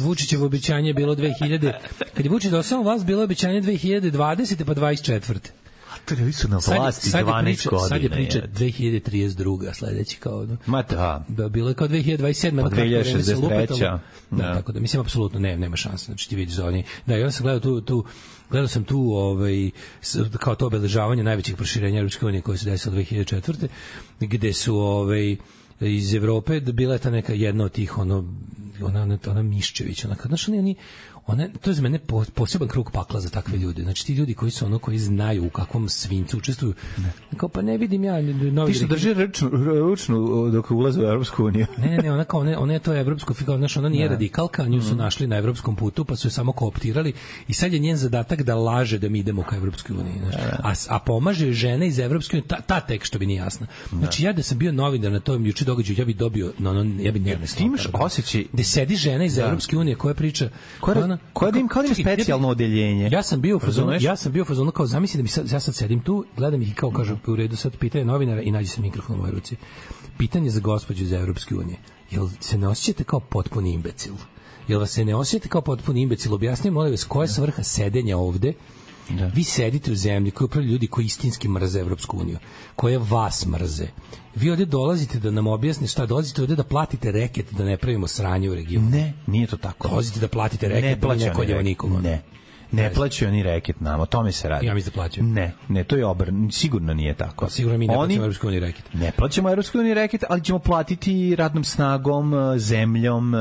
Vučićevo obećanje je bilo 2000. Kad je Vučić došao vlast, bilo je obećanje 2020. pa 24. Oni su na vlasti 12 godina. Sad je priča 2032. sledeći kao... Ma da. Bilo je kao 2027. Pa 2063. Da, tako da mislim, apsolutno nema šanse. Znači ti vidiš za oni... Da, ja sam gledao sam tu kao to obeležavanje najvećih proširenja Evropske unije koje se desilo 2004. gde su iz Evrope bila je ta neka jedna od tih ona Miščević, znaš, to je za mene poseban krug pakla za takve ljude. Znači ti ljudi koji su koji znaju u kakvom svincu učestvuju. Kao pa ne vidim ja novi. Ti što drži ručnu dok ulaze u Evropsku uniju. Ne, ona je to evropsko figura, znači ona nije radikalka, nju su našli na evropskom putu, pa su je samo kooptirali i sad je njen zadatak da laže da mi idemo ka Evropskoj uniji, znači. A pomaže žene iz Evropske unije, ta tek što bi nije jasna. Znači ja da sam bio novinar na tom juče događaju, ja bih dobio ja bih nervno. Ti imaš osjećaj da sedi žena iz Evropske unije koja priča koja im specijalno odeljenje. Ja sam bio u fazonu kao zamisli da mi ja sad sedim tu, gledam ih i kao kažu u redu, sad pitanje novinara i nađe se mikrofon u mojoj ruci. Pitanje za gospođu iz Evropske unije. Jel se ne osjećate kao potpuni imbecil? Jel vas se ne osjećate kao potpuni imbecil? Objasnite, molim vas, koja je svrha sedenja ovde? Da. Vi sedite u zemlji koji upravljaju ljudi koji istinski mrze Evropsku uniju, koje vas mrze. Vi ovdje dolazite da nam objasnite šta, dolazite ovdje da platite reket da ne pravimo sranje u regionu. Ne, nije to tako. Dolazite da platite reket da ne koljeva nikoga. Ne plaćaju oni reket nama, o tome se radi. Ja mislim da plaćaju. Ne, to je sigurno nije tako. Sigurno mi ne plaćamo Evropskoj uniji reket. Ne plaćamo Evropskoj uniji reket, ali ćemo platiti radnom snagom, zemljom,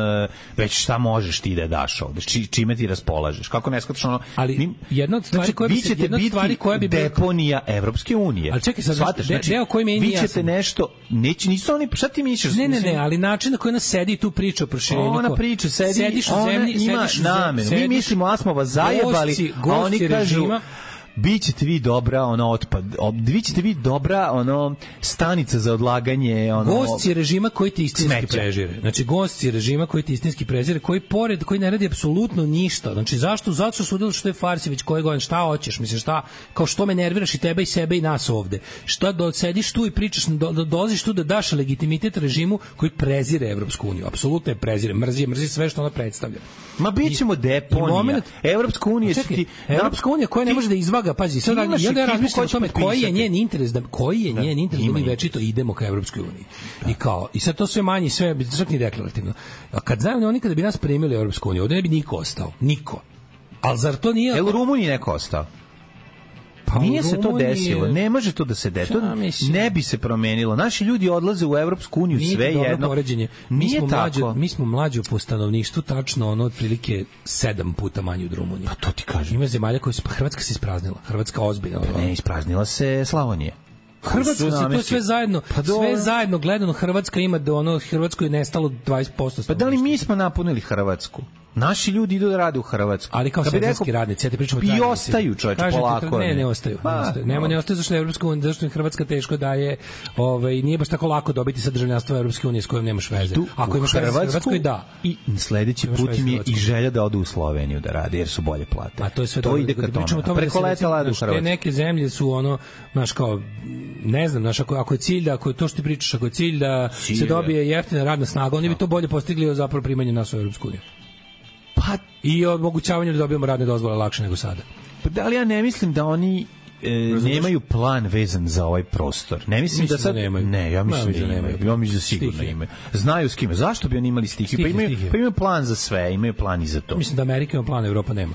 već šta možeš ti da daš ovde, čime ti raspolažeš. Kako ne shvataš ono... Ali jedna od stvari koja bi deponija Evropske unije. Ali čekaj, sad, deo koji mi je vi ćete nešto, nisu oni, šta ti misliš? Ne, ali način na koji ona sedi tu priča o proširenju. Ona priča, sediš u zemlji, ima namenu. Mi mislimo, a smo vas zajebali, a oni kažu bićete vi dobra bićete vi dobra stanica za odlaganje gosti režima koji ti istinski prezire. Znači gosti režima koji ti istinski prezire, koji ne radi apsolutno ništa. Znači zašto su udjeli što je Farsivić koje godine, šta hoćeš, misliš šta, kao što me nerviraš i tebe i sebe i nas ovde. Šta sediš tu i pričaš, dolaziš tu da daš legitimitet režimu koji prezire Evropsku uniju. Apsolutno je prezire, mrzi sve što ona predstavlja. Ma bićemo deponija. Evropska unija koja ne može da izvaga, pazi, sad ja razmišljam o tome koji je njen interes da mi večito idemo ka Evropskoj uniji. I sad to sve manje, sve čak ni deklarativno. A kad znaju oni kada bi nas primili u Evropsku uniju, ovdje ne bi niko ostao. Niko. Ali zar to nije... Jel u Rumuniji neko ostao? Pa nije se to desilo, ne može to da se desi, to ne bi se promenilo. Naši ljudi odlaze u Evropsku uniju sve jedno. Mi smo mlađi po stanovništvu, tačno otprilike 7 puta manji od Rumunije. Pa to ti kažem. Ima zemalja koje su, Hrvatska se ispraznila, Hrvatska ozbiljno. Ne, ispraznila se Slavonije. Hrvatska se to sve zajedno gledano, Hrvatska ima Hrvatskoj je nestalo 20%. Pa da li mi smo napunili Hrvatsku? Naši ljudi idu da rade u Hrvatsku. Ali kao sezonski radnici, ja ti pričam o trajnici. I ostaju, čovječe, polako. Ne ostaju. Ne ostaju zašto je Evropska unija, zašto je Hrvatska teško daje, nije baš tako lako dobiti sa državljanstva Evropske unije s kojom nemaš veze. Ako imaš veze u Hrvatskoj, da. I sledeći put im je i želja da odu u Sloveniju da rade, jer su bolje plate. A to je sve to ide ka tome. Preko leta lade u Hrvatsku. Te neke zemlje su znaš kao, ne znam, znaš, ako je cilj da, ako je to što ti pričaš, ako je cilj da se dobije jeftina radna snaga, oni bi to bolje postigli zapravo primanjem nas u Evropsku uniju. Pa i omogućavanje da dobijemo radne dozvole lakše nego sada. Pa da li ja ne mislim da oni nemaju plan vezan za ovaj prostor. Ne mislim da sad nemaju. Ne, ja mislim da nemaju. Ja mislim da sigurno imaju. Znaju s kime. Zašto bi oni imali stihiju? Pa imaju plan za sve, imaju plan i za to. Mislim da Amerika ima plan, Evropa nema.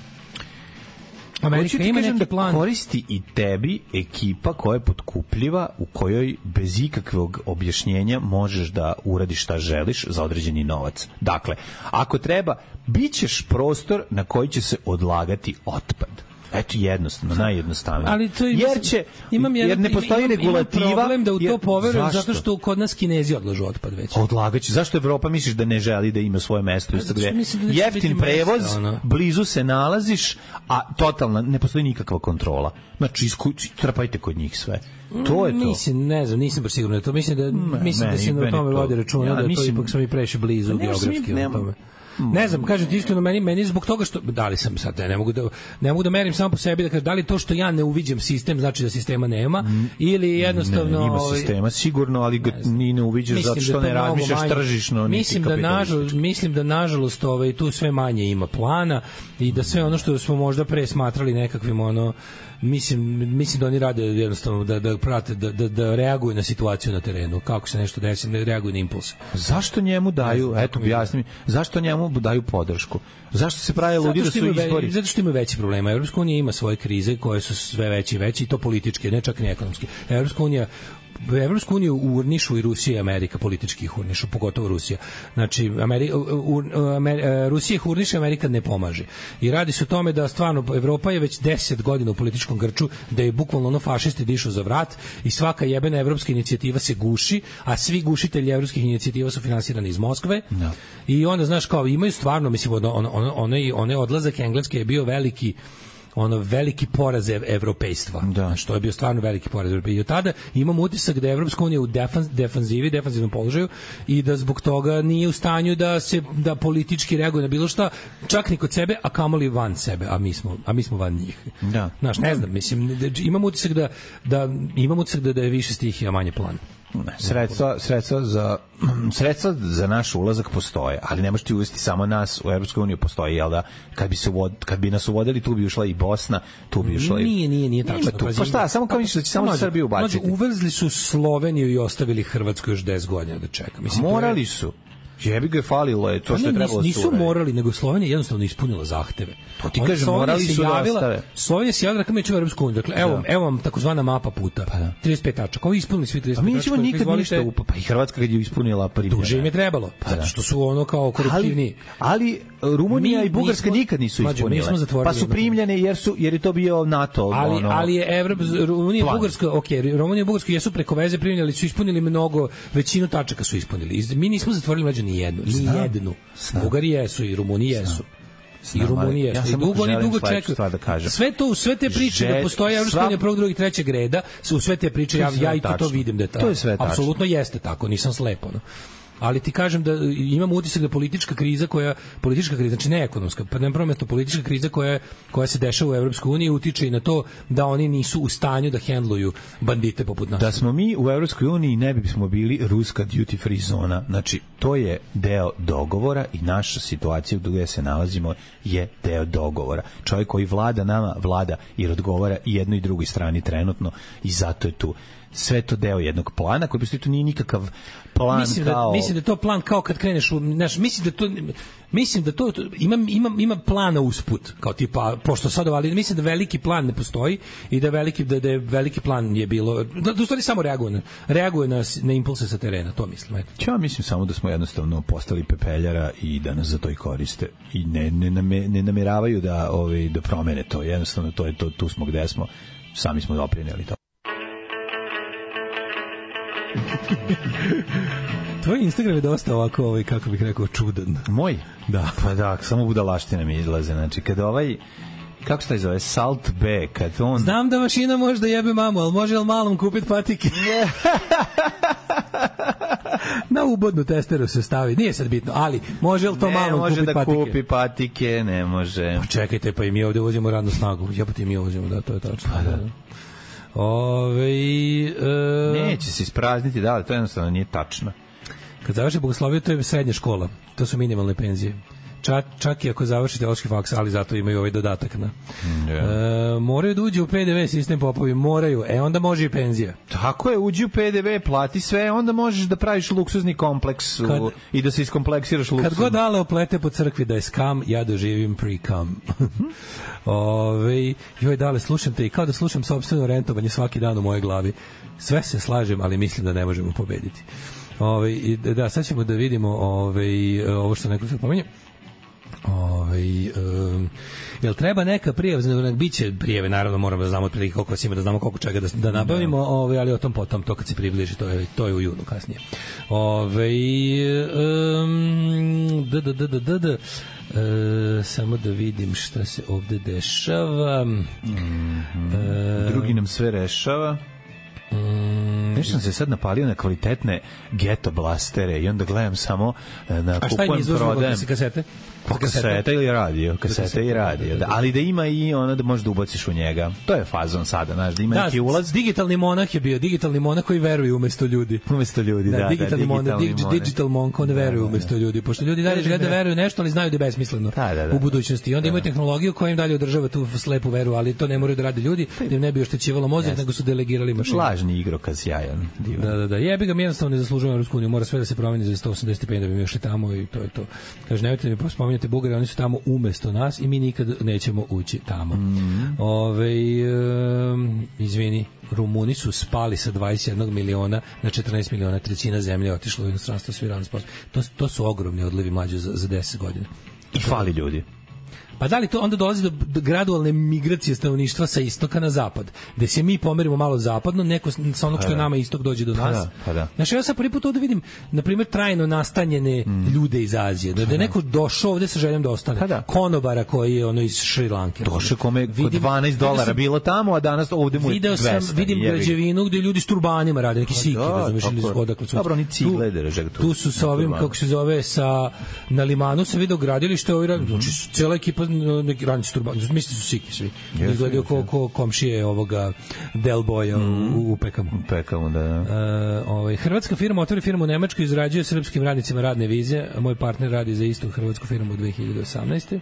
Amerika ima neki plan. Koristi i tebi ekipa koja je potkupljiva, u kojoj bez ikakvog objašnjenja možeš da uradiš šta želiš za određeni novac. Dakle, ako treba, bićeš prostor na koji će se odlagati otpad. Eto, jednostavno, najjednostavnije. Ali to jer ne postoji regulativa. Imam problem da u to poverujem, zato što kod nas Kinezi odlažu otpad već. Odlagaće. Zašto Evropa misliš da ne želi da ima svoje mesto? Jeftin prevoz, blizu se nalaziš, a totalna, ne postoji nikakva kontrola. Znači, trpajte kod njih sve. To je to. Mislim, ne znam, nisam baš siguran da to. Mislim da se na tome vodi računa, da to ipak smo i previše blizu geografski na tome. Ne znam, kažem ti iskreno, meni zbog toga što da li sam sad, ne mogu da merim samo po sebi, da kažem da li to što ja ne uviđam sistem znači da sistema nema ili jednostavno ima sistema sigurno, ali ga ni ne uviđaš zato što ne razmišljaš tržišno. Mislim da nažalost tu sve manje ima plana i da sve ono što smo možda pre smatrali nekakvim mislim da oni rade jednostavno da prate, da reaguju na situaciju na terenu, kako se nešto desi, da reaguju na impuls. Zašto njemu daju, eto objasni mi, zašto njemu daju podršku? Zašto se pravi ludi da su izbori? Zato što ima veći problema. Evropska unija ima svoje krize koje su sve veće i veće, i to političke, ne čak ni ekonomske. Evropsku uniju urnišu i Rusija i Amerika, politički ih urnišu, pogotovo Rusija. Znači, Rusija ih urniše, Amerika ne pomaže. I radi se o tome da stvarno Evropa je već 10 godina u političkom grču, da je bukvalno fašisti dišu za vrat i svaka jebena evropska inicijativa se guši, a svi gušitelji evropskih inicijativa su finansirani iz Moskve. No. I onda, znaš, kao imaju stvarno, mislim, onaj odlazak Engleske je bio veliki poraz evropejstva. Da. Što je bio stvarno veliki poraz evropejstva. I od tada imam utisak da je Evropska unija u defanzivnom položaju i da zbog toga nije u stanju da politički reaguje na bilo šta, čak ni kod sebe, a kamoli van sebe, a mi smo van njih. Da. Znaš, ne znam, mislim, imam utisak da je više stihija, manje plan. Sredstva za naš ulazak postoje, ali ne možete uvesti samo nas u Evropsku uniju, postoji, jel da, kad bi nas uvodili, tu bi ušla i Bosna, tu bi ušla i... Nije tačno. Pa šta, samo kao misliš da će samo Srbiju ubaciti? Uvezli su Sloveniju i ostavili Hrvatsku još 10 godina da čeka. Morali su. Jebi ga, falilo je to što je trebalo. Nisu morali, nego Slovenija jednostavno ispunila zahteve. To ti kažem, morali su da ostave. Slovenija se javila kao mi ćemo u Evropsku uniju. Dakle, evo vam takozvana mapa puta. 35 tačaka. Ovi ispunili svi 35 tačaka. A mi nećemo nikad ništa pa i Hrvatska kad je ispunila primljena. Duže im je trebalo, zato što su kao koruptivni. Ali Rumunija i Bugarska nikad nisu ispunile. Pa su primljene jer je to bio NATO. Ali je Rumunija i Bugarska jesu preko veze primljeni, su ispunili mnogo, većinu tačaka su ispunili. Mi nismo zatvorili ni jednu. Bugari jesu i Rumuni jesu. I Rumunija jesu. I dugo čekaju. Sve te priče da postoji Evropska unija prvog, drugog i trećeg reda, u sve te priče ja i to vidim da je tako. Apsolutno jeste tako, nisam slepo. Ali ti kažem da imam utisak da politička kriza, znači ne ekonomska, pa na prvo mesto politička kriza koja se dešava u Evropskoj uniji utiče i na to da oni nisu u stanju da hendluju bandite poput nas. Da smo mi u Evropskoj uniji ne bismo bili ruska duty free zona. Znači, to je deo dogovora i naša situacija gdje se nalazimo je deo dogovora. Čovjek koji vlada nama, vlada jer odgovara i jednoj i drugoj strani trenutno i zato je tu. Sve to deo jednog plana koji postoji, to nije nikakav plan mislim da je to plan kao kad kreneš mislim da to ima plana usput kao tipa pošto sad ali mislim da veliki plan ne postoji i da je veliki plan je bilo da u stvari samo reaguje na impulse sa terena, to mislim. Ja mislim samo da smo jednostavno postali pepeljara i da nas za to i koriste i ne nameravaju da promene to, jednostavno to je to, tu smo gde smo, sami smo doprineli to. Tvoj Instagram je dosta ovako, kako bih rekao, čudan. Moj? Da. Pa da, samo budalaštine mi izlaze. Znači, kada kako se taj zove, Salt B, kad on... Znam da mašina može da jebe mamu, ali može li malom kupiti patike? Na ubodnu testeru se stavi, nije sad bitno, ali može li to malom kupiti patike? Ne može da kupi patike, ne može. Pa čekajte, pa i mi ovdje uvozimo radnu snagu. Jebate mi uvozimo, da, to je tačno. Pa da. Neće se isprazniti, da, ali to jednostavno nije tačno. Kad završi bogosloviju, to je srednja škola, to su minimalne penzije. čak i ako završi teološki faks, ali zato imaju ovaj dodatak na. Moraju da uđe u PDV sistem popovi, moraju. Onda može i penzija. Tako je, uđi u PDV, plati sve, onda možeš da praviš luksuzni kompleks i da se iskompleksiraš luksuzno. Kad god Ale oplete po crkvi da je skam, ja doživim pre-cum. Joj, Dale, slušam te i kao da slušam sopstveno rentovanje svaki dan u mojoj glavi. Sve se slažem, ali mislim da ne možemo pobediti. Da, sad ćemo da vidimo ovo što neko se pomenje. Jel treba neka prijava, biće prijeve, naravno moramo da znamo otprilike koliko ima, da znamo koliko čega da nabavimo, ali o tom potom, to kad se približi, to je u junu kasnije. Samo da vidim šta se ovde dešava. Drugi nam sve rešava. Nešto sam se sad napalio na kvalitetne Geto blastere i onda gledam samo na kupujem, prodajem. Kasete? Kaseta ili radio? Kaseta i radio. Da, ali da ima i ono da možeš da ubaciš u njega. To je fazon sada, znaš, da ima neki ulaz. Digitalni monah je bio, digitalni monah koji veruje umesto ljudi. Umesto ljudi, da. Digitalni monah, digital monk, on veruje umesto ljudi. Pošto ljudi dalje žele da veruju nešto, ali znaju da je besmisleno u budućnosti. I onda imaju tehnologiju koja im dalje održava tu slepu veru, ali to ne moraju da rade ljudi, da im ne bi oštećivalo mozak, nego su delegirali mašinu. Lažni igrokaz, jajan, divan. Da. Jebi ga, mi jednostavno ne zaslužujemo Evropsku uniju, mora sve da se promeni za 185 da bi mi još tamo i to je to. Kaže, nemojte mi spominjati Bugari, oni su tamo umesto nas i mi nikad nećemo ući tamo. Izvini, Rumuni su spali sa 21 miliona na 14 miliona, trećina zemlje otišla u inostranstvo, svi radni sposobni. To su ogromni odlivi mlađe za 10 godina. I fali ljudi. Pa da li to onda dolazi do gradualne migracije stanovništva sa istoka na zapad, gde se mi pomerimo malo zapadno, neko sa onog što je nama istok dođe do nas. Znači, ja sad prvi put ovde vidim, na primjer, trajno nastanjene ljude iz Azije, da je neko došao ovde sa željom da ostane. Konobara koji je iz Šri Lanke. Došao kome kod $12 bilo tamo, a danas ovde mu je 200. Vidim građevinu gde ljudi s turbanima rade, neki siki, razumiješ, ili odakle su. Dobro, oni cigle drže tu. Tu su sa ovim, kako se zove, na Limanu sam video gradilište, znači cela ekipa neki ranci turban, mislim su siki svi. Izgledaju ko komšije ovoga Del Boya u Pekamu. U Pekamu, da. Hrvatska firma otvori firmu u Nemačkoj, izrađuje srpskim radnicima radne vize. Moj partner radi za istu hrvatsku firmu u 2018.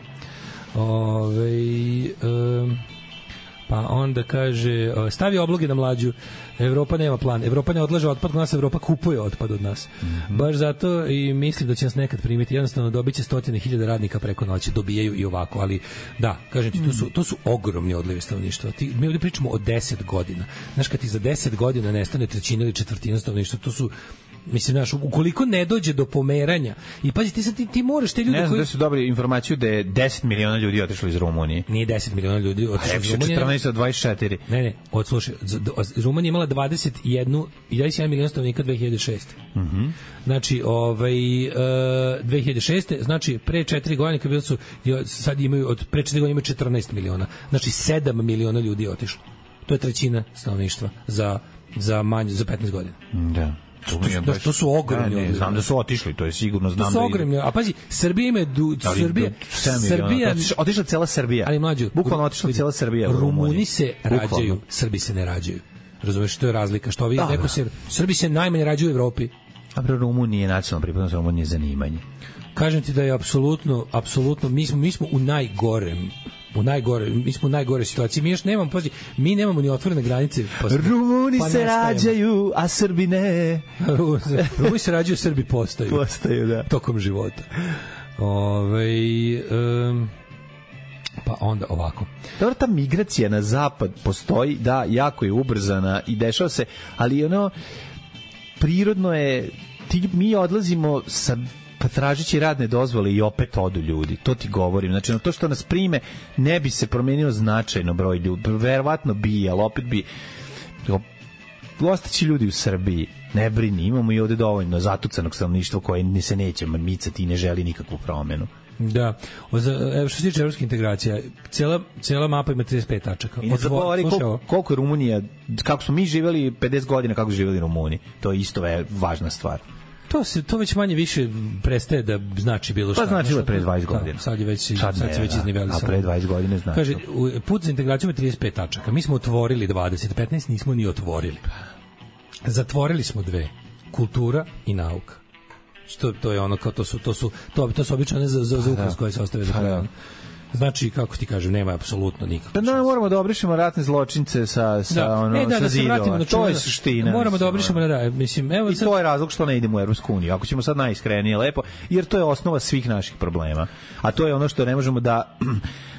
Pa onda kaže, stavi obloge na Mlađu, Evropa nema plan, Evropa ne odlaže otpad kod nas, Evropa kupuje otpad od nas. Baš zato i mislim da će nas nekad primiti, jednostavno dobit će 100.000 radnika preko noći, dobijaju i ovako, ali da, kažem ti, to su ogromni odlivi stanovništva. Mi ovdje pričamo o 10 godina. Znaš, kad ti za 10 godina nestane trećina ili četvrtina stanovništva, to su, mislim, znaš, ukoliko ne dođe do pomeranja i pazi, ti moraš te ljude ne znam da su dobili informaciju da je 10 miliona ljudi otišlo iz Rumunije. Nije 10 miliona ljudi otišlo iz Rumunije. 14 od 24. Ne, odslušaj, Rumunija imala 21 milion stanovnika 2006. Znači, 2006. Znači, pre 4 godine, kad su, sad imaju, pre 4 godine imaju 14 miliona. Znači, 7 miliona ljudi je otišlo. To je trećina stanovništva za 15 godina. Da. To su ogromni. Ne, znam da su otišli, to je sigurno, znam. To su ogromni. A pazi, Srbija ima Srbija otišla cela Srbija. Ali mlađu, bukvalno otišla cela Srbija. Rumuni se rađaju, Srbi se ne rađaju. Razumeš, što je razlika? Što vi neko se Srbi se najmanje rađaju u Evropi. A pre Rumunije je nacionalna pripadnost, Rumunije je zanimanje. Kažem ti da je apsolutno mi smo u najgore situaciji. Mi još nemamo, pazi, mi nemamo ni otvorene granice. Rumuni se rađaju, a Srbi ne. Rumuni se rađaju, Srbi postaju. Postaju, da. Tokom života. Pa onda ovako. Dobro, ta migracija na zapad postoji, da, jako je ubrzana i dešava se, ali ono, prirodno je, mi odlazimo sa tražići radne dozvole i opet odu ljudi. To ti govorim. Znači, to što nas prime ne bi se promenio značajno broj ljudi. Verovatno bi, ali opet bi ostaći ljudi u Srbiji. Ne brini, imamo i ovde dovoljno zatucanog stanovništva koje se neće micati i ne želi nikakvu promenu. Da. Evo što se tiče evropske integracije, cijela mapa ima 35 tačaka. I ne zaboravi koliko je Rumunija, kako smo mi živjeli 50 godina, kako su živjeli Rumuni. To je isto važna stvar. To već manje više prestaje da znači bilo šta. Pa značilo je pre 20 godina. Sad se već iznivelisalo. A pre 20 godina znači. Kaže, put za integraciju ima 35 tačaka. Mi smo otvorili 20, 15 nismo ni otvorili. Zatvorili smo 2. Kultura i nauka. To je ono kao to su obično ne za ukras koje se ostave za kraj. Znači, kako ti kažem, nema apsolutno nikakve šanse. Da, moramo da obrišemo ratne zločince sa zidova. To je suština. Moramo da obrišemo, mislim, evo i to je razlog što ne idemo u Evropsku uniju. Ako ćemo sad najiskrenije lepo, jer to je osnova svih naših problema. A to je ono što ne možemo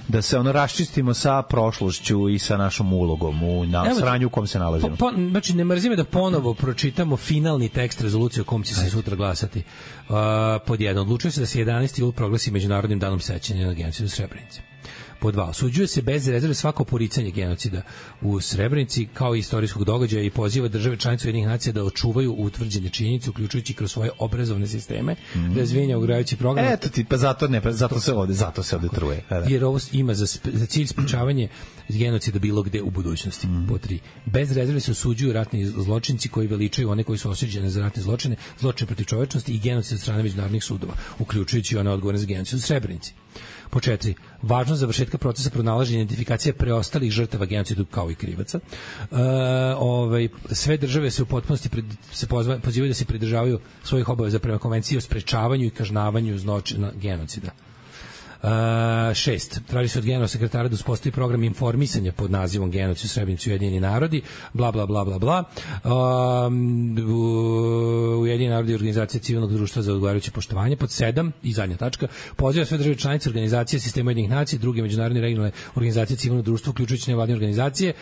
da se raščistimo sa prošlošću i sa našom ulogom u sranju u kom se nalazimo. Znači, ne mrzime da ponovo pročitamo finalni tekst rezolucije o kom će se sutra glasati. Pod 1. Odlučuje se da se 11. jul proglasi Međunarodnim danom sećanja na genocid u Srebrenici. Pod 2. Osuđuje se bez rezerve svako poricanje genocida u Srebrenici kao i istorijskog događaja i poziva države članice Ujedinjenih nacija da očuvaju utvrđene činjenice, uključujući kroz svoje obrazovne sisteme, razvijenja ograđujući program. Eto ti, pa zato se ovde truje. Jer ovo ima za cilj sprečavanje genocida bilo gde u budućnosti. Pod 3. Bez rezerve se osuđuju ratni zločinci koji veličaju one koji su osuđeni za ratne zločine, zločine protiv čovečnosti i genocid od strane međunarodnih sudova, uključujući one odgovorne za genocid u Srebrenici. Po 4. Važnost završetka procesa pronalaženja i identifikacije preostalih žrtava genocidu kao i krivaca. Sve države se u potpunosti pozivaju da se pridržavaju svojih obaveza prema konvenciji o sprečavanju i kažnjavanju zločina genocida. 6. Traži se od generalnog sekretara da uspostavi program informisanja pod nazivom Genocid u Srebrenici Ujedinjeni narodi, bla, bla, bla, bla, bla. Ujedinjeni narodi i organizacije civilnog društva za odgovarajuće poštovanje. Pod 7. I zadnja tačka. Poziva sve države članice organizacije sistema Ujedinjenih nacija, druge međunarodne regionalne organizacije civilnog društva, uključujući nevladine organizacije,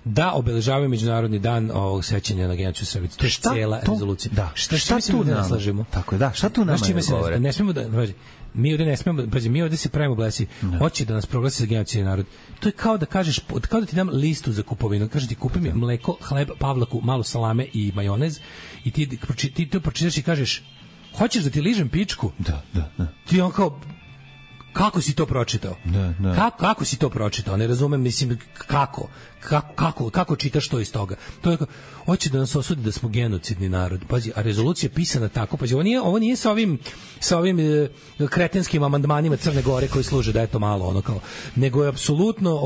da obeležavaju Međunarodni dan ovog sećanja na genocid u Srebrenici. To je cijela rezolucija. Da. Šta tu ne slažemo? Tako je, da. Šta tu nama ne govore? Ne smemo da... Mi ovde ne smemo, mi ovde se pravimo blesi. Hoće da nas proglasi za genocidni narod. To je kao da kažeš, kao da ti dam listu za kupovinu. Kaže ti kupi mi mleko, hleb, pavlaku, malo salame i majonez i ti to pročitaš i kažeš hoćeš da ti ližem pičku? Da. Ti on kao kako si to pročitao? Kako si to pročitao? Ne razumem, mislim, kako čitaš to iz toga? To je hoće da nas osudi da smo genocidni narod. Pazi, a rezolucija je pisana tako. Pazi, ovo nije sa ovim kretenskim amandmanima Crne Gore koji služe da je to malo ono kao, nego je apsolutno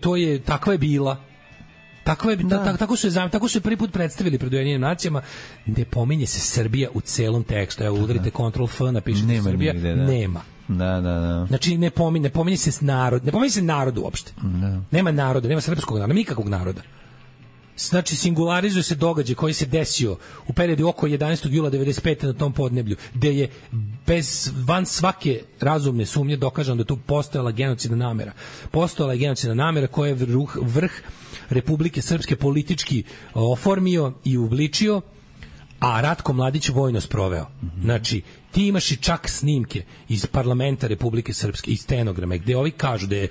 to je takva je bila. Tako su je prvi put predstavili pred Ujedinjenim nacijama. Ne pominje se Srbija u celom tekstu. Evo, udarite Ctrl F, napišete nema Srbija. Nigde, nema. Da. Znači, ne pominje se narod. Ne pominje se narod uopšte. Nema naroda, nema srpskog naroda, nikakvog naroda. Znači, singularizuje se događaj koji se desio u periodu oko 11. jula 95. na tom podneblju, gde je van svake razumne sumnje dokaženo da tu postojala genocidna namera. Postojala je genocidna namera koja je vrh Republike Srpske politički oformio i uobličio, a Ratko Mladić vojno sproveo. Znači, ti imaš i čak snimke iz parlamenta Republike Srpske, iz stenograma, gde ovi kažu da je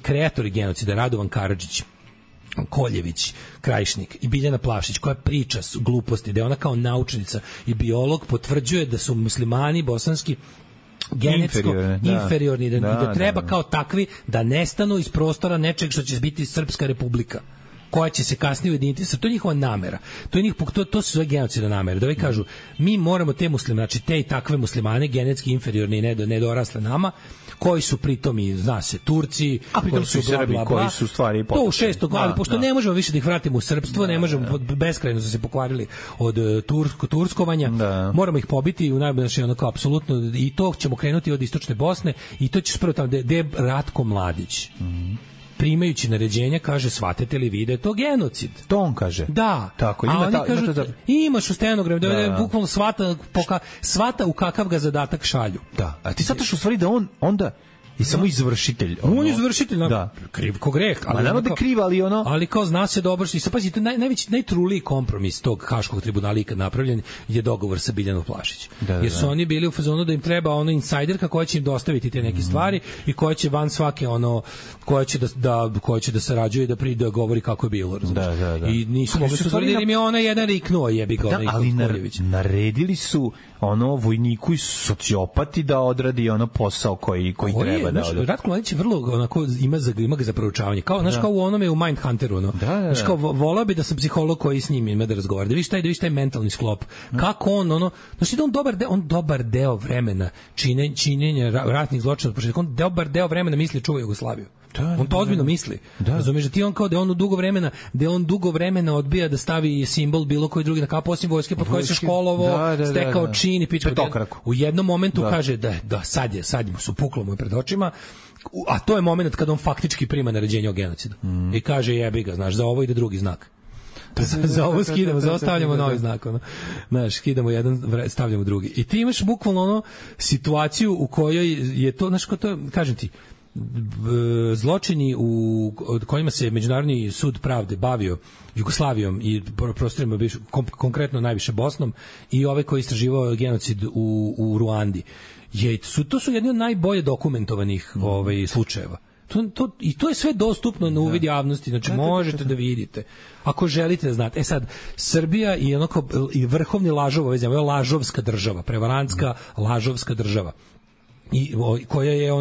kreatori genocida Radovan Karadžić, Koljević, Krajišnik i Biljana Plavšić, koja priča gluposti, da je ona kao naučnica i biolog potvrđuje da su muslimani bosanski genetsko inferiorni, da treba kao takvi da nestanu iz prostora nečeg što će biti Srpska republika, koja će se kasnije ujediniti. To je njihova namera. To su sve genocidne namere. Da ovi kažu, mi moramo te muslimane, znači te i takve muslimane, genetski inferiorni i nedorasle nama, koji su pritom i, zna se, Turci, a pritom su i Srbi, koji su stvari to u 6. glavi, pošto ne možemo više da ih vratimo u srpstvo, ne možemo, beskrajno su se pokvarili od turskovanja, moramo ih pobiti u najbolje onako apsolutno, i to ćemo krenuti od istočne Bosne i to će spravo tamo gde je Ratko Mladić. Primajući naređenja, kaže, shvatite li vi da je to genocid? To on kaže. Da. Tako, a oni kažu, imaš u stenogramu, da je bukvalno svata u kakav ga zadatak šalju. Da. A ti shvataš u stvari da on onda i samo izvršitelj. On je izvršitelj, kriv ko greh. Ali nema da kriv, ali ono... Ali kao zna se dobro, i sad pazi, to najtruliji kompromis tog Haškog tribunala ikad napravljen je dogovor sa Biljanom Plavšić. Jer su oni bili u fazonu da im treba insajderka koja će im dostaviti te neke stvari i koja će van svake koja će da sarađuje i da govori kako je bilo. I nisu mogli su tvrdili im je ona jedan riknuo, jebi ga. Ali naredili su vojniku i sociopati da odradi posao koji treba treba da odu. Ratko Mladić je vrlo onako ima ga za proučavanje. Kao znaš kao u onome u Mindhunteru, ono. Znaš kao voleo bi da sam psiholog koji s njim ima da razgovara. Da vidiš taj mentalni sklop. Kako on znači da on dobar deo vremena činjenja ratnih zločina, on dobar deo vremena misli čuva Jugoslaviju. On to ozbiljno misli. Razumeš da ti on kao da on dugo vremena odbija da stavi simbol bilo koji drugi na kapu osim vojske pod kojoj se školovao, stekao čin i piče. U jednom momentu kaže da sad mu su puklo mu pred očima. A to je moment kad on faktički prima naređenje o genocidu. I kaže jebi ga, znaš, za ovo ide drugi znak. Za ovo skidamo, za ovo stavljamo novi znak. Znaš, skidamo jedan, stavljamo drugi. I ti imaš bukvalno situaciju u kojoj je to, znaš, kažem ti, zločini u kojima se Međunarodni sud pravde bavio Jugoslavijom i prostorima konkretno najviše Bosnom i ove koji istraživao genocid u Ruandi. To su jedni od najbolje dokumentovanih slučajeva. I to je sve dostupno na uvid javnosti, znači možete da vidite ako želite da znate. Sad, Srbija je i vrhovni lažov ove zemlje, lažovska država, prevarantska lažovska država i koja je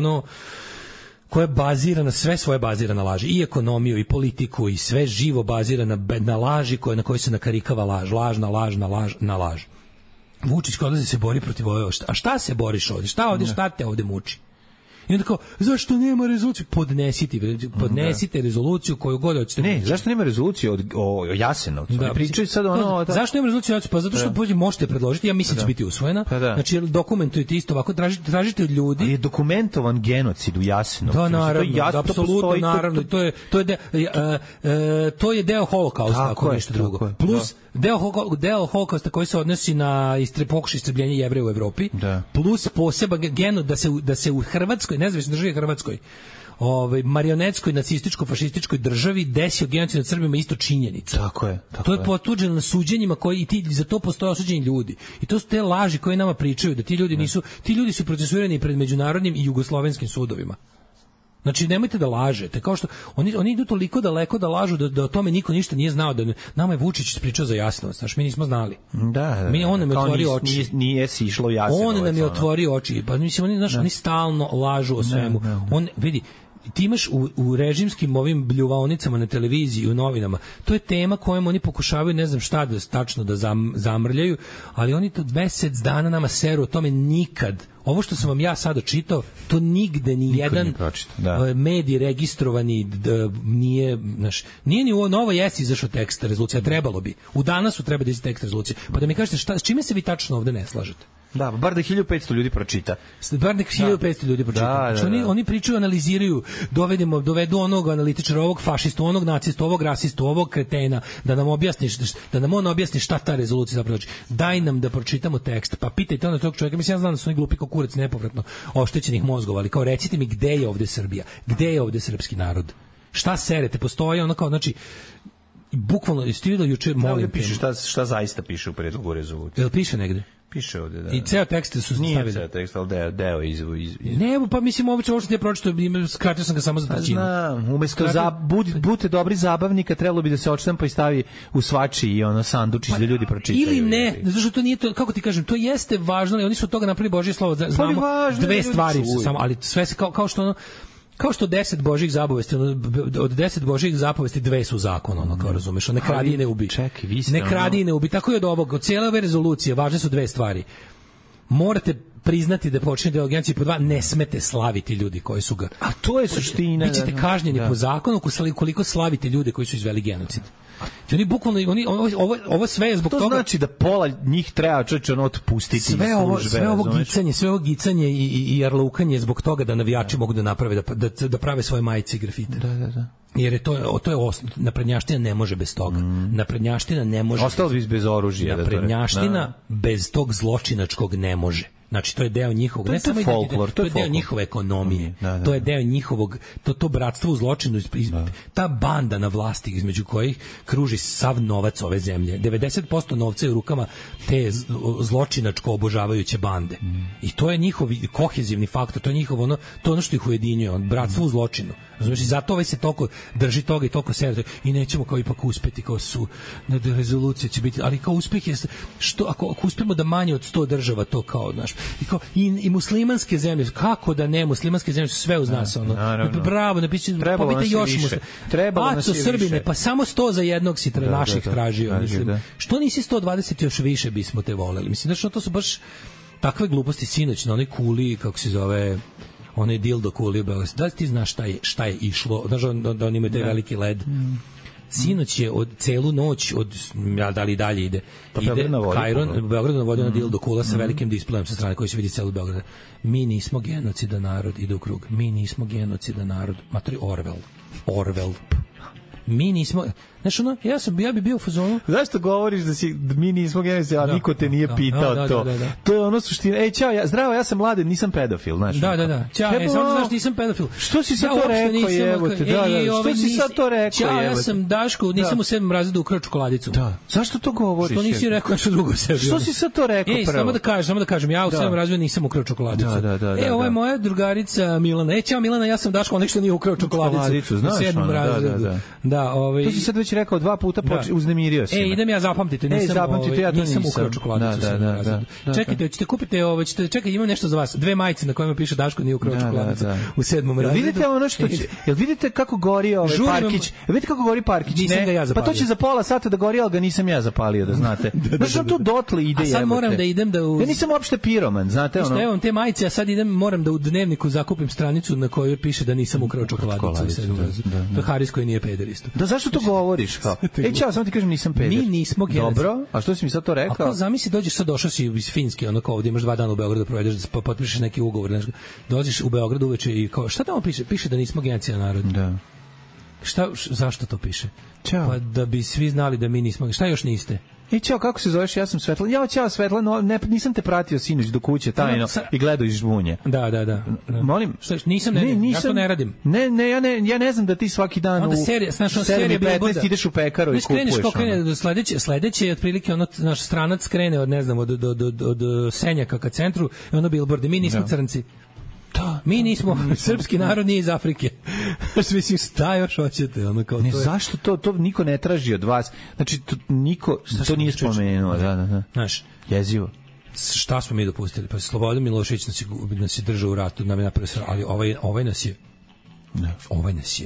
koja je bazirana, sve svoje bazira na laži, i ekonomiju, i politiku, i sve živo bazira na laži na kojoj se nakarikava laž na laž. Vučić kad se bori protiv ove, a šta se boriš ovdje? Šta te ovdje muči? I onda kao, zašto nema rezoluciju? Podnesite rezoluciju koju god hoćete. Ne, zašto nema rezolucije o Jasenovcu? Pričaju sad zašto nema rezolucije? Pa zato što možete predložiti, ja mislim da će biti usvojena. Znači, dokumentujete isto ovako, tražite od ljudi. Ali je dokumentovan genocid u Jasenovcu. Da, naravno, apsolutno, naravno. To je deo holokausta, ako nešto drugo. Plus, deo holokausta koji se odnosi na pokušaj istrebljenja Jevreja u Evropi, plus poseban genocid da se u Hrvatskoj, nezavisnoj državi Hrvatskoj, marionetskoj nacističko-fašističkoj državi desio genocid nad Srbima, isto činjenica. Tako je. To je potvrđeno na suđenjima i za to postoje osuđeni ljudi. I to su te laži koje nama pričaju da ti ljudi su procesuirani pred međunarodnim i jugoslovenskim sudovima. Znači, nemojte da lažete. Kao što oni idu toliko daleko da lažu da o tome niko ništa nije znao. Nama je Vučić ispričao za Jasenovac. Znači, mi nismo znali. On nam je otvorio oči. Nije si išlo Jasenovac. On nam je otvorio oči. Pa mislim, oni stalno lažu o svemu. Vidi, ti imaš u režimskim ovim bljuvaonicama na televiziji i u novinama, to je tema kojom oni pokušavaju ne znam šta tačno da zamrljaju, ali oni to mesec dana nama seru o tome. Nikad ovo što sam vam ja sada čitao, to nigde ni jedan medij registrovani nije ni u Novo Jesi izašao tekst rezolucija, trebalo bi. U Danasu treba da izađe tekst rezolucije. Pa da mi kažete s čime se vi tačno ovde ne slažete? Da, bar da 1500 ljudi pročita. Znači, oni pričaju, analiziraju, dovedu onog analitičara, ovog fašistu, onog nacistu, ovog rasistu, ovog kretena, da nam on objasni šta ta rezolucija zapravo znači. Daj nam da pročitamo tekst, pa pitajte onda tog čovjeka. Mislim, ja znam da su oni glupi kao kurac nepovratno oštećenih mozgova, ali kao recite mi gde je ovde Srbija, gde je ovde srpski narod, šta serete, postoji ono kao, znači, bukvalno, stivilo juče, molim. Piše šta zaista piše u predlogu rezolucije. Jel piše negde? Piše ovde, da. I ceo tekst su stavili. Nije ceo tekst, ali deo iz... Ne, pa mislim, ovo što ti pročitao, skratio sam ga samo za trećinu. Znam, umesto budite dobri zabavnika, trebalo bi da se odštampa i stavi u svači i sandučić da ljudi pročitaju. Ili ne, zato što to nije to, kako ti kažem, to jeste važno, ali oni su od toga napravili Božje slovo, znamo dve stvari su samo, ali sve se kao što 10 Božjih zapovesti, od 10 Božjih zapovesti 2 su zakon, kao razumeš, ne kradi i ne ubi. Čekaj, vi ste ne kradi i ne ubi. Tako i od cijele ove rezolucije važne su 2 stvari. Morate priznati da počinje genocid, po 2 ne smete slaviti ljudi koji su ga. A to je suština. Bićete kažnjeni po zakonu koliko slavite ljude koji su izveli genocid. Oni bukvalno ovo sve je zbog toga. To znači da pola njih treba otpustiti sve ovo gicanje i jarlukanje zbog toga da navijači mogu da naprave da prave svoje majice i grafite. Da. Jer to je osnov. Naprednjaština ne može bez toga. Naprednjaština ne može. Ostalo bi bez oružja. Naprednjaština bez tog zločinačkog ne može. Znači, to je deo njihovog, ne samo folklor, to je deo njihove ekonomije, to je deo njihovog, to bratstvo u zločinu, ta banda na vlasti između kojih kruži sav novac ove zemlje. 90% novca je u rukama te zločinačko obožavajuće bande. I to je njihov kohezivni faktor, to je njihovo to ono što ih ujedinjuje, bratstvo u zločinu. Znači, zato se toliko drži toga i toliko serije i nećemo kao ipak uspeti, kao su rezolucija će biti, ali kao uspeh je što ako uspemo da manje od 100 država to kao, znaš, I muslimanske zemlje, kako da ne, muslimanske zemlje su sve uz nas, ono. Bravo, pobite još muslima. Aco, Srbine, pa samo 100 za jednog si naših tražio, mislim. Što nisi 120 još više bismo te voleli? Mislim, znači, to su baš takve gluposti. Sinoć na onoj kuli, kako se zove, onaj dildo kuli u Beogradu. Da li ti znaš šta je išlo? Znaš da oni imaju taj veliki led? Sinoć je od celu noć, da li dalje ide, Kajron, Beograd navodio na dildo kula sa velikim displejem sa strane koji se vidi celu Beograd. Mi nismo genocidan narod, ide u krug. Mi nismo genocidan narod. Matori Orwell. Mi nismo, znaš ono, ja bi bio u fazonu. Zašto govoriš da mi nismo genocid, a niko te nije pitao to? To je ono suština. Ej, čao, zdravo, ja sam mladen, nisam pedofil, znaš. Da. Čao, samo znaš nisam pedofil. Što si sad to rekao, jebote? Što si sad to rekao, jebote? Čao, ja sam Daško, nisam u 7. razredu ukrao čokoladicu. Da. Zašto to govoriš? Što nisi rekao nešto drugo sebi? Što si sad to rekao prvo? Samo da kažem, ja u 7. razredu nisam ukrao čokoladicu. Ovo je moja drugarica Milana. Čao Milana, ja sam Daško, onaj što nije ukrao čokoladicu. Znaš, 7. razredu. Da, to si sad već rekao 2 puta, uznemirio si. Idem ja zapamtite, nisam ukrao čokoladicu. Čekajte, hoćete kupiti čekaj, imam nešto za vas. 2 majice na kojima piše Daško nije ukrao čokoladicu u 7. razredu. Vidite ono što će, jel vidite kako gori Parkić? Vidite kako gori Parkić? Nisam ga ja zapalio. Pa to će za pola sata da gori, al ga nisam ja zapalio, da znate. Znači to dotle ide. A sad moram da idem da ja nisam uopšte piroman, znate ono. Evo te majice, a sad moram da u dnevniku zakupim stranicu na kojoj piše da nisam ukrao čokoladicu u 7. razredu. To Haris koji nije pederista. Da zašto to govoriš kao? Čao, samo ti kažem nisam peder. Mi nismo genocid. Dobro, a što si mi sad to rekao? Ako zamisli došao si iz Finske, ono kao ovdje imaš 2 dana u Beogradu da provedeš, da potpišeš neki ugovor, znači dođeš u Beograd uveče i kao šta tamo piše? Piše da nismo genocidan narod. Da. Zašto to piše? Čao. Pa da bi svi znali da mi nismo. Šta još niste? Čao, kako se zoveš? Ja sam Svetlana. Čao Svetlana, nisam te pratio sinoć do kuće tajno i gledao iz žbunje. Da. Molim? Nisam, ja to ne radim. Ja ne znam da ti svaki dan onda serija 15 ideš u pekaru i kupuješ. Kreneš kako krene do sledeće je otprilike naš stranac krene od ne znam od Senjaka ka centru i ono billboardi. Mi nismo crnci. Da, mi nismo srpski narod, nije iz Afrike. Mislim, šta još hoćete? Ono kao ne, zašto to niko ne traži od vas? Znači, niko to nije spomenuo. Da. Znaš, jezivo. Šta smo mi dopustili? Pa Slobodan Milošević nas je držao u ratu, nam je napravio, ali ovaj nas je Ovaj nas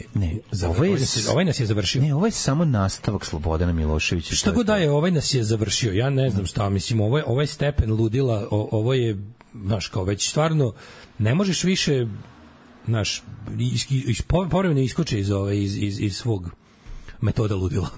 je završio. Ne, ovo je samo nastavak Slobodana Miloševića. Šta god da je, ovaj nas je završio. Ja ne znam šta, mislim, ovaj stepen ludila, ovo je, znaš, kao već stvarno ne možeš više, znaš, povremeno iskoče iz svog metoda ludila.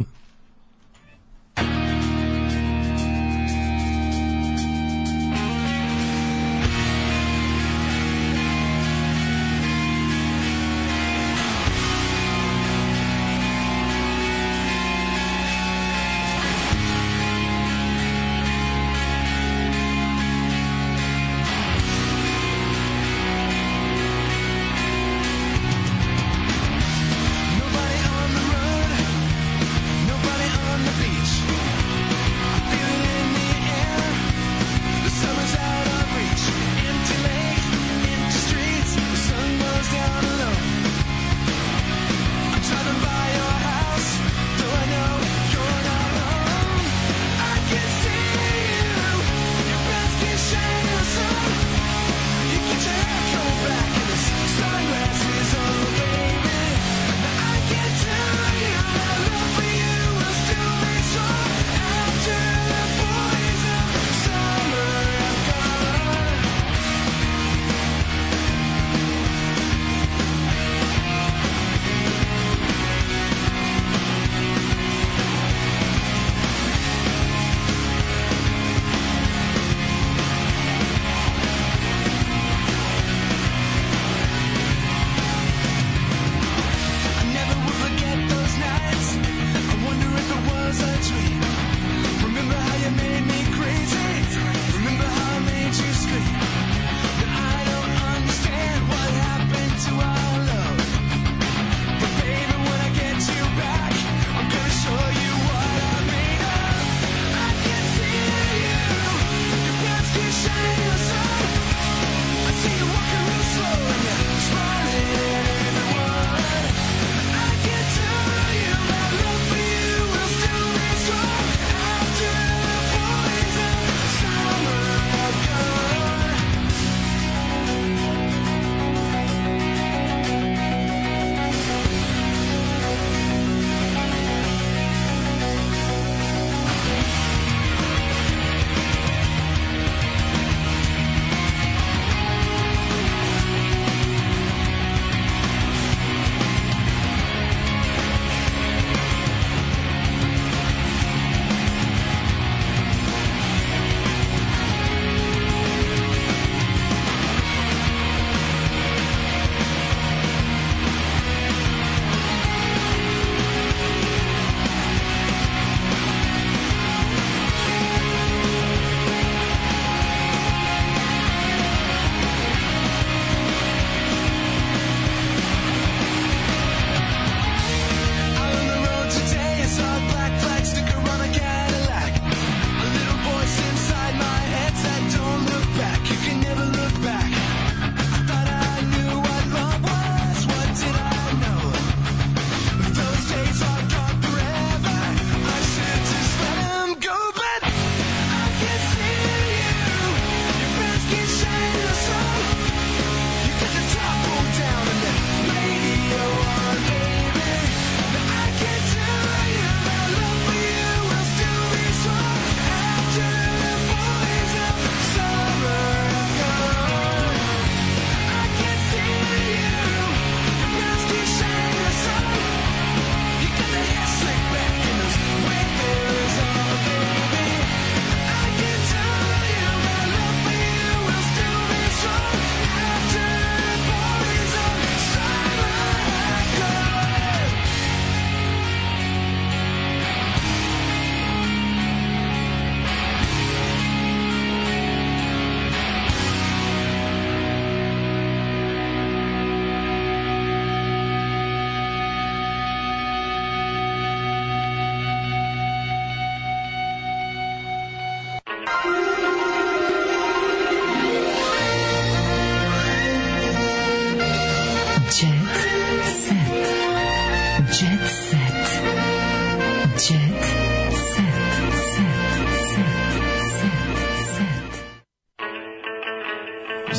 Nobody on the road,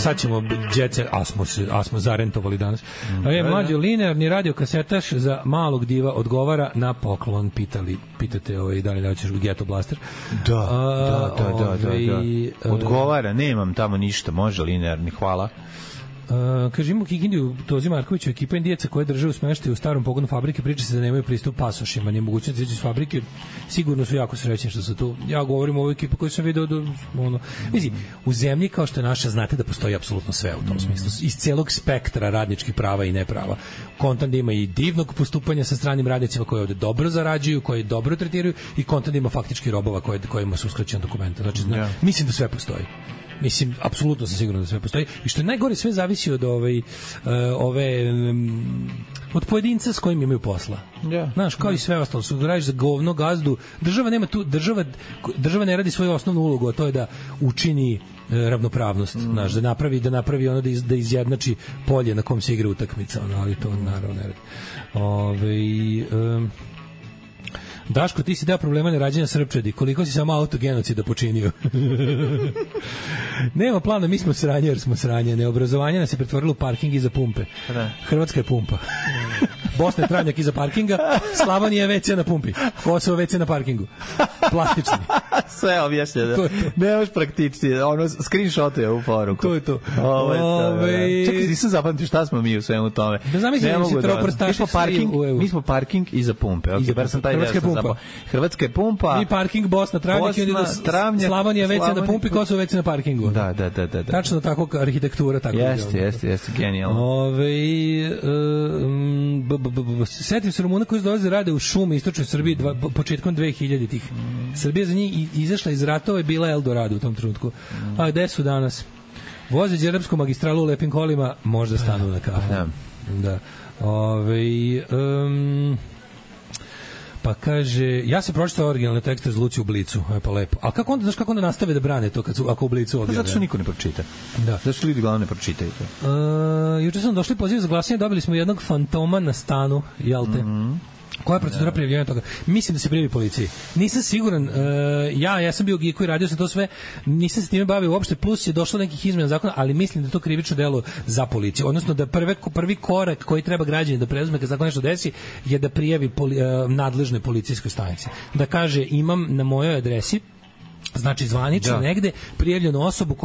sad ćemo djece, a smo zarentovali danas. Mlađo, linearni radiokasetaš za malog diva odgovara na poklon, pitate da li hoćeš Ghetto Blaster. Da. Odgovara, nemam tamo ništa, može linearni, hvala. Kaže, imamo Kikindiju Tozi Markoviću, ekipa indijaca koje drže u smeštaju u starom pogonu fabrike, priča se da nemaju pristup pasošima, nije mogućnost da izađu iz fabrike, sigurno su jako srećni što su tu. Ja govorim o ovoj ekipi koju sam video mislim, u zemlji kao što je naša, znate da postoji apsolutno sve u tom smislu, iz celog spektra radničkih prava i neprava. Kontant da ima i divnog postupanja sa stranim radnicima koji ovde dobro zarađuju, koji dobro tretiraju, i kontant da ima faktički robova kojima su uskraćena dokumenta. Znači, mislim da sve postoji. Mislim, apsolutno sam siguran da sve postoji. I što je najgore, sve zavisi od od pojedinca s kojim imaju posla. Znaš, kao i sve ostalo. Su radiš za govno gazdu. Država nema tu, država ne radi svoju osnovnu ulogu, a to je da učini ravnopravnost, znaš, da napravi ono da izjednači polje na kom se igra utakmica, ali to naravno ne radi. Daško, ti si deo problema nerađenja Srpčadi. Koliko si samo autogenocida počinio? Nema plana, mi smo sranje jer smo sranje. Neobrazovanje nas je pretvorilo u parking iza pumpe. Hrvatska je pumpa. Bosna je travnjak iza parkinga, Slavonija je WC na pumpi, Kosovo WC na parkingu. Plastični. Sve objašnjeno. Nemaš praktični, screenshot je u poruku. To je to. Čekaj, nisam zapamtio šta smo mi u svemu tome. Da zamislim si troprstaši mi smo parking iza pumpe. Hrvatska je pumpa. Mi parking, Bosna travnjak, Slavonija WC na pumpi, Kosovo WC na parkingu. Da. Tačno tako arhitektura. Jeste, genijalno. Setim se Rumuna koji dolaze rade u šumi istočnoj Srbiji početkom 2000-ih. Srbija za njih izašla iz ratova i bila Eldorado u tom trenutku. A gde su danas? Voze đerapsku magistralu u lepim kolima, možda stanu na kafu. Da. Pa kaže, ja sam pročitao originalne tekste Zluci u Blicu, pa lepo. A kako onda nastave da brane to ako u Blicu objavljaju? Zato što niko ne pročita. Zato što ljudi glavno ne pročitaju to. Juče sam došli poziv za glasanje, dobili smo jednog fantoma na stanu, jel te? Koja je procedura prijavljivanja toga? Mislim da se prijavi policiji. Nisam siguran, ja sam bio geek i radio sam to sve, nisam se time bavio uopšte, plus je došlo nekih izmena zakona, ali mislim da to krivično delo za policiju. Odnosno da prvi korak koji treba građani da preuzme kad zakon nešto desi je da prijavi nadležnoj policijskoj stanici. Da kaže, imam na mojoj adresi, znači zvanično negde prijavljenu osobu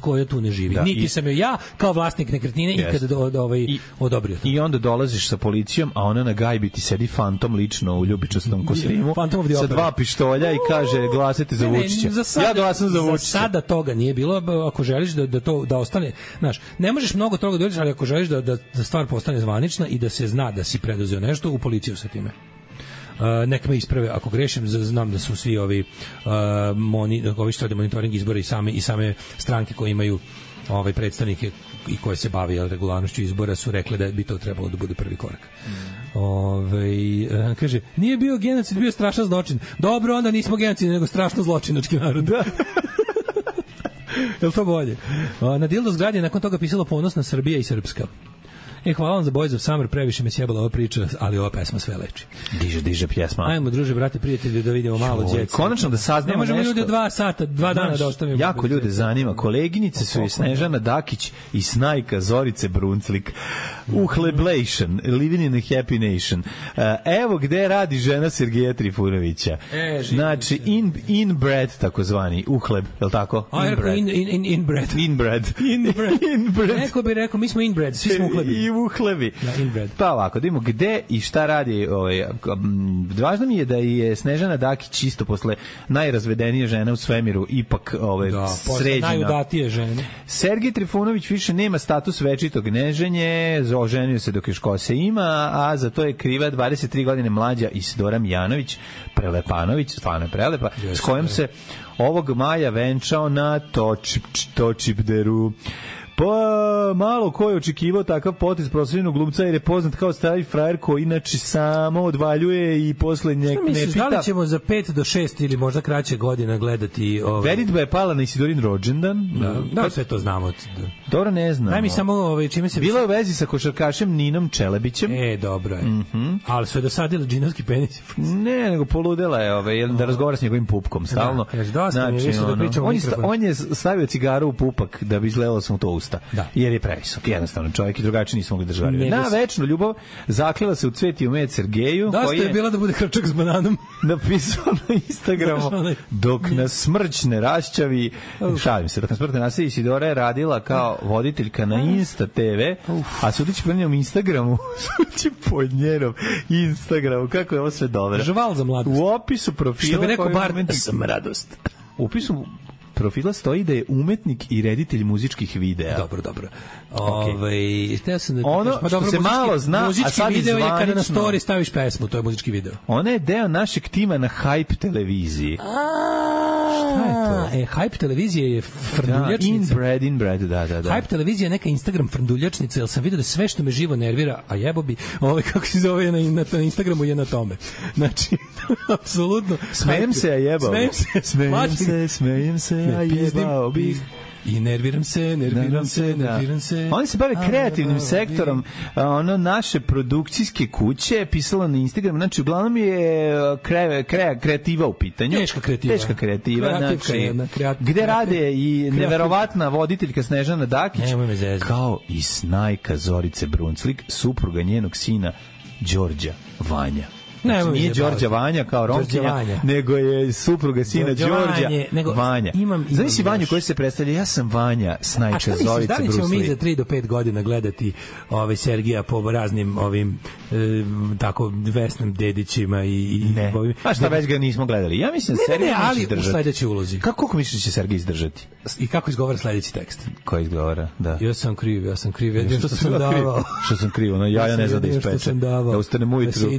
koja tu ne živi. Niti sam joj ja kao vlasnik nekretnine ikada odobrio to. I onda dolaziš sa policijom, a ona na gajbi ti sedi fantom lično u ljubičastom kostimu sa 2 pištolja i kaže glasajte za Vučića. Ja glasam za Vučića. Za sada toga nije bilo, ako želiš da ostane, znaš, ne možeš mnogo toga dođeš, ali ako želiš da stvar postane zvanična i da se zna da si preduzeo nešto, u policiju sa time. Nek me isprave ako grešim, znam da su svi ovi što rade monitoring izbora i same stranke koje imaju predstavnike i koje se bave regularnošću izbora su rekli da bi to trebalo da bude prvi korak. Kaže, nije bio genocid, bio strašan zločin. Dobro, onda nismo genocid, nego strašno zločinački narod. Je li to bolje? Na dildo zgradi je nakon toga pisalo Ponosna Srbija i Srpska. Hvala vam za Boys of Summer, previše me sjebala ova priča, ali ova pesma sve leči. Diže pjesma. Ajmo, druže, brate, prijatelji, da vidimo malo djece. Konačno da saznamo nešto. Ne možemo ljudi 2 sata, 2 dana da ostavimo. Jako ljude zanima. Koleginice su i Snežana Dakić i Snajka Zorice Brunclik. Uhleblation, Living in a Happy Nation. Evo gde radi žena Sergeja Trifunovića. Znači, inbred, takozvani, uhleb, je li tako? Inbred. Neko bi rekao, mi smo inbred, svi smo uhlebi. Uhlebi. Pa ovako, da vidimo gde i šta radi. Važno mi je da je Snežana Dakić isto posle najrazvedenije žene u svemiru ipak sređena. Najudatije žene. Sergej Trifunović više nema status večitog neženje, oženio se dok još kose ima, a za to je kriva 23 godine mlađa Isidora Mijanović, prelepanović, stvarno je prelepa, s kojom se ovog maja venčao na Točipderu. Pa malo ko je očekivao takav potez proslavljenog glumca jer je poznat kao stari frajer koji inače samo odvaljuje i posle ne pita. Da li ćemo za 5 do 6 ili možda kraće godina gledati Veritba je pala na Isidorin rođendan. Da, sve to znamo. Dobro, ne znam. Daj mi samo čime se... Bilo je u vezi sa košarkašem Ninom Čelebićem. Dobro je. Ali su je dosadili džinovski penis. Ne, nego poludela je da razgovara s njegovim pupkom stalno. Znači, on je stavio cigaru u pupak da bi izgledalo sam to usta. usta. Jer je previsok. Jednostavno, čovjek i drugačiji nisu mogli držati. Na večnu ljubav zaklela se u cvet i u med Sergeju. Dosta je bila da bude hrčak s bananom. Napisao na Instagramu, dok nas smrć ne raščavi, šalim se, dok nas smrć ne raščavi, Isidora je radila kao voditeljka na Insta TV, a sudeći po njenom Instagramu, sudeći po njenom Instagramu, kako je ovo sve dobro. Žval za mladost. U opisu profila... Što bi rekao Bart, sam radost. U opisu profila stoji da je umetnik i reditelj muzičkih videa. Dobro. Okay. Ono što se malo zna, a sad video je kada na story staviš pesmu, to je muzički video. Ona je deo našeg tima na Hype televiziji. Šta je to? Hype televizija je frnduljačnica. Inbred, da. Hype televizija je neka Instagram frnduljačnica, jer sam vidio da sve što me živo nervira, a jebo bi, kako se zove na Instagramu je na tome. Znači, apsolutno. Smejem se, a jebao. Smejem se, a jebao bih. I nerviram se. Oni se bave kreativnim sektorom, ono naše produkcijske kuće pisalo na Instagramu, znači uglavnom je kreativa u pitanju. Teška kreativa, znači gde rade i neverovatna voditeljka Snežana Dakić, kao i snajka Zorice Brunclik, supruga njenog sina Đorđa Vanja. Znači, nije Đorđa Vanja kao Romkinja, nego je supruga sina Đorđa Vanja. Znaš si Vanju koji se predstavlja, ja sam Vanja, snajka Zorice Brunsli. Da li ćemo mi za 3 do 5 godina gledati Sergija po raznim ovim tako Vesnim Dedićima i ne. A šta već ga nismo gledali? Ja mislim da Sergij neće izdržati. U sledećoj ulozi. Kako misliš da će Sergij izdržati? I kako izgovara sledeći tekst? Ko izgovara? Da. Ja sam kriv, jedino što sam davao. Što sam kriv, ono ja ne znam da ispečem. Da ustanem ujutru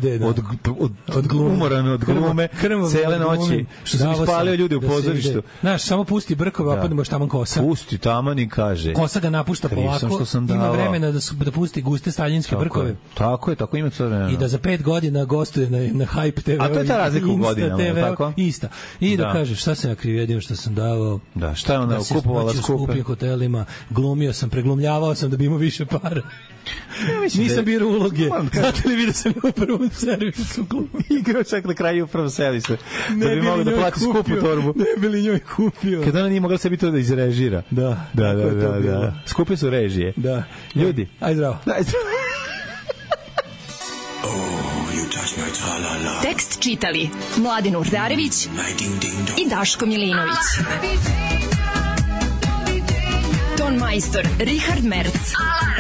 umoran od glume, cele noći, što sam ispalio ljude u pozorištu. Znaš, samo pusti brkove, a podnemo štaman kosa. Pusti taman i kaže. Kosa ga napušta polako, ima vremena da pusti guste staljinske brkove. Tako ima sve vremena. I da za 5 godina gostuje na Hype TV. A to je ta razlika u godinama, tako? Ista. I da kažeš, šta sam ja kriv, jedino što sam davao. Da, šta je ona kupovala skupe? U skupim hotelima, glumio sam, preglumljavao sam da bi imao više para. Nisam birao uloge. Znate li vi da sam u prvom servisu glumio? Igrao čak na kraju u prvom servisu. Da bi mogao da plati skupu torbu. Ne bi li njoj kupio. Kad ona nije mogla sebi to da izrežira. Da. Skupe su režije. Da. Ljudi. Aj zdravo. Tekst čitali Mladin Urdarević i Daško Milinović. Ton majstor Richard Merc.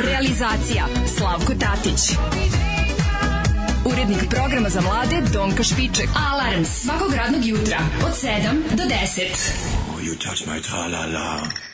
Realizacija Slavko Tatić. Urednik programa za mlade Donka Špiček. Alarms svakog radnog jutra od 7 do 10. You touch my tra-la-la.